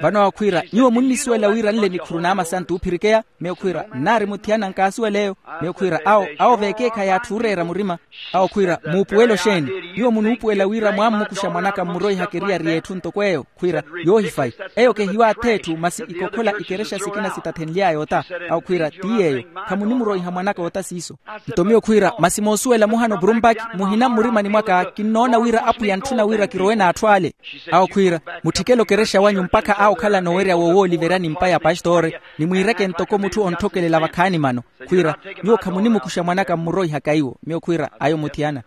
Vano awo khwiira, nyuwo munnisuwela wira nle nikhuru n'amasantu oophirikeya? Miyo khwiira, nnaari muthiyana nkaasuwela eyo. Miyo khwiira, awo awo veekeekhayi atthu ooreera murima. Awo khwiira, muupuwela oxeeni? Nyuwo munuupuwela wira mwammukuxa mwan'aka mmuroihaka eriyari y'etthu ntoko eyo. Khwiira, yoohifayi. Eyo kehiwaatha etthu masi ikokhola ikerexa sikina sitathenly'aya ota. Awo khwiira, ti yeeyo. Khamunimuroiha mwan'aka ota siiso. Nto miyo khwiira, masi moosuwela muhano brumbaki muhina mmurimani mwaka kinnoona wira apwiya antthuna wira kirowe n'atthu ale. Awo khwiira, mutthikele okerexa wanyu mpakha awo okhalana owerya wowooliverya ni mpa ya pastore, ni mwiireke ntoko mutthu ontthokelela vakhaani mano. Khwiira, nyuwo khamunimukuxa mwan'aka mmuroihaka iwo. Miyo khwiira, ayo muthiyana.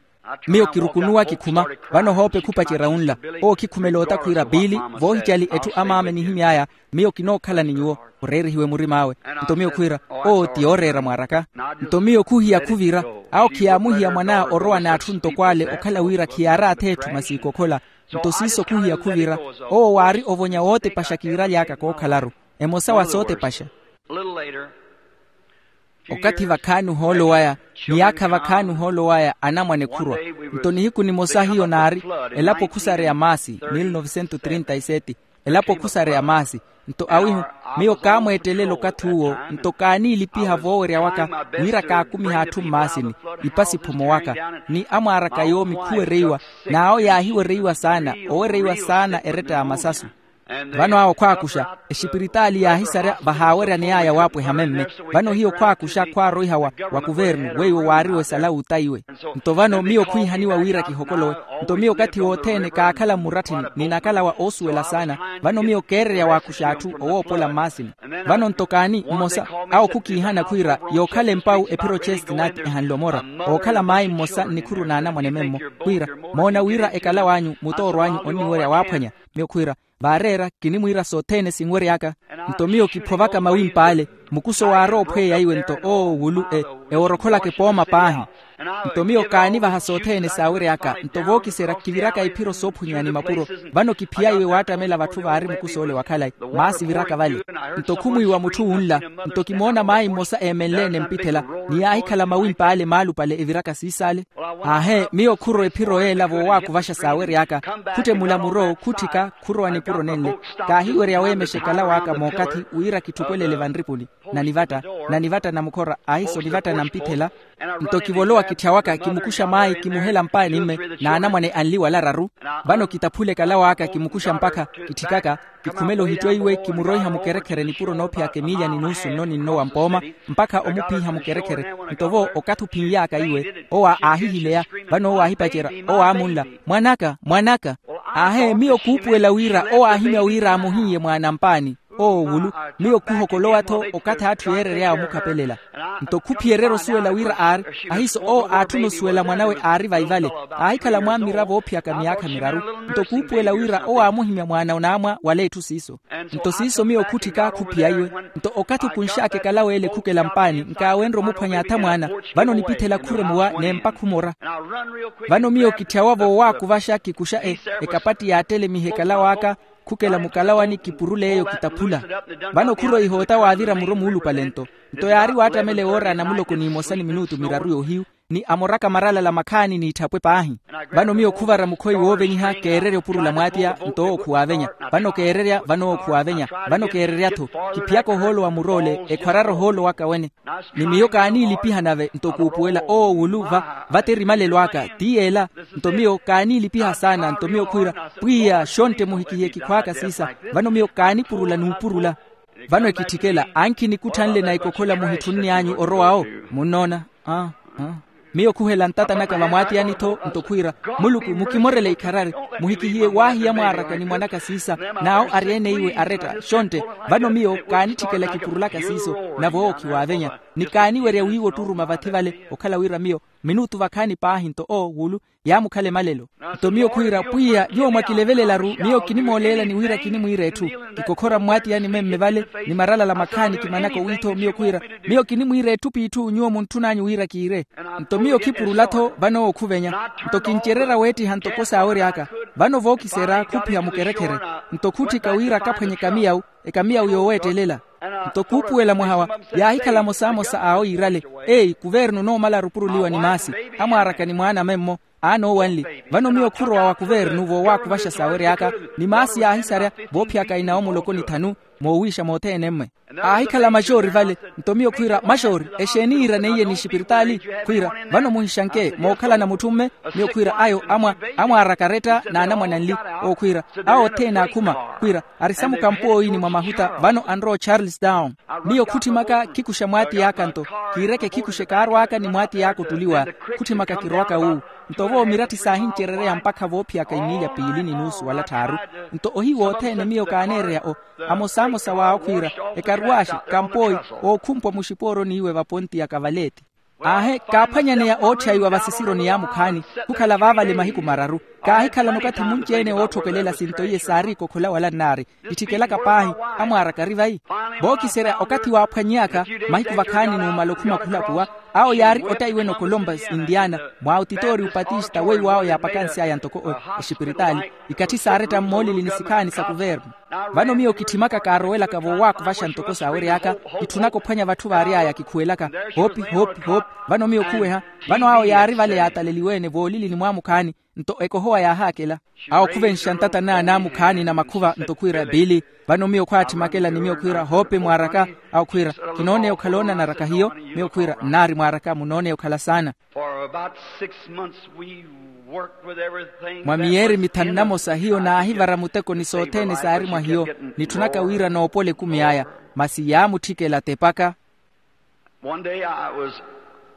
Miyo kirukunuwa kikhuma. Vano hoope khupacerya wunla. Owo khikhumela ota khwiira piili, voohicali etthu amaame nihimy'aya. Miyo kinookhala ni nyuwo. Oreerihiwe murim'awe. Nto miyo khwiira, owo ti yooreera mwaaraka. Nto miyo khuhiya khuvira. Awo khiyaamuhiya mwan'aya orowa n'atthu ntoko ale okhala wira khiyaaraathe etthu masi ikokhola. Nto siiso khuhiya khuvira. Owo waari ovonya wootepaxa kiiraly'aka kookhalaru. Emosa wa sootepaxa. Okathi vakhaani ohoolo waya, miyaakha vakhaani ohoolo waya anamwane khurwa. Nto nihiku nimosa hiyo naari, elapo khusareya maasi, mil novesento trinta y sete. Elapo khusareya maasi. Nto awihu, miyo kaamweettelela okathi uwo. Nto kaaniilipiha voowerya waka, wira kaakumiha atthu mmaasini, ipasi phomowaka, ni amwaaraka yoomi khuwereiwa. N'awo yaahiwereiwa saana, owereiwa saana eretta ya masasu. Vano awo khwaakuxa, exipiritaali yaahisarya vahaaweryaney'aya waapweha memme. Vano hiyo khwaakuxa khwaaroiha wa kuvernu weiwo waari wesala wuta iwe. Nto vano miyo khwiihaniwa wira kihokolowe. Nto miyo okathi wothene kaakhala mmuratthini, ni nakalawa oosuwela saana. Vano miyo keererya waakuxa atthu owoopola mmaasini. Vano nto kaani mmosa, awo khukiihana khwiira, yookhala empawu ephiro chestinati ehanle omora, ookhala maayi mmosa nnikhuru n'anamwane memmo. Khwiira, moona wira ekalaw'anyu mutooro anyu onniwerya waaphwanya. Miyo khwiira, vaareera, kinimwiira sothene sinwery'aka. Nto miyo kiphovaka mawimp'ale, mukuso waarowa ophweya iwe nto owo wulu eworokholaka epooma paahi. Nto miyo kaanivaha sothene saawery'aka. Nto vookiserya kiviraka iphiro soophwinyeya ni mapuro. Vano kiphiya iwe waattamela vatthu vaari mukus'ole wa khalayi, maasi viraka vale. Nto khumwiiwa mutthu wunla. Nto kimoona maayi mmosa eemenle enempithela, ni yaahikhala mawimp'ale maalupale eviraka siis'ale. Aahe, miyo khurowa ephiro yeela voowaakuvaxa saawery'aka. Khutthe mulamulo khutthika khurowa nipuro nenle. Kaahiwerya weemexa ekalaw'aka mookathi wira kitthupwelele vanripuni. Nanivatta, nanivatta namukhora, ahiiso nivatta nampithela. Nto kivolowa kitthya waka kimukuxa maayi kimuhela mpaani mme, n'anamwane anli wala araru. Vano kitaphula ekalaw'aka kimukuxa mpakha, kitthikaka, kikhumela ohitto iwe kimuroiha mukerekhere nipuro noophiyaka emiilya ni nuusu nno ni nno wa mpooma, mpakha omuphiiha mukerekhere. Nto vo okathi ophinly'aka iwe owo aahihileya. Vano owo aahipacerya, owo aamunla, mwan'aka, mwan'aka. Aahe miyo kuupuwela wira owo aahimya wira amuhiiye mwaana mpaani. Owo wulu, miyo khuhokolowa-tho okathi atthu yeerery'aya omukhapelela. Nto khuphiyererya osuwela wira aari, ahiiso owo aatthuna osuwela mwanawe aari vaivale. Aahikhala mwammira voophiyaka miyaakha miraru. Nto kuupuwela wira owo aamuhimya mwaana onaamwa wala etthu siiso. Nto siiso miyo khutthika khuphiya iwe. Nto okathi okunx'aka ekalawa ele khukela mpaani nkaawenrye omuphwanya atha mwaana. Vano nipithela khuremuwa n'empa khumora. Vano miyo kitthyawa voowaakuvaxa kikuxa ekapatti yaattelemiha ekalaw'aka. Khukela mukalawani kipurule eyo kitaphula. Vano khuroiha ota waavira muro muulupale nto. Nto yaari waattamela ewoora ya namuloko n'imosa ni minutu miraru y'ohiyu, ni amoraka maralala makhaani n'itthapwe paahi. Vano miyo khuvara mukhoyi woovenyiha keererya opurula mwaatiya. Nto owo khuwaavenya. Vano keererya vano owo khuwaavenya. Vano keererya-tho. Kiphiyaka ohoolo wa mur'ole ekhwarara ohoolo waka wene. Ni miyo kaaniilipiha nave nto kuupuwela owo wulu va vate erimalelo aka ti yeela. Nto miyo kaaniilipiha saana nto miyo khwiira, pwiya xontte muhikihiye kikhw'aka siisa. Vano miyo kaanipurula n'upurula. Vano ekitthikela ankhi nikuthanle na ikokhola muhitthunni anyu orowa-wo. Munnoona? Aa. Miyo khuhela ntata naka vamwaatiyani-tho nto khwiira, muluku mukimorele ikharari. Muhikihiye waahiya mwaaraka ni mwan'aka siisa. N'awo ari ene iwe aretta xontte. Vano miyo kaanitthikela kipurulaka siiso. Nave owo khiwaavenya. Ni kaaniwerya wiiwa otturuma vathi vale okhala wira miyo minutu vakhaani paahi nto owo wulu yaamukhala emalelo. Nto miyo khwiira pwiya nyuwo mwakilevelelaru miyo kinimooleelani wira kinimwiira etthu. Kikokhora mmwaatiyani memme vale ni maralala makhaani kimanaka owiitho miyo khwiira, miyo kinimwiira etthu p'itthu nyuwo muntthun'anyu wira kiire. Nto miyo khipurula-tho vano owo khuvenya. Nto kincererya weettiha ntoko saawery'aka. Vano vookiserya khuphiha mukerekhere. Nto khutthika wira akaphwanye ekamiyawu ekamiyawu yooweettelela. Nto kuupuwela mwaha wa yaahikhala amosamosa awo yiirale. Eyi kuvernu onoomala arupuruliwa ni maasi. Amwaaraka ni mwaana memmo. Aanoowanli. Vano miyo khurowa wa kuvernu voowaakuvaxa saawery'aka. Ni maasi yaahisarya voophiyaka inawo muloko ni thanu. Moowiixa mothene mmwe aahikhala maxoori vale. Nto miyo khwiira maxoori exeeni yiiraneiye ni xipiritaali? Khwiira vano muhixanke mookhalana mutthu mme. Miyo khwiira ayo amwaaraka aretta n'anamwane anli. Owo khwiira awo othene aakhuma. Khwiira ari samukampu owiini mwa mahuta vano anrowa ocharles town. Miyo khutthimaka khikuxa mwaatiy'aka nto kiireke khikuxe kaarw'aka ni mwaatiy'aka ottuliwa. Khutthimaka kirowaka wuuwu. Nto vo miratthi saahincerereya mpakha voophiyaka imiilya piili ni nuusu wala tthaaru. Nto ohiyu wothene miyo kaaneereya o amosamosa waawo khwiira ekaruwaaxe kampooyi ookhumpwa muxipooroni iwe vapontiyaka valeti. Aahe kaaphwanyaneya ootthyayiwa vasisironi yaamukhaani. Khukhala vaavale mahiku mararu, kaahikhalana okathi munci-ene wootthokelela sinto iye saari ikokhola wala nnaari. Itthikelaka paahi, amwaara kari vayi. Vookiserya okathi waaphwanyeyaka, mahiku vakhaani numala okhuma khulapuwa. Awo yaari ottaiwene ocolombus indiana, mwa otitoori upatista weiwo awo yaapakansy'aya ntoko oxipiritaali. Ikatthi saaretta mmoolili ni sikhaani sa kuvernu. Vano miyo kitthimaka kaarowelaka voowaakhuvaxa ntoko saawery'aka. Kitthunaka ophwanya vatthu vaary'aya kikhuwelaka, hoopi hoopi hoopi. Vano miyo khuweha. Vano awo yaari vale yaataleliwe-ene voolilini mwaamukhaani. Nto ekohowa yaahaakela. Awo khuvenxa ntata n'anamukhaani na makhuva nto khwiira biili. Vano miyo khwaatthimakela ni miyo khwiira hoope mwaaraka. Awo khwiira, kinooneya okhala oonanaraka hiyo. Miyo khwiira nnaari mwaaraka munooneya okhala saana. For about six months we worked with everything. Mwa miyeeri mithanu na mosa hiyo naahivara muteko ni sothene saari mwa hiyo. Nitthunaka wira noopole ekumi aya, masi yaamutthikela tepaka. One day I was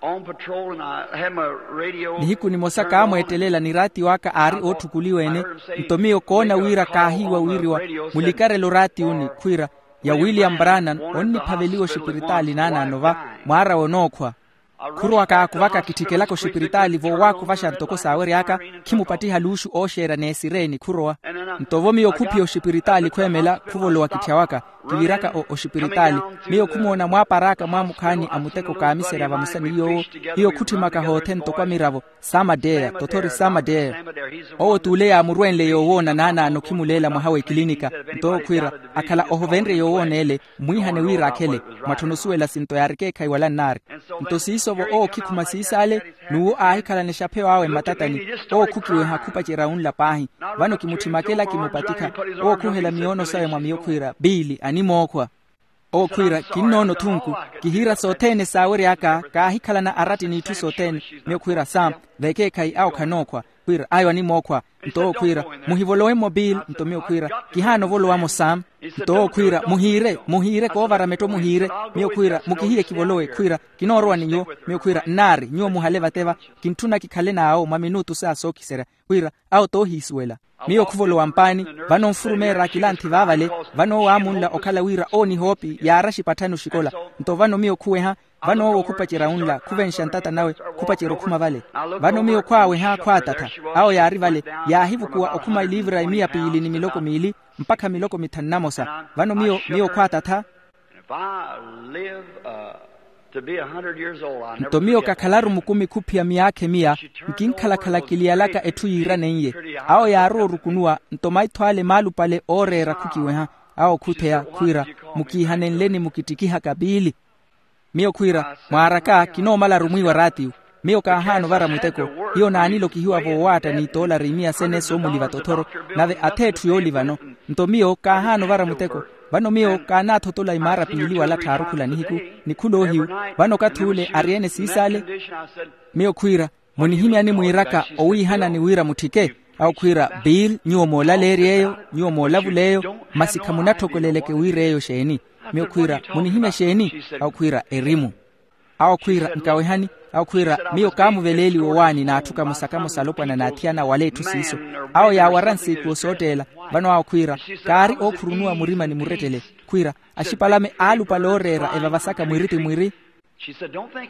on patrol and I had my radio. Nihiku nimosa kaamweettelela ni raatiyo aka aari ootthukuliwa-ene. Nto miyo koona wira kaahiiwa wiriwa mulikarelo raatiyuni khwiira, ya william brannan onniphaveliwa oxipiritaali naanaano va, mwaarawe onookhwa. Khurowa kaakuvaka kitthikhelaka oxipiritaali voowaakhuvaxa ntoko saawery'aka. Khimupattiha luuxu ooxeera n'esireeni khurowa. Nto vo miyo khuphiya oxipiritaali khweemela khuvolowa kitthya waka, kiviraka oxipiritaali. Miyo khumoona mwaapar'aka mwaamukhaani a muteko kaamiserya vamosa ni yoowo. Hiyo khutthimaka hoothe ntoko amiravo, samadeya tothori samadeya. Owo t'ule yaamurwenle yoowoona naanaano khimuleela mwaha w'ekilinika. Nto owo khwiira, akhala ohovenrye yoowoona ele, mmwiihane wira akhele, mwatthono osuwela sinto yaari ekeekhayi wala nnaari. Nto siiso-vo owo khikhuma siisaale, n'uwo aahikhalana exapheyo awe mmatatani. Owo khukiweha khupacerya wunla paahi. Vano kimutthimakela kimupatikha. Owo khuhela miyoono sawe mwa miyo khwiira biili animookhwa. Owo khwiira kinnoona othunku, kihiira sothene saawery'aka. Kaahikhalana aratti n'itthu sothene. Miyo khwiira sam, vekeekhayi awo khanookhwa. Khwiira ayo animookhwa. Nto owo khwiira, muhivolowe-mo biili. Nto miyo khwiira, kihaana ovolowamo sam. Nto owo khwiira, muhiire muhiire koovara metto muhiire. Miyo khwiira mukihiye kivolowe khwiira, kinoorowa ni nyuwo. Miyo khwiira nnaari nyuwo muhale vate va. Kintthuna kikhale n'awo mwa minutu saa sookiserya. Khwiira awo toohiisuwela. Miyo khuvolowa mpaani, vano nfurumeera akilanthi vaavale. Vano owo aamunla okhala wira owo nihoopi yaara axipatthani oxikola. Nto vano miyo khuweha, vano owo khupacerya wunla khuvenxa ntata nawe, khupacerya okhuma vale. Vano miyo khwaaweha khwaatattha. Awo yaari vale, yaahivukuwa okhuma eliivira emiya piili ni miloko miili, mpakha miloko mithanu na mosa. Vano miyo miyo khwaatattha. Nto miyo kakhalaru mukumi khuphiya miyaakha emiya, nkinkhalakhala kiliyalaka etthu yiiraneiye. Awo yaarowa orukunuwa. Nto maitho ale maalupale ooreera khukiweha. Awo khutheya khwiira, mukiihanenleni mukittikihaka piili. Miyo khwiira, mwaaraka kinoomala arumwiwa raatiyo. Miyo kaahaana ovara muteko. Hiyo naanilokihiwa voowaatta ni toolari imiya sene soomuliva tothoro. Nave atha etthu yoolivano. Nto miyo kaahaana ovara muteko. Vano miyo kaanaathotola imaara piili wala tthaaru khula nihiku, ni khula ohiyu. Vano okathi ule ari-ene siisaale. Miyo khwiira, munihimyani mwiiraka owiihanani wira mutthike? Awo khwiira bill, nyuwo moolaleerya eyo, nyuwo moolavuleeyo. Masi khamunatthokoleleke wira eyo xeeni? Miyo khwiira, munihimya xeeni? Awo khwiira, erimu. Awo khwiira, nkawehani. Awo khwiira, miyo kaamuveleeliwa owaani n'atthu kamosa-kamosa alopwana n'athiyana wala etthu siiso. Awo yaawara nsiikuwo sootteela. Vano awo khwiira, kaari ookhurunuwa murima ni murettele. Khwiira, axipalame aalupale ooreera evavasaka mwiri ti mwiri.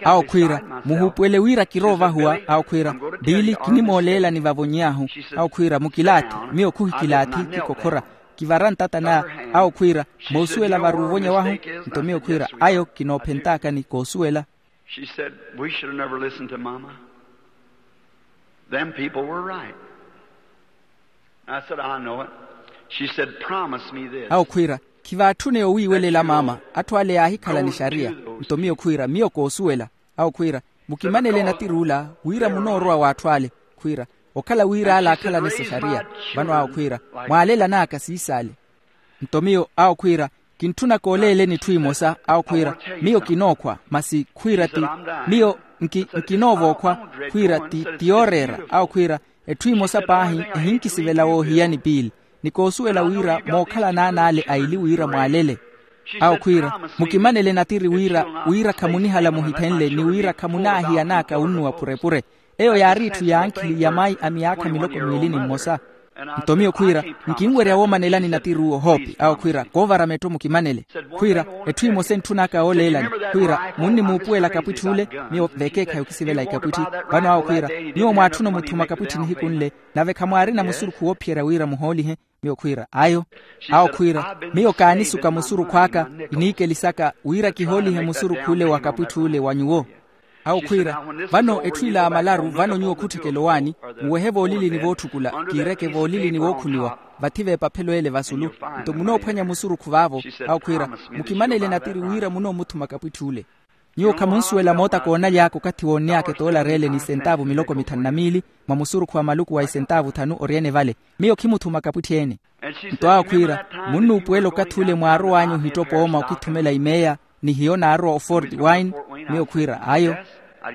Awo khwiira, muhuupuwele wira kiroovahuwa. Awo khwiira, biili kinimooleelani vavonyaahu. Awo khwiira, mukilaathi. Miyo khuhikilaathi kikokhora. Kivara ntata n'aya. Awo khwiira, moosuwela vari uvonya wahu? Nto miyo khwiira, ayo kinoophentaakani koosuwela. She said, we should have never listened to mama. Them people were right. I said, I know it. She said, promise me this. Awo khwiira, khivaatthuneya owiiwelela maama. Atthu ale yaahikhala ni xariya. Nto miyo khwiira, miyo koosuwela. Awo khwiira, mukimanele natiri ula wira munoorowa w'atthu ale. Khwiira, okhala wira ale aakhalane s'exariya. Vano awo khwiira, mwaalela n'aka siisaale. Nto miyo awo khwiira, kintthuna kooleeleni etthu emosa. Awo khwiira, miyo kinookhwa masi khwiira ti, miyo nki nkinoovokhwa. Khwiira ti ti yooreera. Awo khwiira, etthu emosa paahi ehinkisivela woohiyani piili. Ni koosuwela wira mookhala n'anaale aili wira mwaalele. Awo khwiira, mukimanele natiri wira wira khamunihala muhithenle ni wira khamunaahiyan'aka wunnuwa purepure. Eyo yaari etthu ya ankhili ya mayi a miyaakha miloko miili ni mmosa. Nto miyo khwiira, nkinwerya woomanelani natiruwo hoopi awo khwiira koovara mettho mukimanele. Khwiira, etthu emosa entthun'aka yooleelani khwiira, munnimuupuwela kapwitthi ule? Miyo vekeekhayi okisivela ikapwitthi. Vano awo khwiira, nyuwo mwaatthuna omuthuma kapwitthi nihiku nle, nave khamwaarina musurukhu woophiyerya wira muhoolihe. Miyo khwiira ayo. Awo khwiira, miyo kaanisuka musurukhw'aka, iniikelisaka wira kihoolihe musurukhu ule wa kapwitthi ule wa nyuwo. Awo khwiira, vano etthu ila ya malaru vano nyuwo khutthekela owaani, muwehe voolilini vootthukula, kiireke voolilini vookhuniwa, vathi v'epaphelo ele vasulu. Nto munoophwanya musurukhu vaavo. Awo khwiira, mukimanele natiri wira munoomuthuma kapwitthi ule. Nyuwo khamunsuwela moota koonaly'aka okathi woonny'aka etoolari ele ni isentaavu miloko mithanu na miili, mwa musurukhu wa maluku wa isentaavu thanu oryene vale. Miyo khimuthuma kapwitthi-ene. Nto awo khwiira, munnuupuwela okathi ule mwaarow'anyu ohittopa ooma okithumela imeeya, ni hiyo naarowa ofort wine. Miyo khwiira ayo.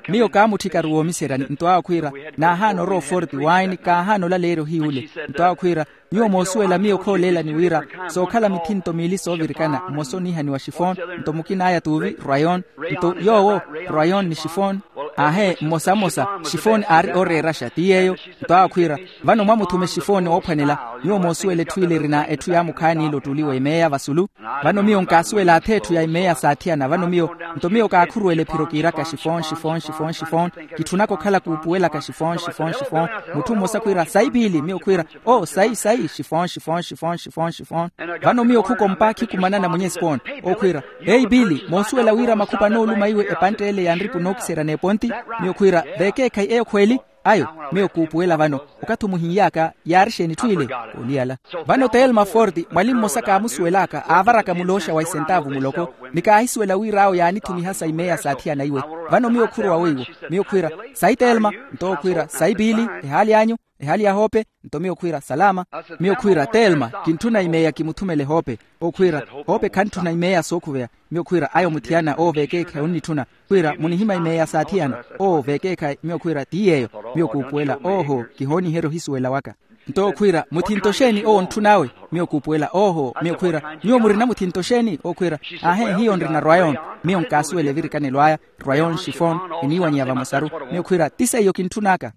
Miyo kaamutthikaru woomiseryani. Nto awo khwiira, naahaana orowa ofort wine, kaahaana olaleerya ohiyu ule. Nto awo khwiira, nyuwo moosuwela miyo khooleelani wira sookhala mithinto miili soovirikana, mmosa oniihaniwa shifon, nto mukin'aya tuuvi rwayon. Nto yoowo, rwayon ni shifon. Aahe, mmosa mmosa, shifon aari ooreeraxa ti yeeyo. Nto awo khwiira, vano mwamuthuma eshifon oophwanela. Nyuwo moosuwela etthu ile erina etthu yaamukhaani ile ottuli w'emeeya vasulu. Vano miyo nkaasuwela ath'etthu ya emeeya saathiyana vano miyo. Nto miyo kaakhuruwela ephiro kiiraka shifon shifon shifon shifon. Kitthunaka okhala kuupuwelaka shifon shifon shifon. Mutthu mmosa khwiira sayi piili miyo khwiira, o sayi sayi shifon shifon shifon shifon shifon. Vano miyo khukompa khikumanana mwenye spon, okhwiira, eyi piili moosuwela wira makhupa anooluma iwe epantte ele ya nripu nookiserya n'eponti. Miyo khwiira, vekeekhayi eyo khweeli. Ayo, miyo kuupuwela vano, okathi omuhin'yaka yaari exeeni etthu ile? Oliyala. Vano telma fort, mwali mmosa kaamusuwel'aka aavaraka mulooxa wa isentaavu muloko, ni kaahisuwela wira awo yaanithumihasa imeeya saathiyana iwe. Vano miyo khurowa weiwo. Miyo khwiira, sayi telma? Nto owo khwiira, sayi piili? Ehaali anyu? Ehaali ya hoope? Nto miyo khwiira, salama. Miyo khwiira, telma, kintthuna imeeya kimuthumele hoope. Okhwiira, hoope khantthuna imeeya sookhuveya. Miyo khwiira, ayo muthiyana owo vekeekhayi onnitthuna. Khwiira, munihimya imeeya saathiyana? Owo vekeekhayi. Miyo khwiira, ti yeeyo. Miyo kuupuwela, ooho, kihooniherya ohisuwela waka. Nto okhwiira, muthinto xeeni owo ontthun'awe? Miyo kuupuwela, ooho. Miyo khwiira, nyuwo murina muthinto xeeni? Okhwiira, aahe hiyo nrina rwayon. Miyo nkaasuwela evirikanelo aya, rwayon shifon, eniiwanyeya vamosaru. Miyo khwiira, ti seiyo kintthun'aka.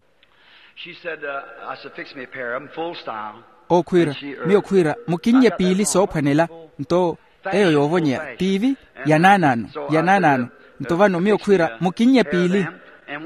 Okhwiira, miyo khwiira, mukinnye piili soophwanela. Nto eyo yoovonyeya tiivi, ya naanaano, ya naanaano. Nto vano miyo khwiira, mukinnye piili.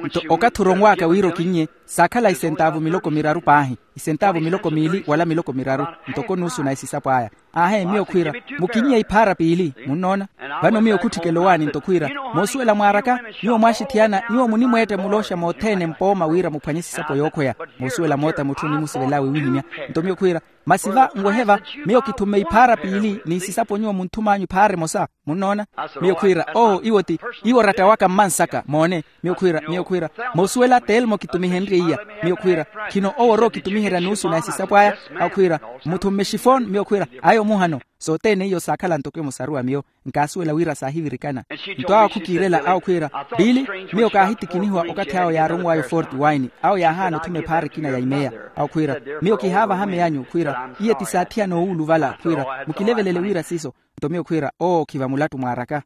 Nto okathi oronw'aka wira okinnye, saakhala isentaavu miloko miraru paahi, isentaavu miloko miili wala miloko miraru, ntoko nuusu na esisapo aya. Aahe miyo khwiira, mukinnye iphaara piili munnoona. Vano miyo khutthikela owaani nto khwiira, moosuwela mwaaraka, nyuwo mwaaxithiyana nyuwo munimweetta mulooxa mothene mpooma wira muphwanye esisapo yookhweya. Moosuwela moota mutthu onimusivela wiiwihimya. Nto miyo khwiira, masi va nwehe va, miyo kithumme iphaara piili ni isisapo nyuwo munthum'anyu iphaara emosa. Munnoona? Miyo khwiira, oo iwo ti, iwo oratta waka mmansaka moone. Miyo khwiira, miyo khwiira, moosuwela telmo kitumihenrye iya. Miyo khwiira, khino owo orowa okitumiherya nuusu na esisapo aya. Akhwiira, muthumme shifon. Miyo khwiira, ayo muhano. Sothene iyo saakhala ntoko emosaru a miyo. Nkaasuwela wira saahivirikana. Nto awo khukiirela awo khwiira, piili, miyo kaahitikinihiwa okathi awo yaaronw'aya ofort wine. Awo yaahaana othuma ephaara ekina ya imeeya. Awo khwiira, miyo kihaavaha meyanyu khwiira, iye ti saathiyana owuuluvala khwiira, mukilevelele wira siiso. Nto miyo khwiira, oo khiva mulattu mwaaraka.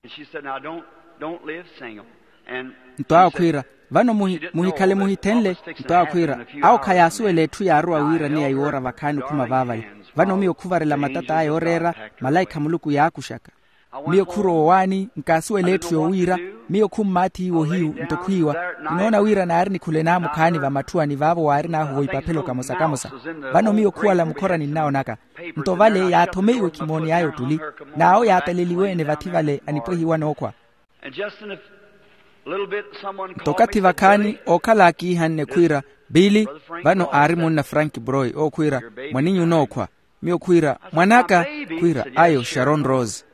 Nto awo khwiira, vano muhikhale muhithenle. Nto awo khwiira, awo khayaasuwela etthu yaarowa wiiraniya iwoora vakhaani okhuma vaavale. Vano miyo khuvarela matata aya ooreera, malaikha a muluku yaakuxaka. Miyo khurowa owaani, nkaasuwela etthu yoowiira. Miyo khummaathi iwo hiyu nto khwiiwa, kinoona wira naari nikhule naamukhaani vamatthwani vaavo waarin'ahu voipaphelo kamosa-kamosa. Vano miyo khuwala mukhorani nnawo naka. Nto vale yaathomeiwe khimooney'aya ottuli, n'awo yaataleliwe-ene vathi vale anipwehiwa nookhwa. Nto okathi vakhaani ookhala akiihanne khwiira, piili, vano aari munna frank broy owo khwiira, mwaninyu onookhwa? Miyo khwiira, mwan'aka. Khwiira, ayo sharon rose.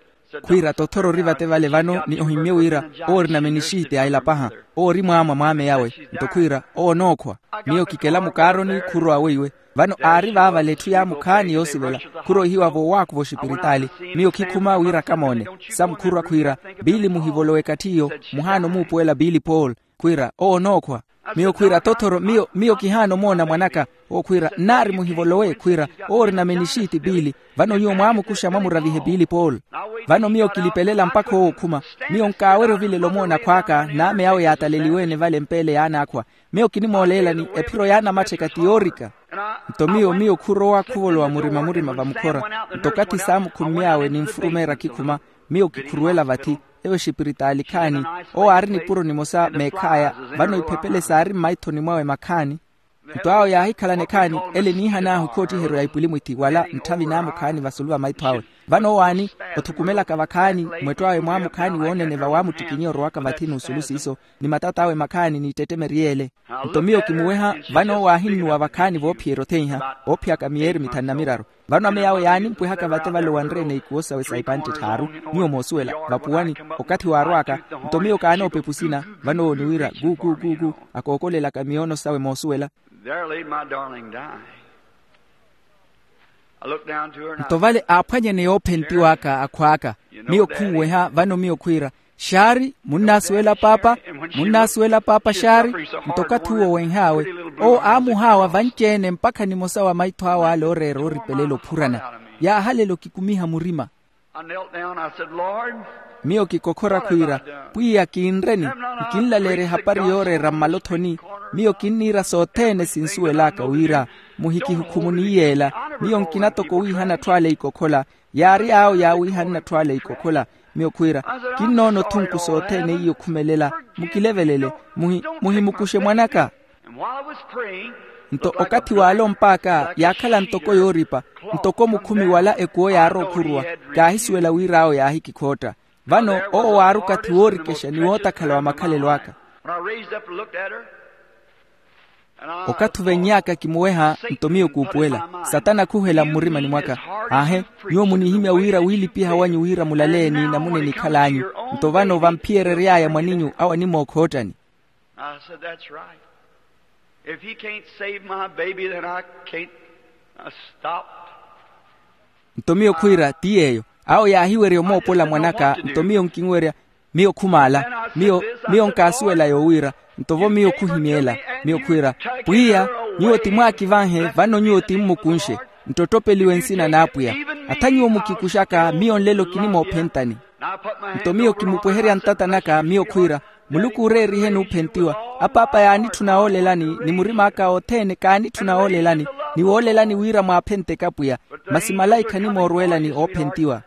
Khwiira, tothoro ori vate vale vano ni ohimmye wira owo orina menixiti a elapaha, owo ori mwaamwa mwaame yawe. Nto khwiira, owo onookhwa? Miyo kikela mukaaroni khurowa weiwe. Vano aari vaavale etthu yaamukhaani yoosivela, khuroihiwa voowaakhuva oxipiritaali. Miyo khikhuma wira kamoone. Samkhurwa khwiira, piili muhivolowe ekatthi iyo. Muhaana omuupuwela piili paul. Khwiira, owo onookhwa? Miyo khwiira, tothoro miyo miyo kihaana omoona mwan'aka. Owo khwiira, nnaari muhivolowe khwiira, owo orina menixiti piili. Vano nyuwo mwaamukuxa mwamuravihe piili paul. Vano miyo kilipelela mpakha owo okhuma. Miyo nkaawerya ovilela omoona akhw'aka n'ame awo yaataleliwe-ene vale mpeele y'anaakhwa. Miyo kinimooleelani ephiro yaanamattheka ti yoorika. Nto miyo miyo khurowa khuvolowa murima-murima vamukhora. Nto okathi saamukhumy'awe ninfurumeerya khikhuma, miyo kikhuruwela vathi. Eyo exipiritaali khaani, owo aari nipuro nimosa meekhaya. Vano iphepele saari mmaithoni mwawe makhaani. Nto awo yaahikhalana ekhaani ele niihan'ahu khoottiheryo ya ipwilimwithi wala ntthavi naamukhaani vasulu va maitho awe. Vano owaani othukumelaka vakhaani, mwettw'awe mwaamukhaani woonene vawamuttikinye orowaka vathi n'usulu siiso, ni matat'awe makhaani n'ittettemeri yeele. Nto miyo kimuweha. Vano owo aahinnuwa vakhaani voophiyerya otheiha oophiyaka miyeeri mithanu na miraru. Vano ame yawe yaanimpwehaka vate vale owanre-ene ikuwo sawe sa ipantte tthaaru. Nyuwo moosuwela vapuwani, okathi waarw'aka. Nto miyo kaanoopepa osina. Vano owo ni wira gu gu gu gu, akookolelaka miyoono sawe moosuwela. There laid my darling dying. I looked down to her and I nto vale aaphwanyene yoophentiw'aka akhw'aka. Miyo khunweha vano miyo khwiira, xaari munnaasuwela paapa? Munnaasuwela paapa xaari? Nto okathi uwo wenh'awe, owo aamuhaawa vanci-ene mpakha nimosa wa maitho awe ale ooreera ooripelela ophurana. Yaahalela okikumiha murima. I knelt down, I said, Lord, miyo kikokhora khwiira, pwiya kinreni? Nkinlaleerya ehapari yooreera mmalothoni. Miyo kinniira sothene sinsuwel'aka wira muhikihukhumuni yeela. Miyo nkina toko wiihana atthu ale ikokhola. Yaari awo yaawiihana atthu ale ikokhola. Miyo khwiira, kinnoona othunku sothene iyo khumelela. Mukilevelele. Muhi- muhimukuxe mwan'aka. Nto okathi waalomp'aka yaakhala ntoko yooripa, ntoko mukhumi wala ekuwo yaarowa okhuruwa. Kaahisuwela wira awo yaahikikhootta. Vano owo waari okathi woorikexa ni wootakhala wa makhalelo aka. Okathi ovenny'aka kimuweha nto miyo kuupuwela. Satana khuhela mmurimani mwaka. Aahe, nyuwo munihimya wira wiilipiha wanyu wira mulaleeni namuna enikhal'anyu. Nto vano vamphiyerery'aya mwaninyu awo animookha oottani. I said, that's right. If he can't save my baby, then I can't. I stopped. Nto miyo khwiira ti yeeyo. Awo yaahiwerya omoopola mwan'aka nto miyo nkinwerya. Miyo khumaala. Miyo miyo nkaasuwela yoowiira. Nto vo miyo khuhimy'ela. Miyo khwiira, pwiya, nyuwo ti mwaakivanhe vano nyuwo ti mmukunxe. Nttottopeliwe nsina n'apwiya. Atha nyuwo mukikuxaka miyo nlelo kinimoophentani. Nto miyo kimupweherya ntata naka miyo khwiira, muluku ooreerihe n'uphentiwa. Apaapa yaanitthuna woolelani ni murim'aka othene kaanitthuna woolelani, ni woolelani wira mwaaphenteke apwiya. Masi malaikha animoorweelani oophentiwa.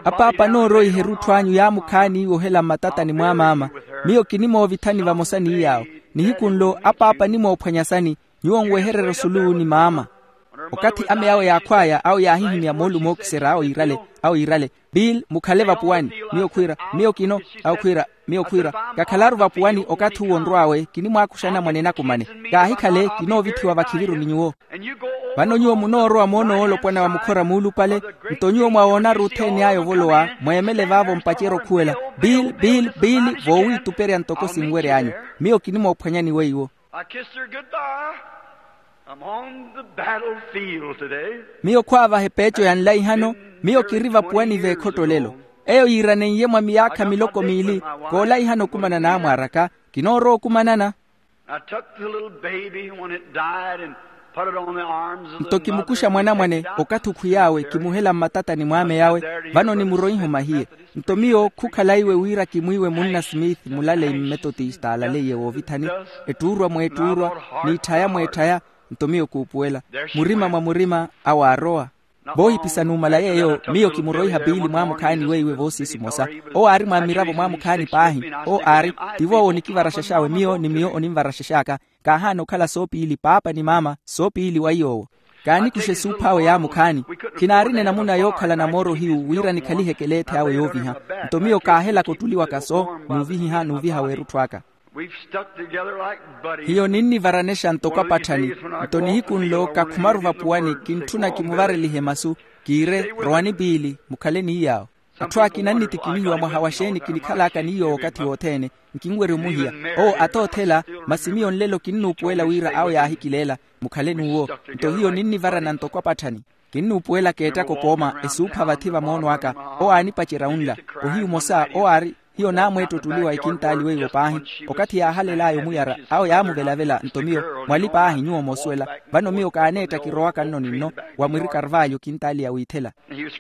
Apaapa anooroiha erutthu anyu yaamukhaani iwe ohela mmatatani mwa maama. Miyo kinimoovithani vamosa ni yaawo. Nihiku nlo apaapa animoophwanyasani. Nyuwo nwehererye osulu ni maama. Okathi ame awo yaakhw'aya awo yaahihimya moolumo ookiserya awo yiirale, awo yiirale, bill, mukhale vapuwani. Miyo khwiira, miyo kino. Awo khwiira, miyo khwiira, kakhalaru vapuwani okathi uwo onrw'awe kinimwaakuxana mwanenakumane. Kaahikhale kinoovithiwa vakhiviru ni nyuwo. Vano nyuwo munoorowa moona oolopwana wa mukhora muulupale. Nto nyuwo mwawoonaru othene aya ovolowa mweemele vaavo mpacerya okhuwela, bill, bill, bill, voowiituperya ntoko sinwery'anyu. Miyo kinimoophwanyani weiwo. I kissed her goodbye. I'm on the battlefield today. Miyo khwaavaha epeeco ya nlaihano. Miyo kiri vapuwani v'ekhotto lelo. Eyo yiiraneiye mwa miyaakha miloko miili. Koolaihana okumana n'amwaar'aka. Kinoorowa okumanana. I took the little baby when it died and put it on the arms of the mother. Nto kimukuxa mwanamwane okathi okhwiy'awe kimuhela mmatatani mw'ame yawe. Vano nimuroiha omahiye. Nto miyo khukhala iwe wira kimwiiwe munna smith mulaleyi mmetotista alaleiye woovithani. Ettuurwa mweettuurwa, n'itthaya mweetthaya. Nto miyo kuupuwela murima mwa murima. Awaarowa. Voohipisa numala yeeyo miyo kimuroiha piili mwaamukhaani weiwe voosiisi omosa. Owo aari mwa mmiravo mwaamukhaani paahi. Owo aari, tivo owo onikivaraxax'awe miyo ni miyo onimvaraxax'aka. Kaahaana okhala soopiili paapa ni maama soopiili wa iy'owo. Kaanikuxe esuuph'awe yaamukhaani. Khinaarina enamuna yookhalana mooro hiyu wira nikhaliheke eleethe awe yooviha. Nto miyo kaahelaka ottuli waka soo n'uvihiha n'uviha w'erutthu aka. Hiyo ninnivaranexa ntoko apatthani. Nto nihiku nlo kakhumaru vapuwani kintthuna kimuvarelihe masu. Kiire, rowani piili mukhale ni iy'awo. Atthu akina annitikinihiwa mwaha wa xeeni kinikhal'aka ni iy'owo okathi wothene. Nkinwerya omuhiya. Owo atoothela. Masi miyo nlelo kinnuupuwela wira awo yaahikileela. Mukhale n'uwo. Nto hiyo ninnivarana ntoko apatthani. Kinnuupuwelaka eettaka okooma esuupha vathi va moono aka. Owo aanipacerya unla. Ohiyu omosa owo aari. Hiyo naamweetta ottuliwa ekintaali weiwo paahi. Okathi yaahalel'aya omuyara, awo yaamuvelavela nto miyo, mwali paahi nyuwo moosuwela. Vano miyo kaaneetta kirowaka nno ni nno, wa mwiri karvalyo ekintaali ya wiithela.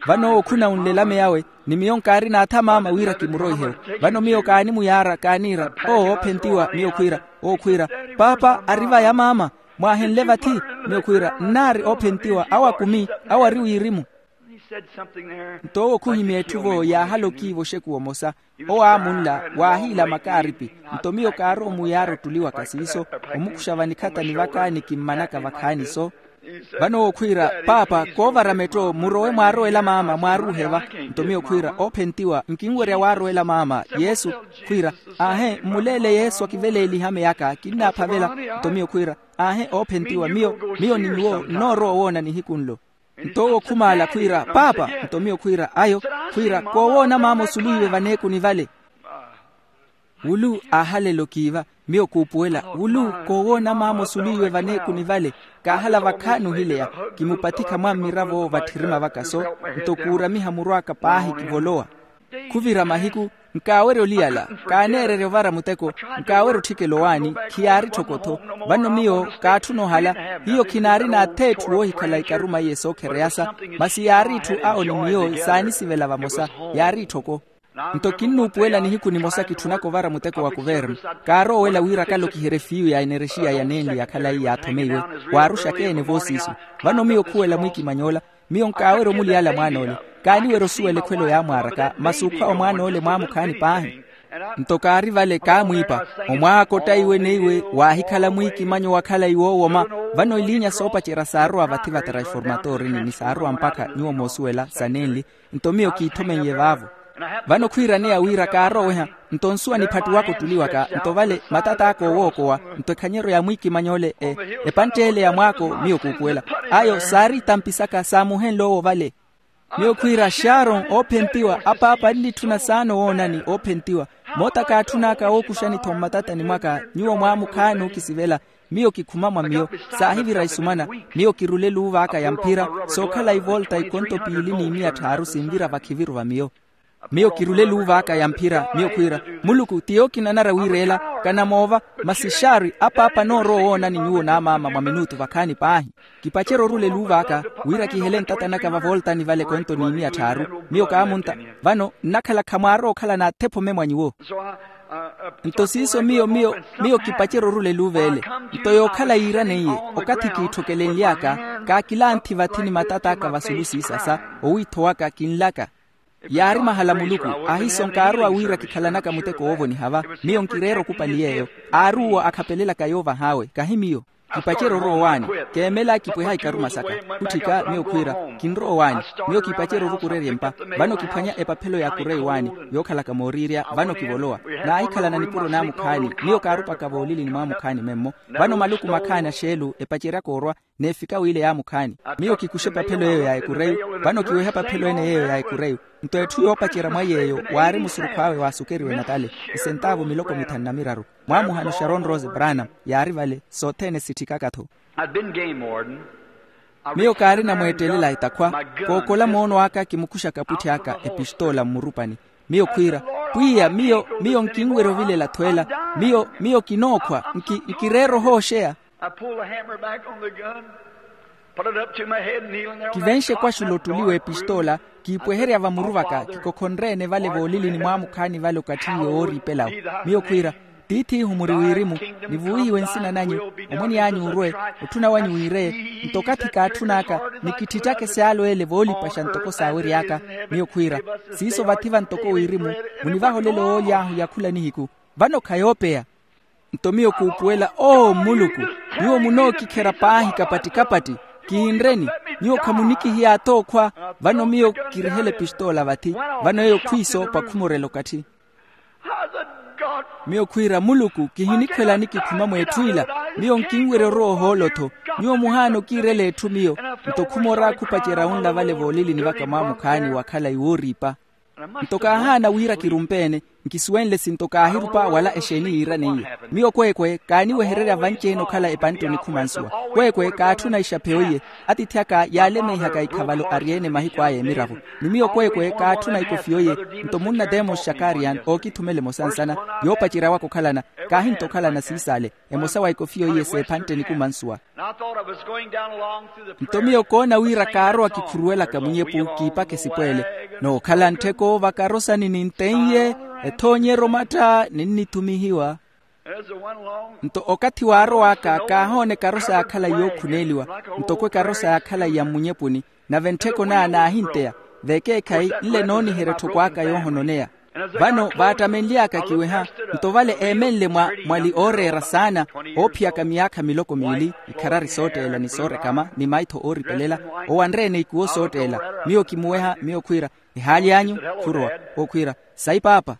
Vano owo khuna onlelame yawe, ni miyo nkaari naatha maama wira kimuroihewo. Vano miyo kaanimuyaara kaaniira, owo oophentiwa miyo khwiira, owo khwiira, paapa ari vaya maama? Mwaahenle vathi? Miyo khwiira nnaari oophentiwa awo akumi, awo ari wirimu. Nto owo khuhimya etthu vo yaahala okiiva oxekuwa omosa. Owo aamunla, waahiila makaaripi. Nto miyo kaarowa omuyaara ottuliwaka siiso, omukuxa vanikhatani vaka ni kimmanaka vakhaani so. Vano owo khwiira, paapa koovara metto murowe mwaarowela maama mwaaruuheva. Nto miyo khwiira oophentiwa nkinwerya waarowela maama yesu. Khwiira, aahe mmuleele yesu akiveleelihe ameyaka kinnaaphavela. Nto miyo khwiira, aahe oophentiwa miyo, miyo ni nyuwo nnoorowa owoona nihiku nlo. Nto owo khumaala khwiira, paapa. Nto miyo khwiira ayo, khwiira koowoona maama osuluwiwe vaneekuni vale. Wulu aahalela okiiva, miyo kuupuwela wulu koowoona maama osuluwiwe vaneekuni vale. Kaahala vakhaani ohileya, kimupathikha mwa mmiravo vatthirima vaka so. Nto kuuramiha muru aka paahi kivolowa. Khuvira mahiku, nkaawerya oliyala, kaaneererya ovara muteko, nkaawerya otthikela owaani, khiyaari tthoko-tho. Vano miyo kaatthuna ohala, hiyo khinaari n'atheetthu woohikhala ikaruma iye sookhereya sa. Masi yaari itthu awo ni miyo saanisivela vamosa, yaari tthoko. Nto kinnuupuwela nihiku nimosa kitthunaka ovara muteko wa kuvernu. Kaaroowela wira akalokiherye fiiyu ya enerexiya ya nenli ya khalayi yaathomeiwe, waaruxaka ene voosiisu. Vano miyo khuwela mwiikimany'ola, miyo nkaawerya omuliyala mwaan'ole. Kaaniwerya osuwela ekhwelo yaamwaaraka masi okhwa wa mwaan'ole mwaamukhaani paahi. Nto kaari vale kaamwiipa, omwaaka ottaiwe neiwe waahikhala mwiikimanyo wa khalayi woowoma. Vano eliinya soopacerya saarowa vathi va transformatorini ni saarowa mpakha nyuwo moosuwela sa nenli. Nto miyo kiithomeiye vaavo. Vano khwiiraneya wira kaaroweha, nto nsuwa niphattuwaka ottuliwaka nto vale matat'aka oowookowa. Nto ekhanyeryo ya mwiikimanyo ole, epantt'ele ya mwaako miyo kuupuwela. Ayo saari itampi saka saamuhenle owo vale. Miyo khwiira xaaron oophentiwa apaapa nnitthuna saana owoonani oophentiwa. Moota kaatthun'aka wookuxani-tho mmatatani mwaka nyuwo mwaamukhaani ookisivela. Miyo kikhuma mwa miyo, saahivira isumana. Miyo kirule eluuva aka ya mphira, sookhala ivolta ikonto piili n'imiya tthaaru sinvira vakhiviru va miyo. Miyo kirule eluuva aka ya mphira miyo khwiira, muluku ti yookinanara wiireela. Kanamoova. Masi xaari apaapa anoorowa owoonani nyuwo n'amaama mwa minutu vakhaani paahi. Kipacerya orula eluuva aka wira kihele ntata naka vavoltani vale ekonto n'imiya tthaaru. Miyo kaamunta. Vano nnakhala khamwaarowa okhala n'athephome mwa nyuwo. Nto siiso miyo miyo miyo kipacerya orula eluuva ele. Nto yookhala yiiraneiye, okathi kiitthokelenly'aka, kaakilanthi vathi ni matat'aka vasulu siisasa. Owiitho waka kinlaka. Yaari mahala muluku, ahiso nkaarowa wira kikhalanaka muteko woovoniha va. Miyo nkireera okupali yeeyo. Aari uwo akhapelelaka yoovah'awe kahi miyo. Kipacerya orowa owaani. Keemela kipweha ikaruma saka. Khutthika miyo khwiira, kinrowa owaani. Miyo kipacerya orukurerya empa. Vano kiphwanya epaphelo ya kureyi waani, yookhalaka mooriirya. Vano kivolowa. Naahikhalana nipuro n'amukhaani. Miyo kaarupaka voolilini mw'amukhaani memmo. Vano maluku makhaani axeelu epaceryaka orwa, n'efika wiile y'amukhaani. Miyo kikuxa epaphelo eyo ya ekureyu. Vano kiweha epaphelo ene yeeyo ya ekureyu. Nto etthu yoopacerya mwa yeeyo waari musurukhu awe waasukeriwe natale, isentaavu miloko mithanu na miraru. Mwaamuhano sharon rose branham yaari vale. Sothene sitthikaka-tho. Miyo kaarina mweettelela etakhwa. Kookola moono aka kimukuxaka apwitti aka epistoola mmurupani. Miyo khwiira, pwiya miyo miyo nkinwerya ovilela-tho ela. Miyo miyo kinookhwa. Nkireera ohooxeya. Kivenxe ekwaxula ottuliwa epistoola, kiipweherya vamuru vaka kikokhonreene vale voolilini mw'amukhaani vale okatthi iwe wooriipelawo. Miyo khwiira, tiith'ihu muri wirimu, nivuwihiwe nsina nanyu, omwene anyu orwe, otthuna wanyu wiireye. Nto okathi kaatthun'aka, nikitthitthaka esyaalu ele voolipaxa ntoko saawery'aka. Miyo khwiira, siiso vathi va ntoko wirimu, munivaha olelo wooly'ahu ya khula nihiku. Vano khayoopeya. Nto miyo kuupuwela oo mmuluku, nyuwo munookikherya paahi kapatti-kapatti. Kiinreni, nyuwo khamunikihiya atookhwa. Vano miyo kirihela epistoola vathi. Vano eyo khwiiso pakhumorela okatthi. Miyo khwiira muluku kihinikhwelani kikhuma mw'etthu ila. Miyo nkinwerya orowa ohoolo-tho. Nyuwo muhaana okiirela etthu miyo. Nto khumora khupacerya unla vale voolilini vaka mw'amukhaani wakhala iwooriipa. Nto kaahaana wira kirumpeene. Kisuwenle sinto kaahirupa wala exeeni yiiraneiye. Miyo kweekwe kaaniwehererya vanci-ene okhala epantte onikhuma nsuwa. Kweekwe kaatthuna ixapheyo iye. Atiithi aka yaalemeihaka ikhavalo ari-ene mahiku aya emiravo. Ni miyo kweekwe kaatthuna ikofiyo iye. Nto munna demosi xakarian ookithumela emosa nsana, yoopacerya waka okhalana. Kaahinto okhalana siisaale. Emosa wa ikofiyo iye s'ephantte enikuma nsuwa. Nto miyo koona wira kaarowa kikhuruwelaka munyepu kiipaka esipweele, nookhala nttheko vakarosani nintteiye, ethoonyerya omattha ninnithumihiwa. Nto okathi waarow'aka kaahoona ekarosa yaakhala yookhuneeliwa, ntoko ekarosa yaakhala ya mmunyepuni. Nave nttheko naa naahinteya, vekeekhayi nle nooniherya etthoko aka yoohononeya. Vano vaattamenly'aka kiweha, nto vale eemenle mwa mwali ooreera saana, oophiyaka miyaakha miloko miili, ikharari sootteela ni soorekama ni maitho ooripelela, owanre-ene ikuwo sootteela. Miyo kimuweha miyo khwiira, ehaali anyu? Khurowa. Owo khwiira, sayi paapa.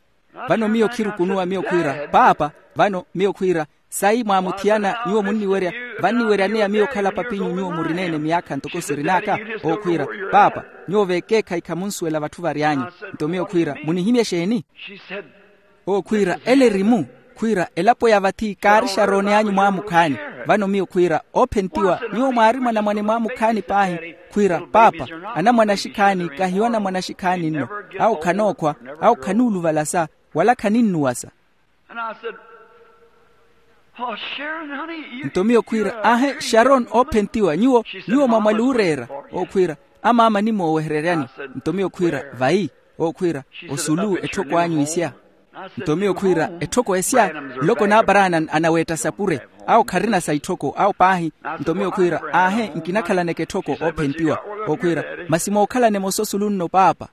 Vano miyo khirukunuwa miyo khwiira, paapa. Vano miyo khwiira, sayi mwaamuthiyana nyuwo munniwerya, vanniweryaneya miyo okhala papinyu nyuwo murineene miyaakha ntoko sirin'aka? Owo khwiira, paapa, nyuwo vekeekhayi khamunsuwela vatthu vary'anyu. Nto miyo khwiira, munihimya exeeni? Owo khwiira, ele eri-mu. Khwiira, elapo ya vathi kaari xarooni anyu mwaamukhaani. Vano miyo khwiira, oophentiwa nyuwo mwaari mwanamwane mwaamukhaani paahi. Khwiira, paapa, anamwane axikhaani kahiyo anamwane axikhaani nno. Awo khanookhwa, awo khanuuluvalasa, wala khaninnuwasa. Nto miyo khwiira, aahe, xaron oophentiwa nyuwo, nyuwo mwa mwali ooreera. Owo khwiira, amaama animoowehereryani. Nto miyo khwiira, vayi? Owo khwiira, osulu etthoko anyu isya. Nto miyo khwiira, etthoko esya? Nloko n'aparana anaweetta sapure. Awo kharina sa itthoko awo paahi. Nto miyo khwiira, aahe, nkinakhalaneke etthoko oophentiwa. Owo khwiira, masi mookhalana emosa osulu nno paapa.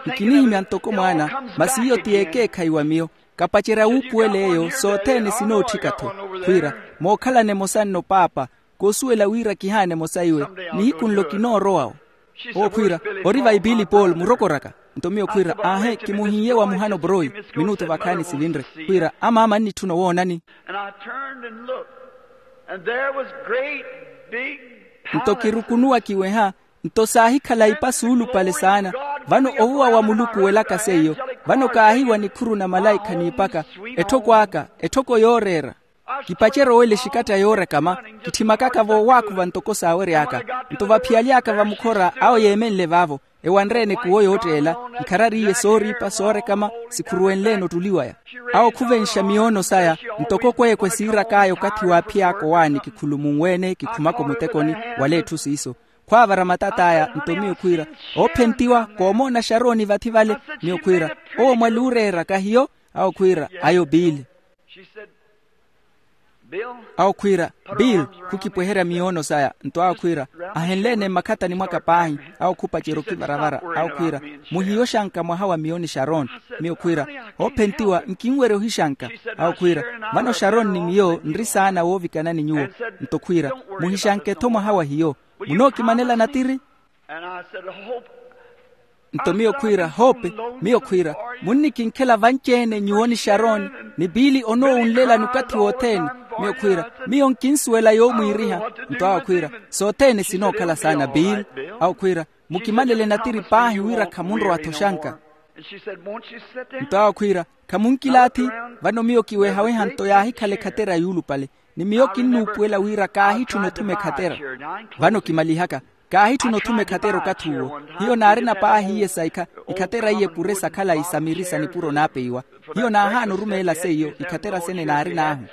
Nkinihimya ntoko mwaana, masi iyo ti yeekeekhayi wa miyo. Kapacerya wuupuwela eyo sothene sinootthika-tho. Khwiira, mookhalana emosa nno paapa, koosuwela wira kihaana emosa iwe. Nihiku nlo kinoorowa-wo. Owo khwiira, ori vayi pili paul murokoraka? Nto miyo khwiira, aahe, kimuhiiye wa muhano poroi. Minutu vakhaani sivinre. Khwiira, amaama annitthuna owoonani. Nto kirukunuwa kiweha, nto saahikhala ipa suulupale saana. Vano ovuwa wa muluku welaka seiyo. Vano kaahiiwa nikhuru na malaikha niipaka, etthoko aka, etthoko yooreera. Kipacerya owela exikatta yoorekama, kitthimakaka voowaakhuva ntoko saawery'aka. Nto vaphiyaly'aka vamukhora awo yeemenle vaavo, ewanre-ene kuwo yootteela, ikharari iye sooriipa soorekama, sikhuruwenle-ene ottuli waya. Awo khuvenxa miyoono saya, ntoko kweekwe siirak'aya okathi waaphiy'aka owaani kikhulumunwe-ene kikhumaka omutekoni, wala etthu siiso. Khwaavara matat'aya nto miyo khwiira, oophentiwa koomoona xarooni vathi vale. Miyo khwiira, owo mwali ooreera kahiyo? Awo khwiira, ayo piili. Awo khwiira, piili, khukipweherya miyoono saya. Nto awo khwiira, ahenle-ene mmakhatani mwaka paahi. Awo khupacerya okivaravara. Awo khwiira, muhiyo xanka mwaha wa miyo ni xaron. Miyo khwiira, oophentiwa nkinwerya ohixanka. Awo khwiira, vano xaron ni miyo nri saana woovikanani nyuwo. Nto khwiira, muhixanke-tho mwaha wa hiyo. Munookimanela natiri? Nto miyo khwiira, hope. Miyo khwiira, munnikinkhela vanci-ene nyuwo ni xaroni, ni piili onoowunlelani okathi wothene. Miyo khwiira, miyo nkinsuwela yoomwiiriha. Nto awo khwiira, sothene sinookhala saana piili. Awo khwiira, mukimanele natiri paahi wira khamunrowa-tho xanka. Nto awo khwiira, khamunkilaathi? Vano miyo kiwehaweha nto yaahikhala ekhatera yuulupale, ni miyo kinnuupuwela wira kaahitthuna othuma ekhatera. Vano kimalihaka, kaahitthuna othuma ekhatera okathi uwo. Hiyo naarina paahi iye sa ikha, ikhatera iye epure sa khalayi sa miri sa nipuro naapeiwa. Hiyo naahaana orumeela seiyo ikhatera sene naarin'ahu.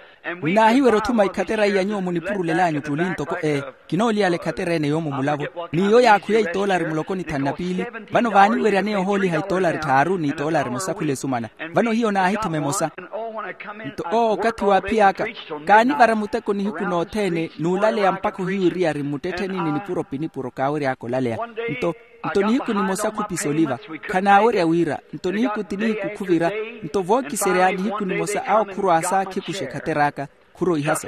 Ninaahiwerya othuma ikhatera iya nyuwo munipurulelanyu tuli ntoko ee, kinooliyala ekhatera ene yoomo mulavo. N'iyo yaakhuya itoolari muloko ni thanu na piili. Vano vaaniweryaneya ohooliha itoolari tthaaru ni itoolari emosa khula esumana. Vano hiyo naahithuma emosa. Nto owo okathi waaphiy'aka, kaanivara muteko nihiku nothene n'ulaleya mpakha ohiwiriyari mmuttettheni ni nipuro pinipuro kaawery'aka olaleya. Nto, nto nihiku nimosa khupisa oliva, khanaawerya wira. Nto nihiku ti nihiku khuvira. Nto vookiserya nihiku nimosa awo khurwaasa khikuxa ekhater'aka, khuroihasa.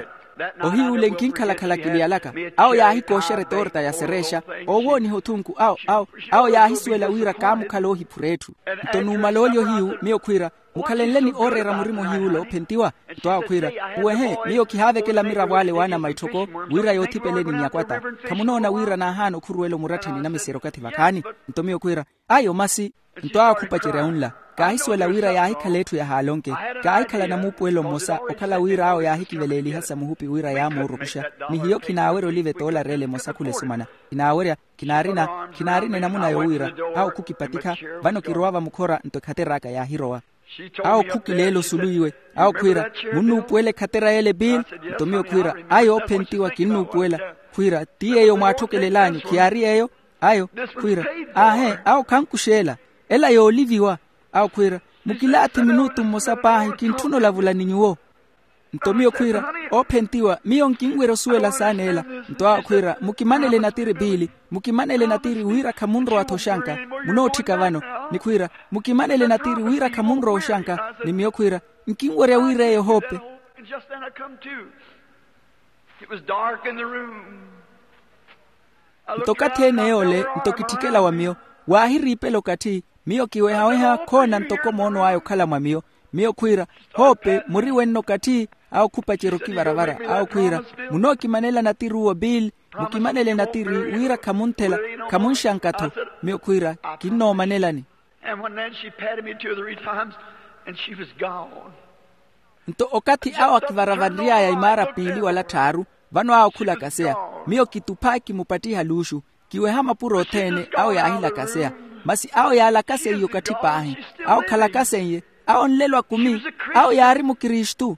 Ohiyu ole nkinkhalakhala kiliyalaka. Awo yaahikooxerya etorta ya sereexa, oowooniha othunku awo awo awo yaahisuwela wira kaamukhala oohiphura etthu. Nto numala olya ohiyu miyo khwiira, mukhalenleni ooreera murima ohiy'ule oophentiwa. Nto awo khwiira, puwehe miyo kihaavekela miravo ale waanama itthoko, wira yoothipeleni miyakwata. Khamunoona wira naahaana okhuruwela omurattheni namiserya okathi vakhaani? Nto miyo khwiira, ayo masi. Nto awo khupacerya unla, kaahisuwela wira yaahikhala etthu yahaala onke. Kaahikhala namuupuwelo mmosa okhala wira awo yaahikiveleeliha sa muhupi wira yaamuurukuxa. Ni hiyo khinaawerya oliva etoolari ele emosa khula esumana. Khinaawerya, khinaarina, khinaarina enamuna yowira. Awo khukipatikha, vano kirowa vamukhora nto ekhater'aka yaahirowa. Awo khukileela osulu iwe. Awo khwiira, munnuupuwela ekhatera y'ele bill? Nto miyo khwiira, ayo oophentiwa kinnuupuwela. Khwiira, ti yeeyo mwaatthokelel'anyu khiyaari yeeyo? Ayo khwiira, aahe, awo khankuxeela. Ela yooliviwa. Awo khwiira, mukilaathi minutu mmosa paahi kintthuna olavula ni nyuwo. Nto miyo khwiira, oophentiwa miyo nkinwerya osuwela saana ela. Nto awo khwiira, mukimanele natiri biili, mukimanele natiri wira khamunrowa-tho oxanka. Munootthika vano. Ni khwiira, mukimanele natiri wira khamunrowa oxanka. Ni miyo khwiira, nkinwerya wira eyo hoope. It was dark in the room. Nto okathi ene yoole nto kitthikela wa miyo, waahiriipela okathi. Miyo kiwehaweha khoona ntoko moono aya okhala mwa miyo. Miyo khwiira, hoope muri wenno okathi? Awo khupacerya okivaravara awo khwiira, munookimanela natiri uwo biili, mukimanele natiri wira khamunthela, khamunxanka-tho. Miyo khwiira, kinnoomanelani. And when then she patted me two or three times, and she was gone. Nto okathi awo akivaravanry'aya imaara piili wala tthaaru, vano awo khula kaseya. Miyo kitupha kimupattiha luuxu, kiweha mapuro othene awo yaahilakaseya. Masi awo yaalakaseiye okathi paahi. Awo khalakaseiye. Awo nlelo akumi. Awo yaari mukristu.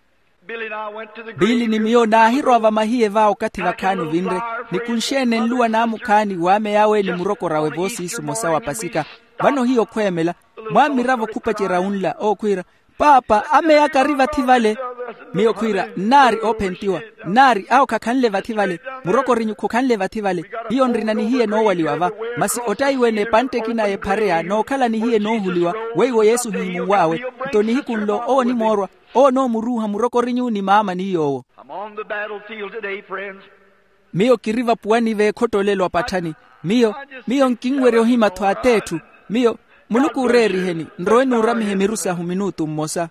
Biili ni miyo naahirowa vamahiye va okathi vakhaani ovinre, ni kunxeene nluwa naamukhaani waameyawe ni murokor'awe voosiisu mmosa wa pasika. Vano hiyo khweemela, mwammiravo khupacerya unla ookhwiira, paapa ameya kari vathi vale. Miyo khwiira, nnaari oophentiwa. Nnaari awo khakhanle vathi vale. Murokorinyu khokhanle vathi vale. Hiyo nrina nihiye noowaliwa va. Masi ottaiwe n'epantte ekina y'ephareya nookhala nihiye noohuliwa. Weiwo yesu hiimunw'awe. Nto nihiku nlo owo onimoorwa. Owo onoomuruuha murokorinyu ni maama ni yoowo. I'm on the battlefield today, friends. Miyo kiri vapuwani v'ekhotolelo apatthani. Miyo miyo nkinwerya ohima-tho at'etthu. Miyo muluku oreeriheni nrowe nuuramihe miru sahu minutu mmosa.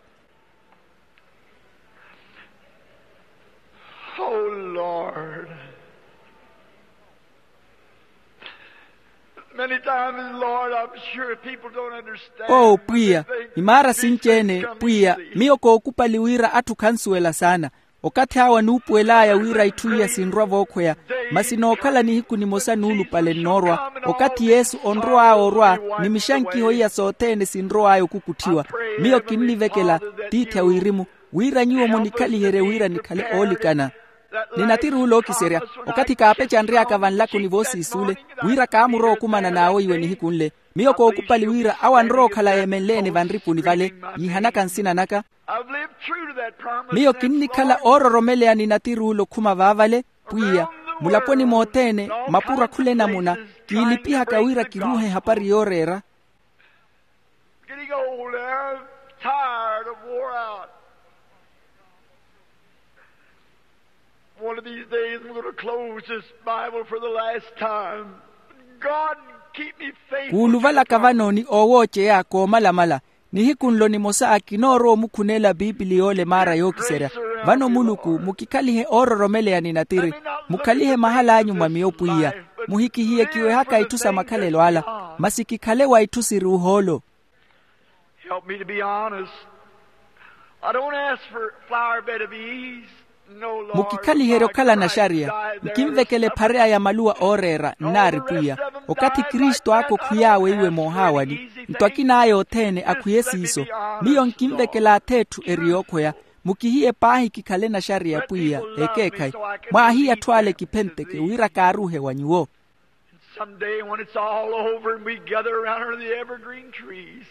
Oh lord. Many times, lord, I'm sure people don't understand. Oo pwiya, imaara sinci-ene pwiya miyo kookupali wira atthu khansuwela saana. Okathi awo anuupuwel'aya wira itthu iya sinrwa vookhweya. Masi nookhala nihiku nimosa nuulupale nnoorwa okathi yesu onrow'aya orwa ni mixankiho iya sothene sinrow'aya okukutthiwa. Miyo kinnivekela tiithi a wirimu wira nyuwo munikhaliherye wira nikhale oolikana. Ni natiri ule ookiserya okathi kaapecanry'aka vanlakoni voosiis'ule wira kaamurowa okumana n'awo iwe nihiku nle. Miyo kookupali wira awo anrowa okhala yeemenle-ene vanripuni vale yiihanaka nsina naka. Miyo kinnikhala oororomeleya ni natiri ule okhuma vaavale. Pwiya, mulaponi mothene mapuro akhula enamuna kiilipihaka wira kiruuhe ehapari yooreera. Getting old and tired and wore out. One of these days I'm going to close this bible for the last time. God, keep me faithful. Kuuluvalaka vano ni oowooceya koomalamala. Nihiku nlo nimosa kinoorowa omukhunela piipili yoole maara yookiserya. Vano muluku mukikhalihe oororomeleya ni natiri. Mukhalihe mahala anyu mwa miyo pwiya. Muhikihiye kiwehaka itthu sa makhalelo ala. Masi kikhale wa itthu siri ohoolo. Help me to be honest. I don't ask for flower bed of ease. Mukikhaliherye okhala naxariya. Nkinvekela ephareya ya maluwa ooreera nnaari pwiya. Okathi kristu aka okhwiy'awe iwe moohaawani. Nto akin'aya othene akhwiye siiso. Miyo nkinvekela ath'etthu eri yookhweya. Mukihiye paahi kikhale naxariya pwiya. Ekeekhayi mwaahiya atthu ale kiphenteke wira kaaruuhe wa nyuwo. Some day when it's all over and we gather around under the evergreen trees.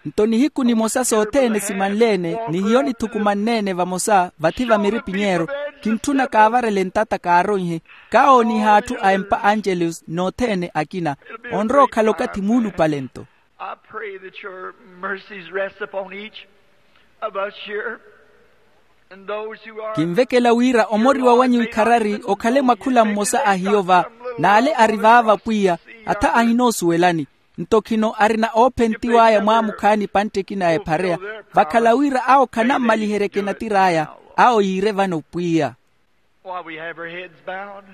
Nto nihiku nimosa sothene simanle-ene ni hiyo nithukumanne-ene vamosa vathi va miripinyeero. Kintthuna kaavarele ntata kaaronhe. Kaawooniha atthu a empa angelus n'othene akina. Onrowa okhala okathi muulupale nto. I pray that your mercies rest upon each of us here. Kinvekela wira omoriwa wanyu ikharari okhale mwa khula mmosa a hiyo va, n'ale ari vaava pwiya, atha ahinoosuwelani. Nto khino arina oophentiw'aya mwaamukhaani epantte ekina ya ephareya, vakhala wira awo khanammaliheryeke natir'aya. Awo yiire vano pwiya. While we have our heads bowed,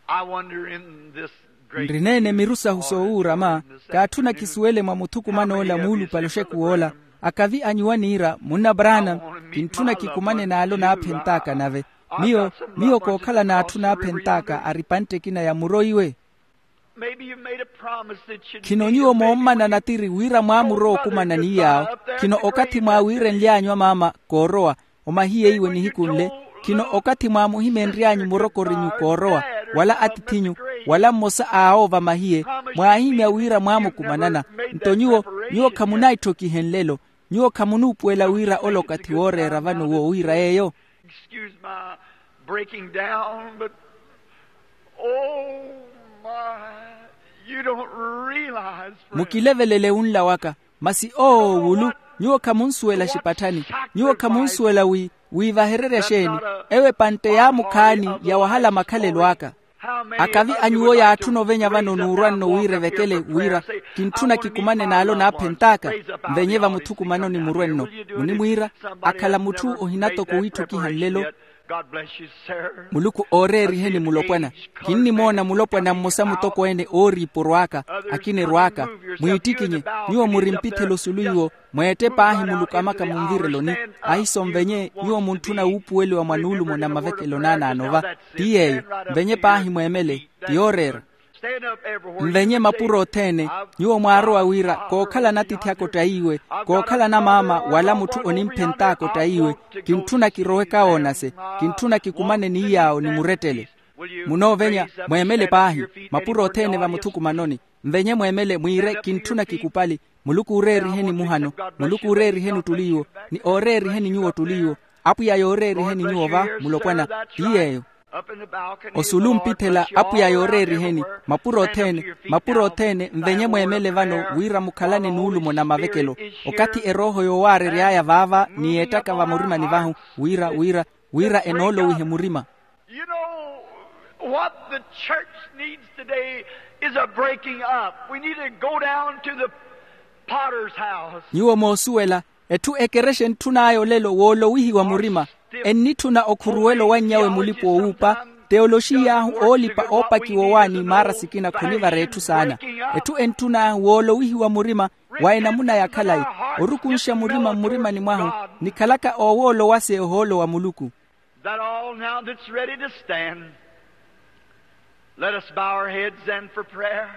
I wonder in this great nrineene miru sahu soowuurama. Kaatthuna kisuwele mwa muthukuman'ola muulupale oxekuw'ola, akavi a nyuwo aniira munna branham, kintthuna kikumane n'ale onaaphent'aka nave. Miyo miyo kookhala n'atthu naaphent'aka ari epantte ekina ya muro iwe. Khino nyuwo moommana natiri wira mwaamuro okumana ni yaawo. Khino okathi mwaawiirenly'anyu amaama koorowa, omahiye iwe nihiku nle. Khino okathi mwaamuhimenry'anyu murokorinyu koorowa, wala atith'inyu, wala mmosa a awo vamahiye, mwaahimya wira mwaamukumanana. Nto nyuwo nyuwo khamunaitthokihe nlelo. Nyuwo khamunuupuwela wira ole okathi wooreera vano woowiira yeeyo. Excuse my breaking down, but oh my, you don't realize, friend. Mukilevelele wunla waka. Masi oo wulu, nyuwo khamunsuwela xipatthani. Nyuwo khamunsuwela wi wiivahererya xeeni? Ewo epantte yaamukhaani yawahala makhalelo aka. Akavi a nyuwo yaatthuna ovenya vano n'urwa nno wira evekele wira, kintthuna kikumane n'ale onaaphent'aka. Nvenye vamuthukumanoni murwe nno, munimwiira. Akhala mutthu ohina toko wiitthokiha nlelo. Muluku ooreeriheni mulopwana. Kinnimoona mulopwana mmosa mutokweene ooriiporw'aka, akina erw'aka, mwiittikinye. Nyuwo muri mpithelo osulu iwo. Mweette paahi muluku amaka munvireloni. Ahiso nvenye nyuwo muntthuna wuupuweliwa mwa nuulumo na mavekelo naanaano va. Ti yeeyo. Nvenye paahi mweemele. Ti yooreera. Nvenye mapuro othene. Nyuwo mwaarowa wira kookhala natiithi aka ottayiwe, kookhala namaama wala mutthu onimphent'aka ottayiwe. Kintthuna kirowe kawoonase. Kintthuna kikumane ni yaawo ni murettele. Munoovenya mweemele paahi. Mapuro othene vamuthukumanoni. Nvenye mweemele mwiire kintthuna kikupali. Muluku ooreeriheni muhano. Muluku ooreeriheni ottuli iwo. Ni ooreeriheni nyuwo ottuli iwo. Apwiya yooreeriheni nyuwo va mulopwana. Ti yeeyo. Osulu mpithela apwiya yooreeriheni. Mapuro othene. Mapuro othene nvenye mweemele vano wira mukhalane nuulumo na mavekelo. Okathi erooho yoowaarery'aya vaava ni yeettaka vamurimani vahu. Wira wira wira enoolowihe murima. You know, what the church needs today is a breaking up. We need to go down to the potter's house. Nyuwo moosuwela, etthu ekerexa entthun'aya olelo woolowihiwa murima. Ennitthuna okhuruwela owannyawe mulipa oowuupa. Teoloxiy'ahu oolipa oopakiwa owaani maara sikina khonivara etthu saana. Etthu entthun'ahu woolowihiwa murima. Wa enamuna ya khalayi, orukunxa murima mmurimani mwahu, nikhalaka oowoolowase ohoolo wa muluku. That all now that's ready to stand, let us bow our heads then for prayer.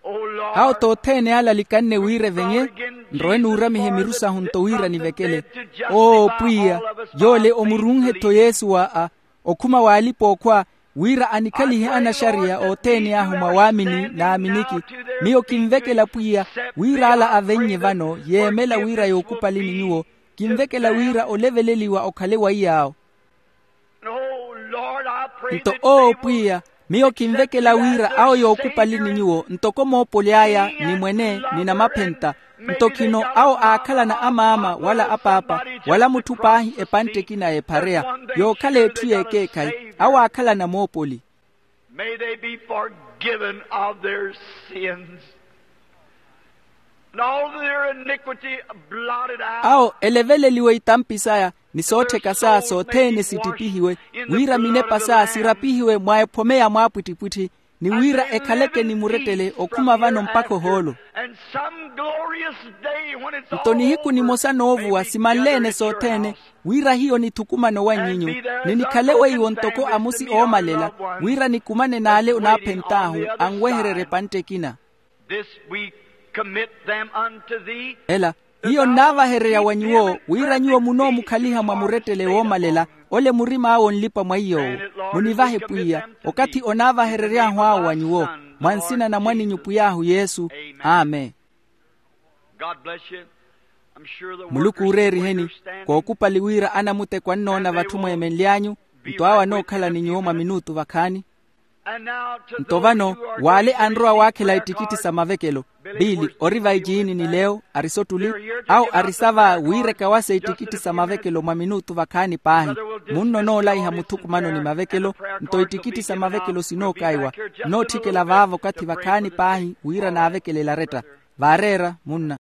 O Lord, awo t'othene alalikhanne wira evenye. Nrowe nuuramihe miru sahu nto wira nivekele. Oo pwiya, yoole omurunhe-tho yesu wa a okhuma w'alipa-ookhwa, wira anikhalihe anaxariya othene ahu mwa waamini n'aminiki. Miyo kinvekela pwiya wira ala avennye vano yeemela wira yookupalini nyuwo. Kinvekela wira oleveleliwa okhale wa iy'awo. Nto oo pwiya, miyo kinvekela wira awo yookupalini nyuwo ntoko moopoli aya ni mwene ni namaphenta. Nto khino awo aakhalana amaama wala apaapa, wala mutthu paahi epantte ekina y'ephareya, yookhala etthu y'ekeekhayi awo aakhalana moopoli. May they be forgiven of their sins, and all their iniquity blotted out. Awo eleveleliwe itampi saya ni soottheka saya sothene sittipihiwe, wira minepa saya sirapihiwe mwa ephome ya mwaapwittipwitthi, ni wira ekhaleke ni murettele okhuma vano mpakha ohoolo. Nto nihiku nimosa noovuwa simanleene sothene, wira hiyo nithukumane owanyinyu, ni nikhale weiwo ntoko amusi oomalela, wira nikumane n'ale onaaphent'ahu anwehererye epantte ekina. Ela hiyo nnaavahererya wa nyuwo wira nyuwo munoomukhaliha mwa murettele woomalela, ole murim'awe onlipa mwa iy'owo. Munivahe pwiya okathi onaavaherery'ahu awo wa nyuwo, mwa nsina na mwan'inyu pwiy'ahu yesu. Amen. Muluku ooreeriheni. Kookupali wira anamuteko annoona vatthu mweemenly'anyu. Nto awo anookhala ni nyuwo mwa minutu vakhaani. Nto vano, w'ale anrowa waakhela ittikitti sa mavekelo, biili ori vaiciini ni leo ari sottuli, awo ari sa va wiireka wasa ittikitti sa mavekelo mwa minutu vakhaani paahi. Munno noolaiha muthukumano ni mavekelo, nto ittikitti sa mavekelo sinookaiwa. Nootthikela vaavo okathi vakhaani paahi wira naavekelela aretta. Vaareera munna.